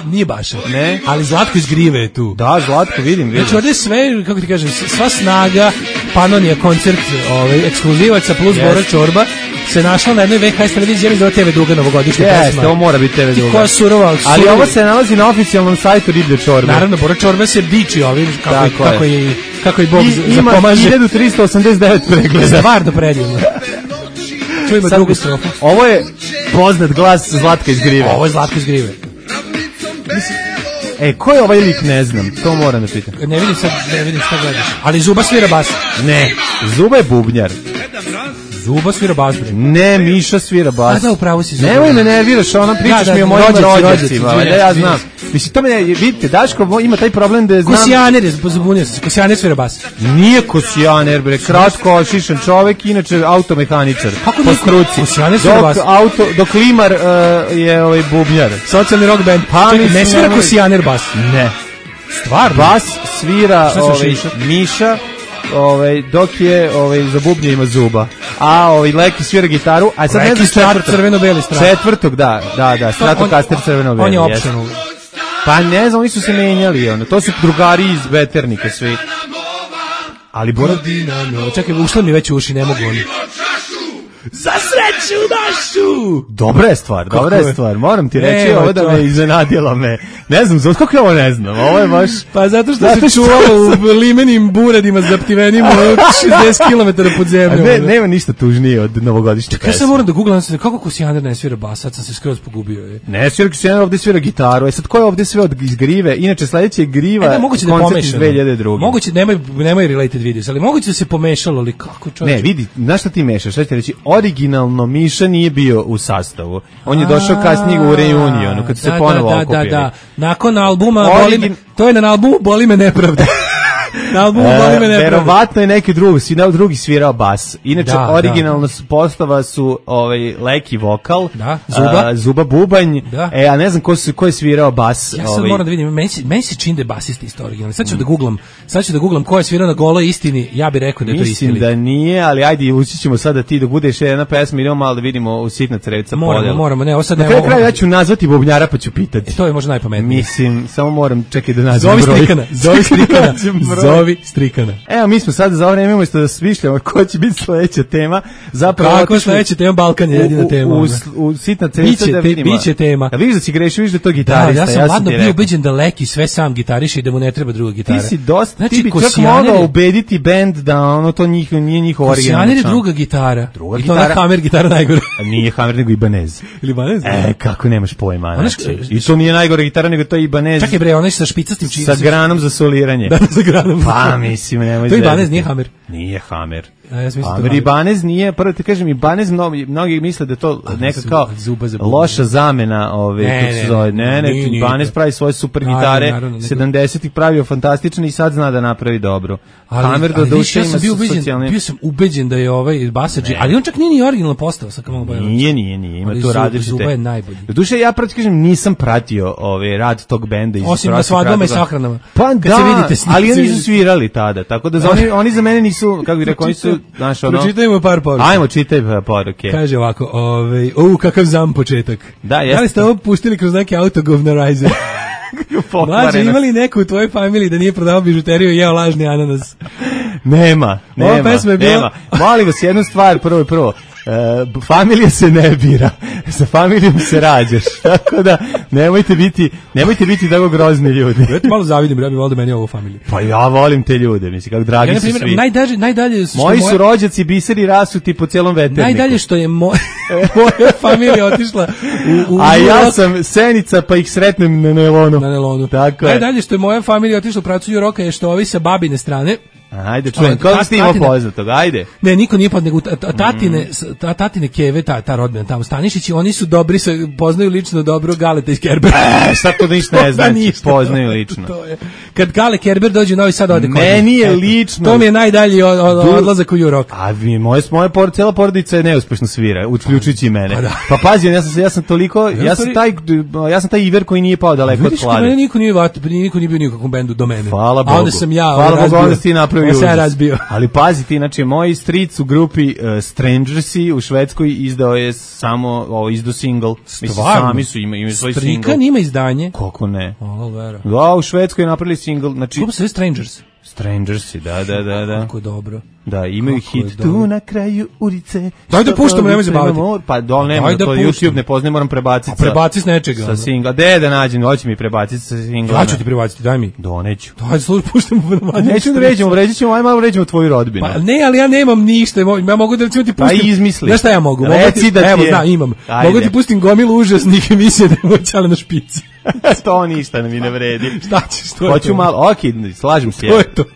Nije Baša. Ne? Ali Zlatko iz Grive je tu. Da, Zlatko, vidim. Znači ovdje sve, kako ti kažem, sva snaga Panonija koncert ekskluzivaca plus Bora Čorba se našla na jednoj VHS televiziji, jer je TV Duga novogodišnja pesma. Jeste, ovo mora biti TV Duga. Ti koja surova. Ali ovo se nalazi na oficijalnom sajtu Riblje Čorbe. Naravno, Bora Čorba se diči ovim, kako i Bog zapomaže. Ima 1389 pregleda. Stvarno predivno. Čujemo drugu strofu. Ovo je poznat glas Zlatka iz Grive. Ovo je Zlatko iz Grive. Ko je ovaj lik, ne znam, to moram da pitam. Ne vidim šta gledaš. Ali Zuba svira bas. Ne, Zuba je bubnjar. Zuba svira bas. Ne, Miša svira bas. A da, upravo si Zuba. Nemoj me nerviraš, ona pričaš mi o mojim rođacima. Da, ja znam. Mislim, to me, vidite, Daško ima taj problem da znam... Kosijaner je, zabunio se, Kosijaner svira bas. Nije Kosijaner, bre, kratko, šišan čovek, inače automehaničar. Kako nije Kosijaner svira bas? Dok Limar je bubnjar. Socijalni rock band. Ne svira Kosijaner bas? Ne. Stvarno? Bas svira Miša, dok je za bubnje ima Zuba. A Leki svira gitaru, a sad ne znam crveno-beli strat. Četvrtog, da, Stratocaster crveno-beli. On je optional. Pa ne znam, oni su se menjali, to su drugari iz Veternika svi. Ali čekaj, ušlo mi već u uši, ne mogu oni. Za sreću našu! Dobra je stvar, moram ti reći, ovo da me iznenadilo me. Ne znam, kako je ovo ne znam, ovo je baš... Pa zato što se čuvalo u limenim buradima zaptivenim 60 km pod zemljom. Nema ništa tužnije od novogodišnje pesme. Ja sam moram da googlam, kako Kosijaner ne svira bas, sad sam se skroz pogubio. Ne svira Kosijaner, ovdje svira gitaru, sad ko je ovdje sve iz Grive? Inače, sledeće je Griva, koncert iz 2002. Moguće, nemoj related videos, ali moguće da se pomešalo, ali kako čovječ? Ne, vidi, znaš šta ti mešaš, šta ti reći? Originalno Miša nije bio u sastavu. On je došao kasnije u reunionu, kad se ponovo okupili. Da. Nakon albuma, to je na albumu Boli me nepravda. Na albumu Boli me nepravda. Verovatno je neki drugi svirao bas. Inače, originalno postava su Leki vokal, Zuba bubanj, a ne znam ko je svirao bas. Ja sad moram da vidim, meni se čini da je basist isto originalno. Sad ću da googlam ko je svirao na Goloj istini, ja bih rekao da je to isti. Mislim da nije, ali ajde, ući ćemo sada ti da budeš jedna pesma, idemo malo da vidimo u sitna crevca podjela. Moramo, ne, ovo sad ne mogu. Na kraju ja ću nazvati bubnjara pa ću pitati. To je možda najpametnije. Mislim, samo moram, čekaj da nazvam broj. Zovi strikana. zovi Strikana. Evo, mi smo sad za ovo vreme umjesto da smišljamo ko će biti sledeća tema. Zapravo kako sledeća tema? Balkan je jedina tema. U sitna cesta da vidimo. Biće tema. A vidiš da si grešio, vidiš da to gitarista. Ja sam ladno bio ubeđen da Leki sve sam gitariše i da mu ne treba druga gitara. Ti si dosta, znači, ti bi čak mogao ubediti bend da ono to nije njihov originalni. Kosijaner je druga gitara. I to ona Hammer gitara najgore. Nije Hammer nego Ibanez. Ili Ibanez? Kako nemaš pojma. I to nije najgore gitara nego to je Ibanez. Čekaj bre, onaj sa špicastim činom. Sa granom za soliranje. Da, sa granom. Pa mislim, nemoj. To je Ibanez, nije Hammer. Nije Hammer. Ja Ibanez nije, prvo ti kažem, Ibanez mnogi misle da to neka kao loša zamena Ibanez pravi svoje super gitare, 70-ih pravio fantastične i sad zna da napravi dobro. Hammer do duše ima socijalne. Bio sam ubeđen da je ovaj basađi, ali on čak nije ni originalna postava sa Kamal Bajanović. Nije, ima to različite. Zuba je najbolji. Do duše ja pravo ti kažem, nisam pratio rad tog benda. Osim na svadbama i sahranama. Pa da, ali oni nisu svirali tada, tako da oni za mene nisu, kako bih rekao, oni su pročitajmo par poruka. Ajmo, čitaj poruke. Kaže ovako, kakav zam početak. Da li ste ovo puštili kroz neke autogovnarizer? Mlađe, imali neko u tvojoj familiji da nije prodavao bižuteriju i jeo lažni ananas? Nema. Molim vas jednu stvar, prvo. Familija se ne bira, sa familijom se rađaš, tako da nemojte biti tako grozni ljudi. Ja te malo zavidim, ja bih volio da meni ovo familiju. Pa ja volim te ljude, mislim, kako dragi su svi. Najdalje moji su rođaci biseri rasuti po cijelom veterniku. Najdalje što je moja familija otišla a ja sam Senica pa ih sretnem na nelonu. Tako je. Najdalje što je moja familija otišla u pracu Juroka je što ovi sa babine strane. Ajde, čujem, kako ste imao poznatog, ajde. Ne, niko nije nego tatine keve, ta rodbina tamo Stanišići, oni su dobri, poznaju lično dobro Galeta iz Kerbera. Sad to ništa ne znači, poznaju lično. Kad Gale Kerber dođe u Novi Sad ode kod. Meni je lično. To mi je najdalji odlazak u Jurok. A moja cijela porodica je neuspešno svira, uključujući i mene. Pa pazi, ja sam toliko, ja sam taj Iver koji nije pao daleko od Klade. Vidiš, niko nije bio nikakvom bendu do mene. Hvala Bogu. A onda sam ja razbio. Ali pazi ti, znači, moj stric u grupi Strangersi u Švedskoj izdao je samo izdao single. Mislim, sami su imaju svoj single. Strikan ima izdanje? Kako ne? Vera. Da, u Švedskoj je napravili single. Znači, grupa se Strangers. Strangersi, da. Kako dobro. Da, imaju hit tu na kraju ulice. Daj da puštamo, nemoj se baviti. Pa nema, to YouTube ne poznaje, moram prebaciti. Prebaci s nečega. Sa singla. Da nađem, hoće mi prebaciti sa singla. Ja ću ti prebaciti, daj mi. Neću. Daj, puštamo. Neću da ređemo tvoju rodbinu. Pa ne, ali ja nemam ništa. Ja mogu da recimo ti pustim. Pa izmisli. Znaš šta ja mogu? Reci da ti je. Evo, imam. Mogu ti pustim gomilu užasnih emisija da je moćala na špici. To ništa mi ne vredi. Šta ćeš to? Hoću malo, slažem se.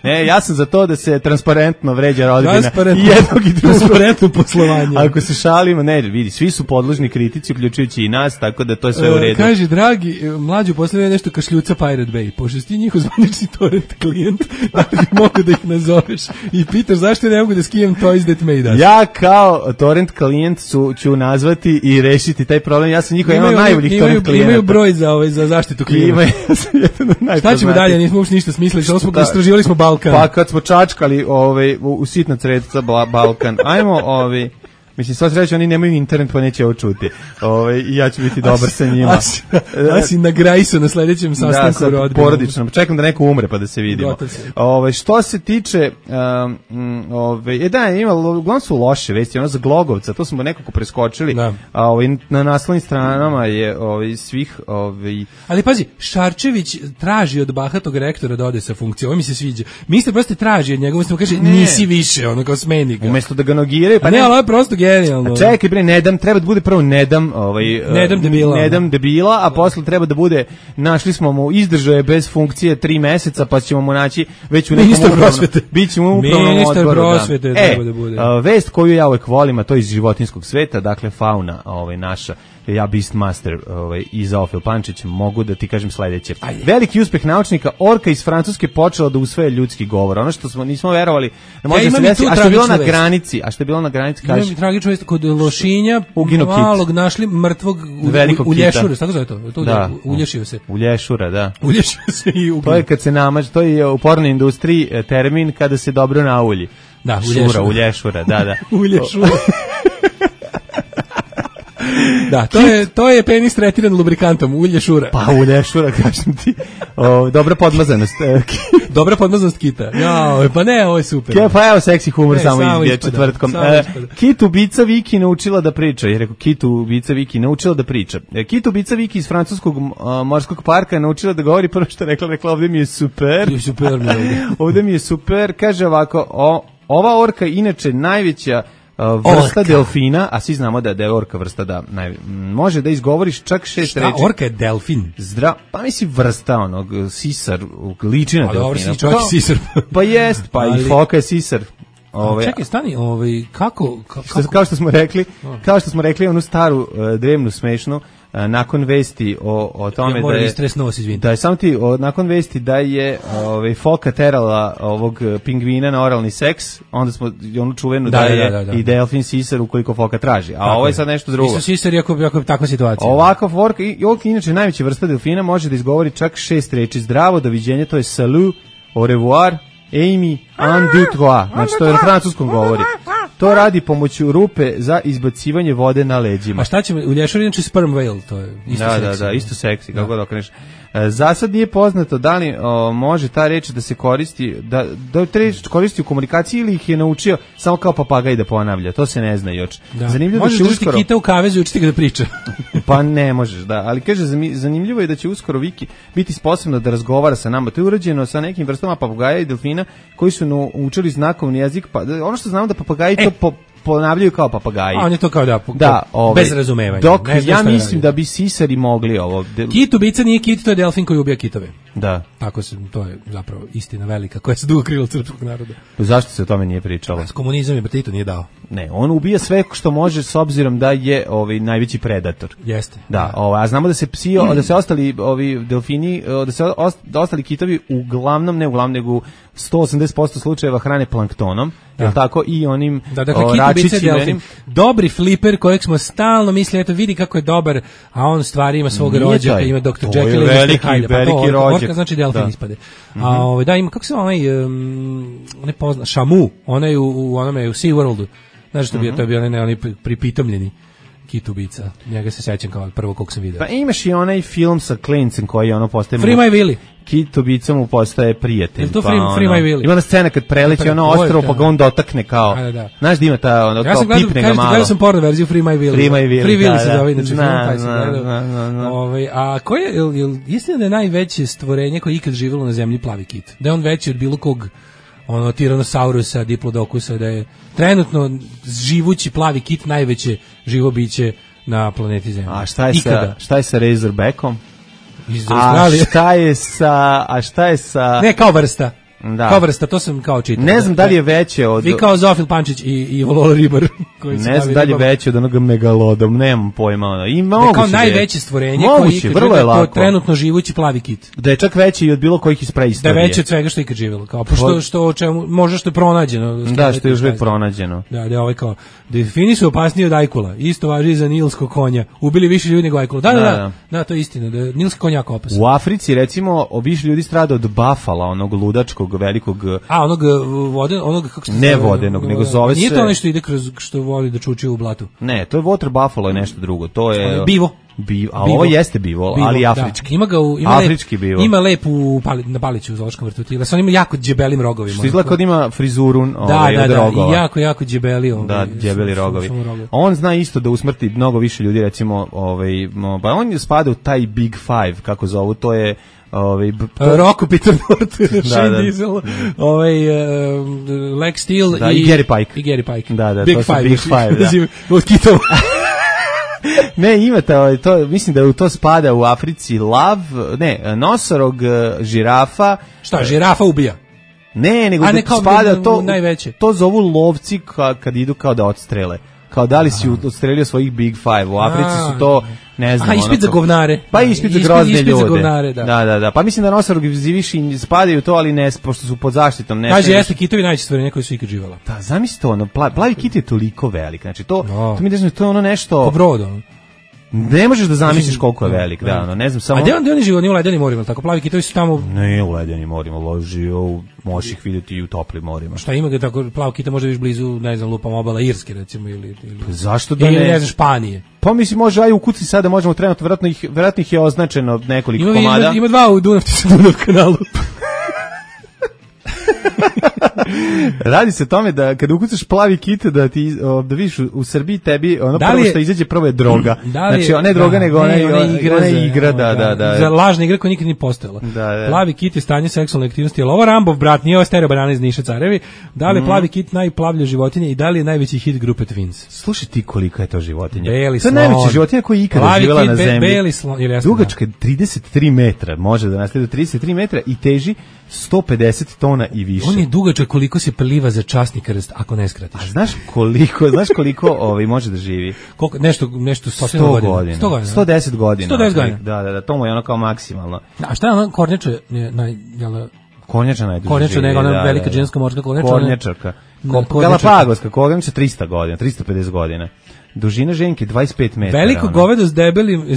Ne, ja sam za to da se transparentno vređa rodbina i jednog i drugog. Transparentno poslovanje. Ako se šalimo, ne, vidi, svi su podložni kritici, uključujući i nas, tako da to je sve u redu. Kaže, dragi, mlađu posljedno nešto kašljuca Pirate Bay. Pošto si ti njihov zvanični torrent klijent, da li mogu da ih nazoveš i pitaš zašto ne mogu da skijem Toys That Made Us. Ja kao torrent klijent ću nazvati i rešiti taj problem. Ja sam njihov jedan od najboljih torrent klijenata. Imaju broj za zaštitu klijenta. Šta ćemo dalje, nismo uopšte ništa smislili, istraživali smo Balkan. Pa kad smo čačkali u sitna credca Balkan, ajmo mislim, sva sreća, oni nemaju internet pa neće ovo čuti. I ja ću biti dobar sa njima. A si na Grajsu na sledećem sastanku rodbina. Da, porodično. Čekam da neko umre pa da se vidimo. Što se tiče uglavnom su loše vesti, za Glogovca, to smo nekako preskočili. Na naslovnim stranama je svih... Ali pazi, Šarčević traži od bahatog rektora da ode sa funkcije. Ovo mi se sviđa. Ministar prosto traži od njega, umesto kaže nisi više, kao smeni ga. Umesto da ga nogiraju, pa ne, ali ovo je prosto genijalno. Čekaj bre, treba da bude prvo nedam debila, a posle treba da bude, našli smo mu izdržaje bez funkcije 3 meseca, pa ćemo mu naći već u nekom upravnom odboru. Prosvete treba da bude. Vest koju ja uvek volim, a to je iz životinjskog sveta, dakle fauna naša, ja Beastmaster i Zoofil Pančić, mogu da ti kažem sledeće. Veliki uspeh naučnika, orka iz Francuske počela da usvaja ljudski govor. Ono što nismo verovali da može se desiti, a što je bilo na granici, kaže. Tragično jest kod Lošinja, malog našli mrtvog u Lješure, tako zove to? Ulješio se. Ulješura, da. Ulješio se i ugljen. To je kad se to je u pornoj industriji termin kada se dobro naulji. Da, Ulješura, da. Ulješura. Da, to je penis tretiran lubrikantom, ulje šura. Pa ulje šura, kažem ti. Dobra podmazanost. Dobra podmazanost kita. Ja, pa ne, ovo je super. Pa evo seksi humor samo izbije četvrtkom. Kit ubica Viki naučila da priča. Je rekao Kit ubica Viki naučila da priča. Kit ubica Viki iz francuskog morskog parka je naučila da govori prvo što rekla ovdje mi je super. Ovdje mi je super. Kaže ovako, ova orka inače najveća vrsta delfina, a svi znamo da je orka vrsta da može da izgovoriš čak 6 reči. Šta, orka je delfin? Pa misli vrsta onog sisar, liči na delfina. Čovjek sisar. Pa jest, pa i foka je sisar. Čekaj, stani, kako? Kao što smo rekli onu staru drevnu smešnu, nakon vesti o tome da je samo ti nakon vesti da je foka terala ovog pingvina na oralni seks, onda smo onu čuvenu da je i delfin sisar ukoliko foka traži, a ovo je sad nešto drugo. Isto sisar ako je takva situacija. Ovakva orka, inače najveća vrsta delfina, može da izgovori čak 6 reči. Zdravo, doviđenje, to je salut, au revoir, Amy, un, deux, trois. Znači, to je na francuskom govori. To radi pomoću rupe za izbacivanje vode na leđima. A šta će, u lješaru inače sperm whale, to je isto seksi. Da, isto seksi, kako da okreneš. Za sad nije poznato da li može ta reč da se koristi, da ta reč koristi u komunikaciji ili ih je naučio samo kao papagaj da ponavlja, to se ne zna još. Zanimljivo možeš da držati kita u kavezu i učiti ga da priča. Pa ne možeš, da, ali kaže, zanimljivo je da će uskoro Viki biti sposobna da razgovara sa nama. To je urađeno sa nekim vrstama papagaja i delfina koji su naučili znakovni jezik, pa ono što znamo da papagaji to ponavljaju kao papagaji. A on je to kao bez razumevanja. Dok ja mislim da bi sisari mogli ovo. Kit ubica nije kit, to je delfin koji ubija kitove. Da. Tako to je zapravo istina velika koja se dugo krila od srpskog naroda. Zašto se o tome nije pričalo? S komunizam je Tito nije dao. Ne, on ubija sve što može s obzirom da je najveći predator. Jeste. Da, a znamo da se da se ostali delfini, da ostali kitovi uglavnom, ne uglavnom, nego 180% slučajeva hrane planktonom. Jel tako, i onim račićima. Dobri fliper kojeg smo stalno mislili, eto vidi kako je dobar, a on stvari ima svog rođaka, ima Dr. Jekyll i Mr. Hyde. Veliki rođak. Orka znači delfin ispade. A da, ima, kako se ne pozna, Shamu, onaj u Sea Worldu. Znaš što to je bio onaj pripitomljeni kit ubica. Njega se sećam kao prvo kog sam vidio. Pa imaš i onaj film sa klincem koji postaje... Free My Willy. Kit ubicom mu postaje prijatelj. Je to Free My Willy? Ima ona scena kad preleći ostrvo pa ga on dotakne kao... Znaš da ima kao pipne ga malo. Gledao sam porno verziju Free My Willy. Free Willy se zove, znači film taj sam gledao. A ko je, istina da je najveće stvorenje koje ikad živjelo na zemlji plavi kit? Da je on veći od bilo kog Tyrannosaurusa, Diplodocusa, da je trenutno živući plavi kit najveće živo biće na planeti Zemlji. A šta je sa Razorbackom? Iz Australije. A šta je sa... Ne, kao vrsta. Da. Kao vrsta, to sam kao čitao. Ne znam da li je veće od... Vi kao Zofil Pančić i Volola Ribar. Ne znam da li je veće od onog megalodom, nemam pojma. Kao najveće stvorenje koji trenutno živući plavi kit. Da je čak veći i od bilo kojih iz preistorije. Da je veće od svega što je ikad živjelo. Kao, što možda što je pronađeno. Da, što je još uvijek pronađeno. Da je ovaj kao, delfini su opasniji od ajkula. Isto važi za nilskog konja. Ubili više ljudi nego ajkula. Da, to je istina. Da nilski konj jako opasan. U Africi, recimo, više ljudi strada od bafala, onog ludačkog velikog... onog kako se ne vodenog, nego zove se... Nije to nešto ide kroz što voli da čuči u blatu? Ne, to je water buffalo, je nešto drugo. To je... Bivo. A ovo jeste bivo, ali afrički. Ima ga afrički bivo. Ima lep na Paliću u zoološkom vrtu. On ima jako djebelim rogovima. Što izgleda kod ima frizuru od rogova. Da, jako djebeli. Da, djebeli rogovi. On zna isto da usmrti mnogo više ljudi, recimo, pa on spada u taj Big Five, kako zovu, to je Rocco, Peter Norton, Shane Diesel, Lex Steele i Gary Pike. Da, Big to su Five, Big Five, da. Od kitova. Ne, ima to, mislim da u to spada u Africi nosorog, žirafa. Šta, žirafa ubija? Ne, nego da spada to, najveće. To zovu lovci kad idu kao da odstrele. Kao da li si odstrelio svojih Big Five. U Africi su to, ne znam. Ispit za govnare. Pa ispit za grozne ljude. Za govnare, da. Pa mislim da nosorogi više spadaju to, ali ne, pošto su pod zaštitom. Kaže, jeste kitovi najveće stvorenje koji su ikad živala. Da, zamisli to, plavi kit je toliko velik. Znači, to mi da to je ono nešto... Po brodu. Ne možeš da zamisliš koliko je velik, da, ono, ne znam, samo... A gde oni žive, oni u ledenim morima, tako plavi kitovi su tamo... Ne u ledenim morima, žive, možeš ih vidjeti i u toplim morima. Šta ima ga tako, plav kita može viš blizu, ne znam, lupam obala Irske, recimo, ili pa zašto da ne? Ili ne znam, Španije. Pa mislim, može, aj u kuci sada možemo trenutno, vjerojatno ih je označeno nekoliko komada. Ima dva u Dunav kanalu. Radi se o tome da kada ukucaš plavi kit da ti da vidiš u Srbiji tebi ono prvo što izađe prvo je droga. Znači ona je droga nego ona igra da. Za lažna igra koja nikad nije postojala. Plavi kit je stanje seksualne aktivnosti. Jel ovo Rambov brat, nije ovo stereo banana iz Niša Carevi? Da li je plavi kit najplavlja životinja i da li je najveći hit grupe Twins? Slušaj ti kolika je to životinja. Beli to je najveća životinja koja je ikada živjela na zemlji. Beli slon, dugačka 33 metra, može da nastaje do 33 metra i teži 150 tona i više. On je dugačak koliko se pliva za časni krst ako ne skratiš. A znaš koliko može da živi? Koliko nešto 100 godina. 110 godina. 110 godina. Da, to mu je ono kao maksimalno. A šta je ono kornjača Kornjača najduže živi. Kornjača nego ona velika ženska morska kornjača. Kornjačarka. Galapagoska kornjača 300 godina, 350 godina. Dužina ženke 25 metara. Veliko govedo s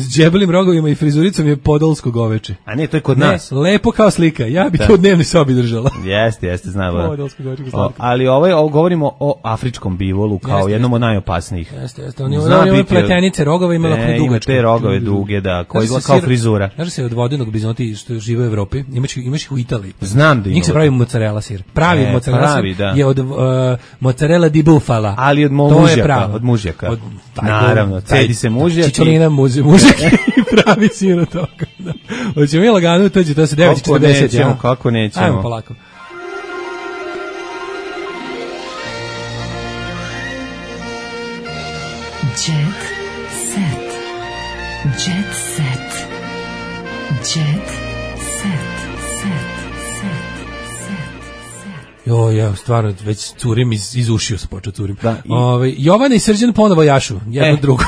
džebelim rogovima i frizuricom je podolsko goveče. A ne, to je kod nas. Lepo kao slika. Ja bih to u dnevnoj sobi držala. Jeste, znam. Podolsko goveče. Ali govorimo o afričkom bivolu kao jednom od najopasnijih. Jeste. Oni imaju pletenice rogova, imaju dugačke. Te rogove duge, da, koji izgleda kao frizura. Znaš se od vodenog bizonti što žive u Evropi, imaš ih u Italiji. Znam da ima. Njih se pravi mozzarella sir. Pravi mozzarella sir je od mozzarella di bufala. Ali od mužjaka. Naravno, cedi se mužjak. Čičolina mužjak i pravi sir od toga. Hoćemo mi lagano, to se 9:40. Kako nećemo. Ajmo polako. Jet set. Jet set. Jet set. Ja stvarno već curim iz ušiju se počeo curim. Jovana i Srđan ponovo jašu, jedno drugo.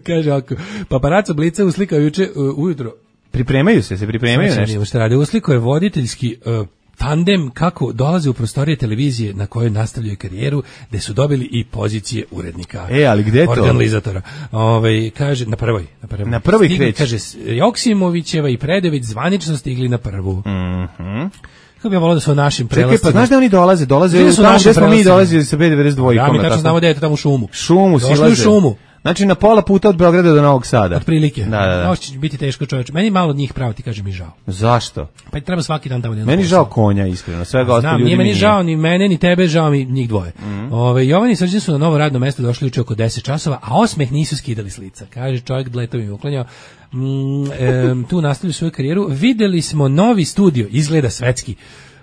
Kaže ovako, paparaco Blica uslikao juče ujutro. Pripremaju se nešto. Šta radi, uslikao je voditeljski tandem kako dolaze u prostorije televizije na kojoj nastavljaju karijeru, gde su dobili i pozicije urednika. Ali gde to? Organizatora. Kaže, na prvoj. Na prvoj kreće. Kaže, Joksimovićeva i Predović zvanično stigli na prvu. Kako bi ja volao da su u našim prelascima. Čekaj, pa znaš da oni dolaze tamo gde smo mi dolazili sa B92. Ja mi tačno znamo da je to tamo u šumu. Došli u šumu. Znači na pola puta od Beograda do Novog Sada. Otprilike. Da. Ovo će biti teško, čoveče. Meni malo od njih pravo ti kaže mi žao. Zašto? Pa treba svaki dan tamo. Meni žao konja, iskreno. Svega ostalo ljudi. Nije meni žao ni mene ni tebe, žao mi njih dvoje. Jovan i Srđan su na novo radno mesto došli juče oko 10 časova, a osmeh nisu skidali s lica. Kaže čovjek dletovim uklanjao. Tu nastavljaju svoju karijeru. Videli smo novi studio, izgleda svetski.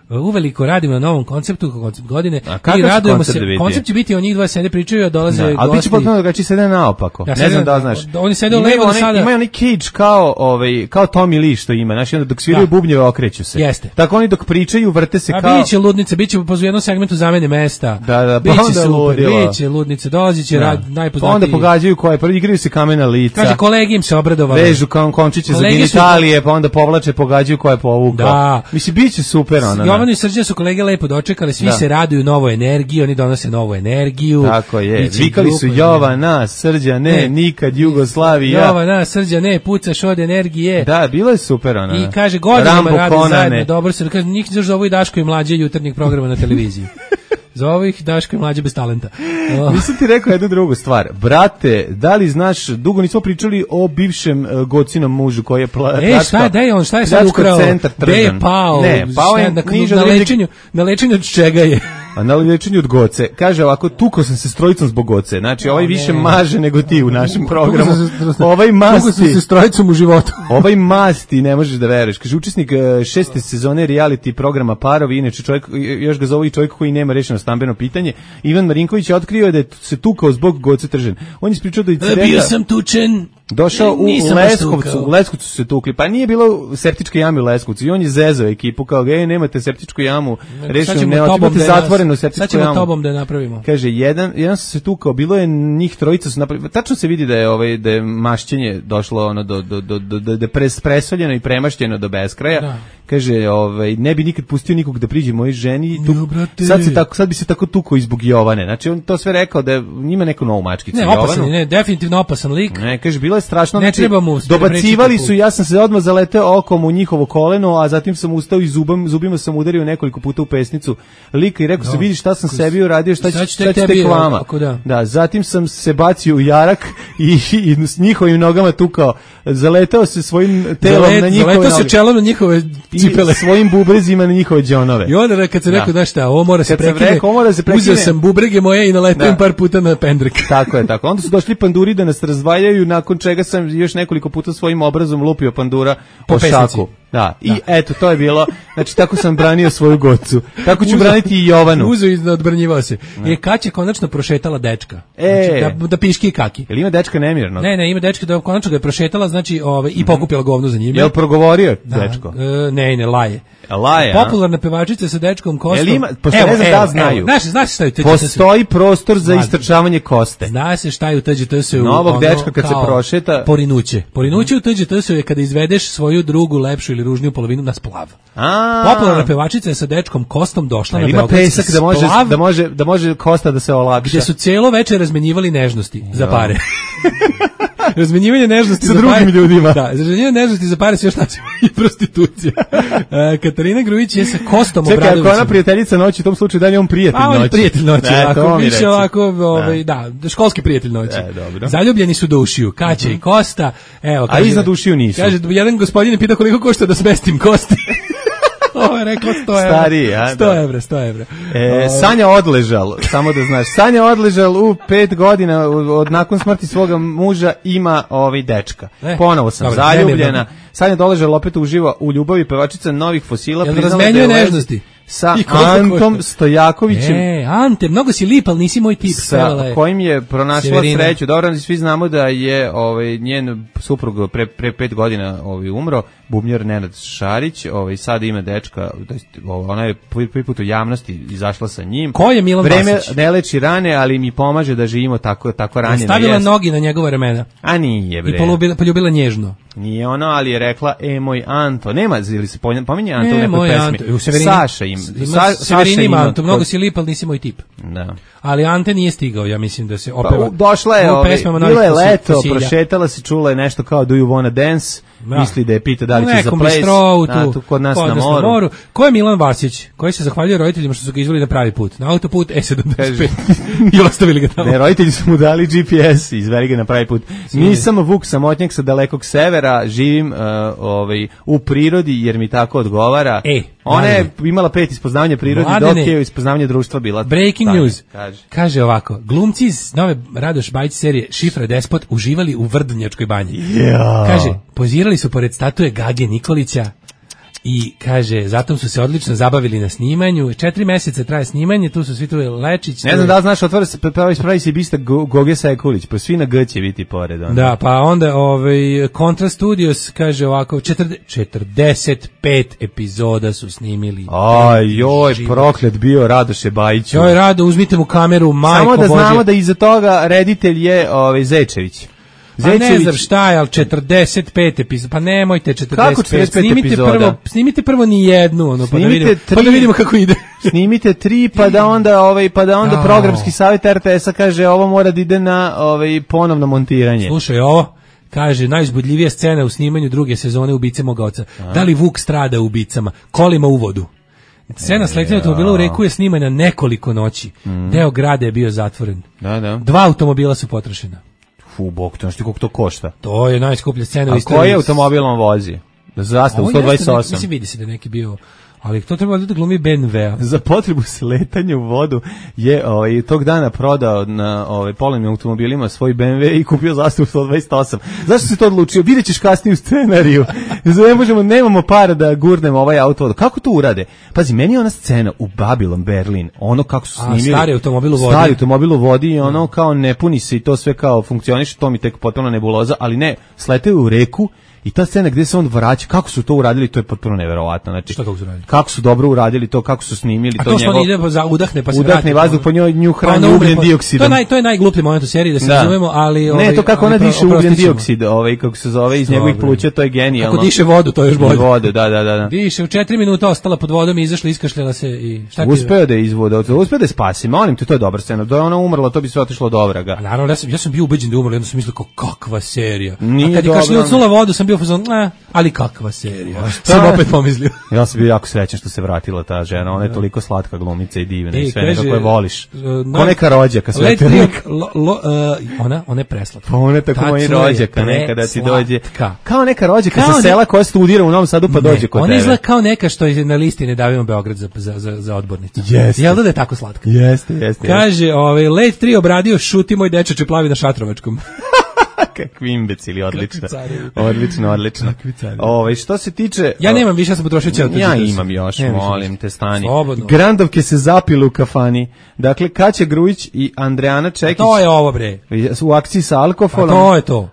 Uveliko radimo na novom konceptu, koncept godine i radujemo se. Koncept će biti, oni dvoje sede pričaju, a dolaze gosti. Ali biće potpuno drugačije, sede naopako. Ne znam da znaš. Oni sede u levo sada. Imaju oni cage kao Tommy Lee što ima, znači dok sviraju bubnjeve okreću se. Jeste. Tako oni dok pričaju vrte se kao. Biće ludnice, biće po jednom segmentu zamene mesta. Da, biće super, biće ludnice, dolaziće najpoznatiji. Onda pogađaju koje, prvi igraju se kamena lica. Kaže kolegi im se obradovalo. Vežu kao končiće za genitalije, pa onda povlače, pogađaju koje povukao. Mislim biće super ona. Jovana i Srđan su kolege lepo dočekali, svi se raduju novoj energiji, oni donose novu energiju. Tako je, vikali su Jovana, Srđane, nikad Jugoslavija. Jovana, Srđane, pucaš od energije. Da, bilo je super ona. I kaže, godinama rade zajedno, dobro se, kaže, njih zovu i Daško i Mlađe jutarnjeg programa na televiziji. Za ovih Daško i Mlađe bez talenta. Nisam ti rekao jednu drugu stvar. Brate, da li znaš, dugo nismo pričali o bivšem Gocinom mužu koji je šta je sad ukrao? Gde je pao? Ne, pao je na lečenju od čega je? A na liječenju od Goce. Kaže ovako, tukao sam se s trojicom zbog Goce. Znači, ovaj više maže nego ti u našem programu. Ovaj masti. Tukao sam se s trojicom u životu. Ovaj masti, ne možeš da veruješ. Kaže, učesnik 6. sezone reality programa Parovi, inače čovjek, još ga zove i čovjek koji nema rešeno stambeno pitanje. Ivan Marinković je otkrio da je se tukao zbog Goce Tržan. On je ispričao da bio sam tučen. Došao u Leskovcu su se tukli, pa nije bilo septičke jame u Leskovcu i on je zezao ekipu kao, nemate septičku jamu, rešeno, imate zatvorenu septičku jamu. Sad ćemo tobom da je napravimo. Kaže, jedan su se tukao, bilo je njih trojica su napravili, tačno se vidi da je mašćenje došlo ono da je presoljeno i premašćeno do beskraja. kaže, ne bi nikad pustio nikog da priđe mojoj ženi. Sad bi se tako tukao i zbog Jovane. Znači, on to sve rekao da ima neku novu mačkicu. Ne, opasan, ne, definitivno opasan lik. Ne, kaže, bilo je strašno. Ne znači, treba mu. Dobacivali su, ja sam se odmah zaleteo okom u njihovo koleno, a zatim sam ustao i zubima sam udario nekoliko puta u pesnicu lika i rekao se, vidi šta sam sebi uradio, šta će tek vama. Da, zatim sam se bacio u jarak i s njihovim nogama tukao. Zaletao se svojim telom na njihove noge. Zaletao se čelom na njihove cipele. I svojim bubrezima na njihove džonove. I onda kad se rekao, znaš šta, ovo mora se prekine. Uzeo sam bubrege moje i naletao par puta na pendrek. Tako je, tako. Onda su došli panduri da nas razvaljaju, nakon čega sam još nekoliko puta svojim obrazom lupio pandura po šaku. Da, i eto, to je bilo, znači tako sam branio svoju gocu. Tako ću braniti i Jovanu. Uzeo i odbranjivao se. Kad će konačno prošetala dečka? Znači, da piški i kaki. Jel ima dečka nemirno? Ne, ima dečka da konačno ga je prošetala, znači i pokupila govno za njim. Jel progovorio dečko? Ne, laje. Laje, popularna pevačica sa dečkom Kostom. Jel ima, pošto ne znam da znaju. Znaš šta je TGTS? Postoji prostor za istrčavanje koste. Zna se šta je u TGTS-u. Novog dečka kad se prošeta. Porinuće. Porinuće u TGTS-u je kada izvedeš svoju drugu, lepšu ili ružniju polovinu na splav. Popularna pevačica je sa dečkom Kostom došla na beogradski splav. Da može Kosta da se olakša. Gde su cijelo večer razmenjivali nežnosti za pare. Razmenjivanje nežnosti sa drugim ljudima. Da, razmenjivanje nežnosti za pare se još naziva i prostitucija. Katarina Grujić je sa Kostom Obradovićem. Čekaj, ako ona prijateljica noći, u tom slučaju da je on prijatelj noći. On prijatelj noći, više ovako, školski prijatelj noći. Zaljubljeni su do ušiju, Kaća i Kosta. Evo, a iznad ušiju nisu. Kaže, jedan gospodin pita koliko košta da smestim kosti. Ovo je rekao 100 evra. Stariji, a? 100 evra. Sanja odležal, samo da znaš. Sanja odležal u 5 godina nakon smrti svoga muža ima dečka. Ponovo sam zaljubljena. Sanja odležal opet uživa u ljubavi, pevačica Novih fosila. Jel razmenjuje nežnosti? Sa Antom Stojakovićem. Ante, mnogo si lip, ali nisi moj tip. Sa kojim je pronašla sreću. Dobro, svi znamo da je njen suprug pre 5 godina umro, bubnjar Nenad Šarić, sad ima dečka, ona je prvi put u javnosti izašla sa njim. Ko je Milan Vasić? Vreme ne leči rane, ali mi pomaže da živimo tako ranjeno. Stavila nogi na njegove ramena. A nije, bre. I poljubila nježno. Nije ono, ali je rekla, moj Anto. Nema, ili se pominje Anto u nekoj pesmi. Saša im. Severini ima Anto, mnogo si lip, ali nisi moj tip. Da. Ali Ante nije stigao, ja mislim da se opeva. Došla je, bilo je leto, prošetala se, čula je nešto kao Do you wanna dance, misli da je pita da li će za ples, kod nas na moru. Ko je Milan Vasić, koji se zahvaljuje roditeljima što su ga izveli na pravi put, na autoput E75 i ostavili ga tamo. Ne, roditelji su mu dali GPS i izveli ga na pravi put. Nisam Vuk samotnjak sa dalekog severa, živim u prirodi jer mi tako odgovara. Ona je imala 5 ispoznavanja prirode, dok je ispoznavanje društva bila. Breaking news. Kaže ovako, glumci iz nove Radoš Bajić serije Šifra Despot uživali u Vrdnjačkoj banji. Kaže, pozirali su pored statue Gage Nikolića i kaže, zatom su se odlično zabavili na snimanju. 4 meseca traje snimanje, tu su svi tu Lečić. Ne znam da li znaš, pravi se bista Goge Sekulić, pa svi na G će biti pored. Onda. Da, pa onda Contra Studios kaže ovako, 45 epizoda su snimili. Proklet bio Radoše Bajiću. Rado, uzmite mu kameru, majko Bože. Samo da znamo Bože. Da iza toga reditelj je Zečević. Pa ne znam šta je, ali 45 epizoda, pa nemojte 45. Kako 45 epizoda? Snimite prvo ni jednu, pa da vidimo kako ide. Snimite 3, pa da onda programski savjet RTS-a kaže ovo mora da ide na ponovno montiranje. Slušaj ovo. Kaže, najuzbudljivija scena u snimanju druge sezone Ubice moga oca. Da li Vuk strada u ubicama? Kolima u vodu. Scena sletnja automobila u reku je snimana nekoliko noći. Deo grada je bio zatvoren. Da. 2 automobila su potrošena. Bog, to znaš koliko to košta. To je najskuplja scena u istoriji. A koji automobil on vozi? Zastavu 128. Mislim, vidi se da neki bio... Ali to treba da glumi BMW-a. Za potrebu sletanja u vodu je tog dana prodao na polovnim automobilima svoj BMW i kupio zastavu 128. Zašto si to odlučio? Vidjet ćeš kasnije u scenariju. Nemamo para da gurnemo ovaj auto. Kako to urade? Pazi, meni je ona scena u Babylon Berlin, ono kako su snimili. Stari automobil u vodi i ono kao ne puni se i to sve kao funkcioniše, to mi tek potpuno nebuloza, ali ne, sletaju u reku I ta scena gde se on vraća, kako su to uradili, to je potpuno neverovatno. Znači, šta kako su uradili? Kako su dobro uradili to, kako su snimili to njegov. A to što ide za udahne pa se vrati. Udahne vazduh po njoj, nju hrani ugljen dioksid. To je najgluplji moment u seriji, da se razumemo, ali ne, to kako ona diše ugljen dioksid, kako se zove, iz njegovih pluća, to je genijalno. Kako diše vodu, to je još bolje. Vodu, da. Diše, u 4 minuta ostala pod vodom i izašla, iskašljala se i šta ti... Uspeo da je izvoda, uspeo da je spasi, molim te, to je dobra scena. Da je ona umrla, to bi sve otišlo do vraga. A naravno, ja sam bio ubeđen da je umrla, jedno sam mislio kakva serija. A kad je kašljucnula vodu, sam bio fazon, ali kakva serija. Sam opet pomislio. Ja sam bio jako srećan što se vratila ta žena, ona je toliko slatka glumica i divna i sve nekako je voliš. Ko neka rođaka, sve te ona je preslatka. Pa ona je tako moja rođaka, nekada ti dođe. Kao neka rođaka sa sela koja studira u Novom Sadu pa dođe kod tebe. Ona izgleda kao neka što je na listi Ne davimo Beograd za odbornicu. Jel da je tako slatka? Jeste. Kaže, Late 3 obradio Šuti moj dečače plavi na Šatrovačkom. Kakvi imbecili, odlično. Odlično. Što se tiče... Ja nemam više, ja sam potrošio cijel. Ja imam još, molim te, stani. Slobodno. Grandovke se zapile u kafani. Dakle, Kaća Grujić i Andrijana Čekić. To je ovo, bre. U akciji sa alkoholom. To je to.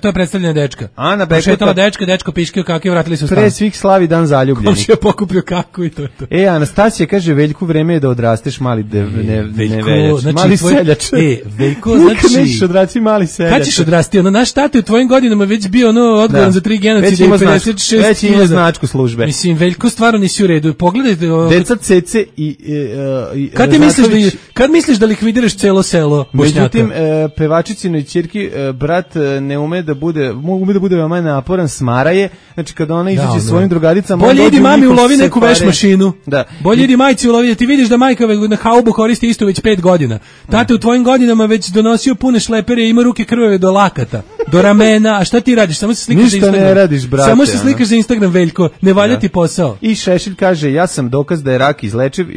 To je predstavljena dečka. Ana Bekota. Šetala dečko piškio kakvi, vratili su stan. Pre svih slavi dan zaljubljenih. Komšija pokupio kaku i to je to. Anastasija kaže, Veljku, vreme je da odrasteš mali neveljač. Mali seljač. Veljko, znači... Nećeš odrasti mali seljač. Kad ćeš odrasti? Naš tata u tvojim godinama već bio odgovoran za 3 genocida i 56. Već ima značku službe. Mislim, Veljko stvarno nisi u redu. Pogledajte... Deca Cece i Kad misliš da likvidiraš celo selo Bošnjaka? Međutim, pevačicinoj ćerki brat ne ume da bude veoma naporan, smara je. Znači, kada ona izađe svojim drugaricama... Bolje idi mami ulovi neku veš mašinu. Bolje idi majci ulovi. Ti vidiš da majka na haubu koristi isto već 5 godina. Tata u tvojim godinama već donosio pune šlepere i ima ruke krvave do lakata, do ramena. A šta ti radiš? Samo se slikaš za Instagram. Ništa ne radiš, brate. Samo se slikaš za Instagram, Veljko. Ne valja ti posao. I Šešelj kaže, ja sam dokaz da je rak izlečiv,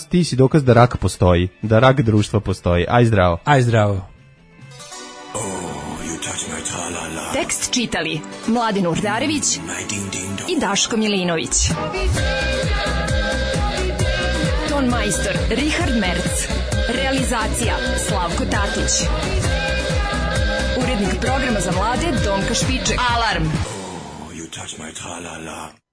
ti si dokaz da rak postoji. Da rak društva postoji. Aj zdravo. Tekst čitali Mladin Urdarević i Daško Milinović. Ton majstor Richard Merc. Realizacija Slavko Tatić. Urednik programa za mlade Donka Špiček. Alarm! You touch my tra-la-la.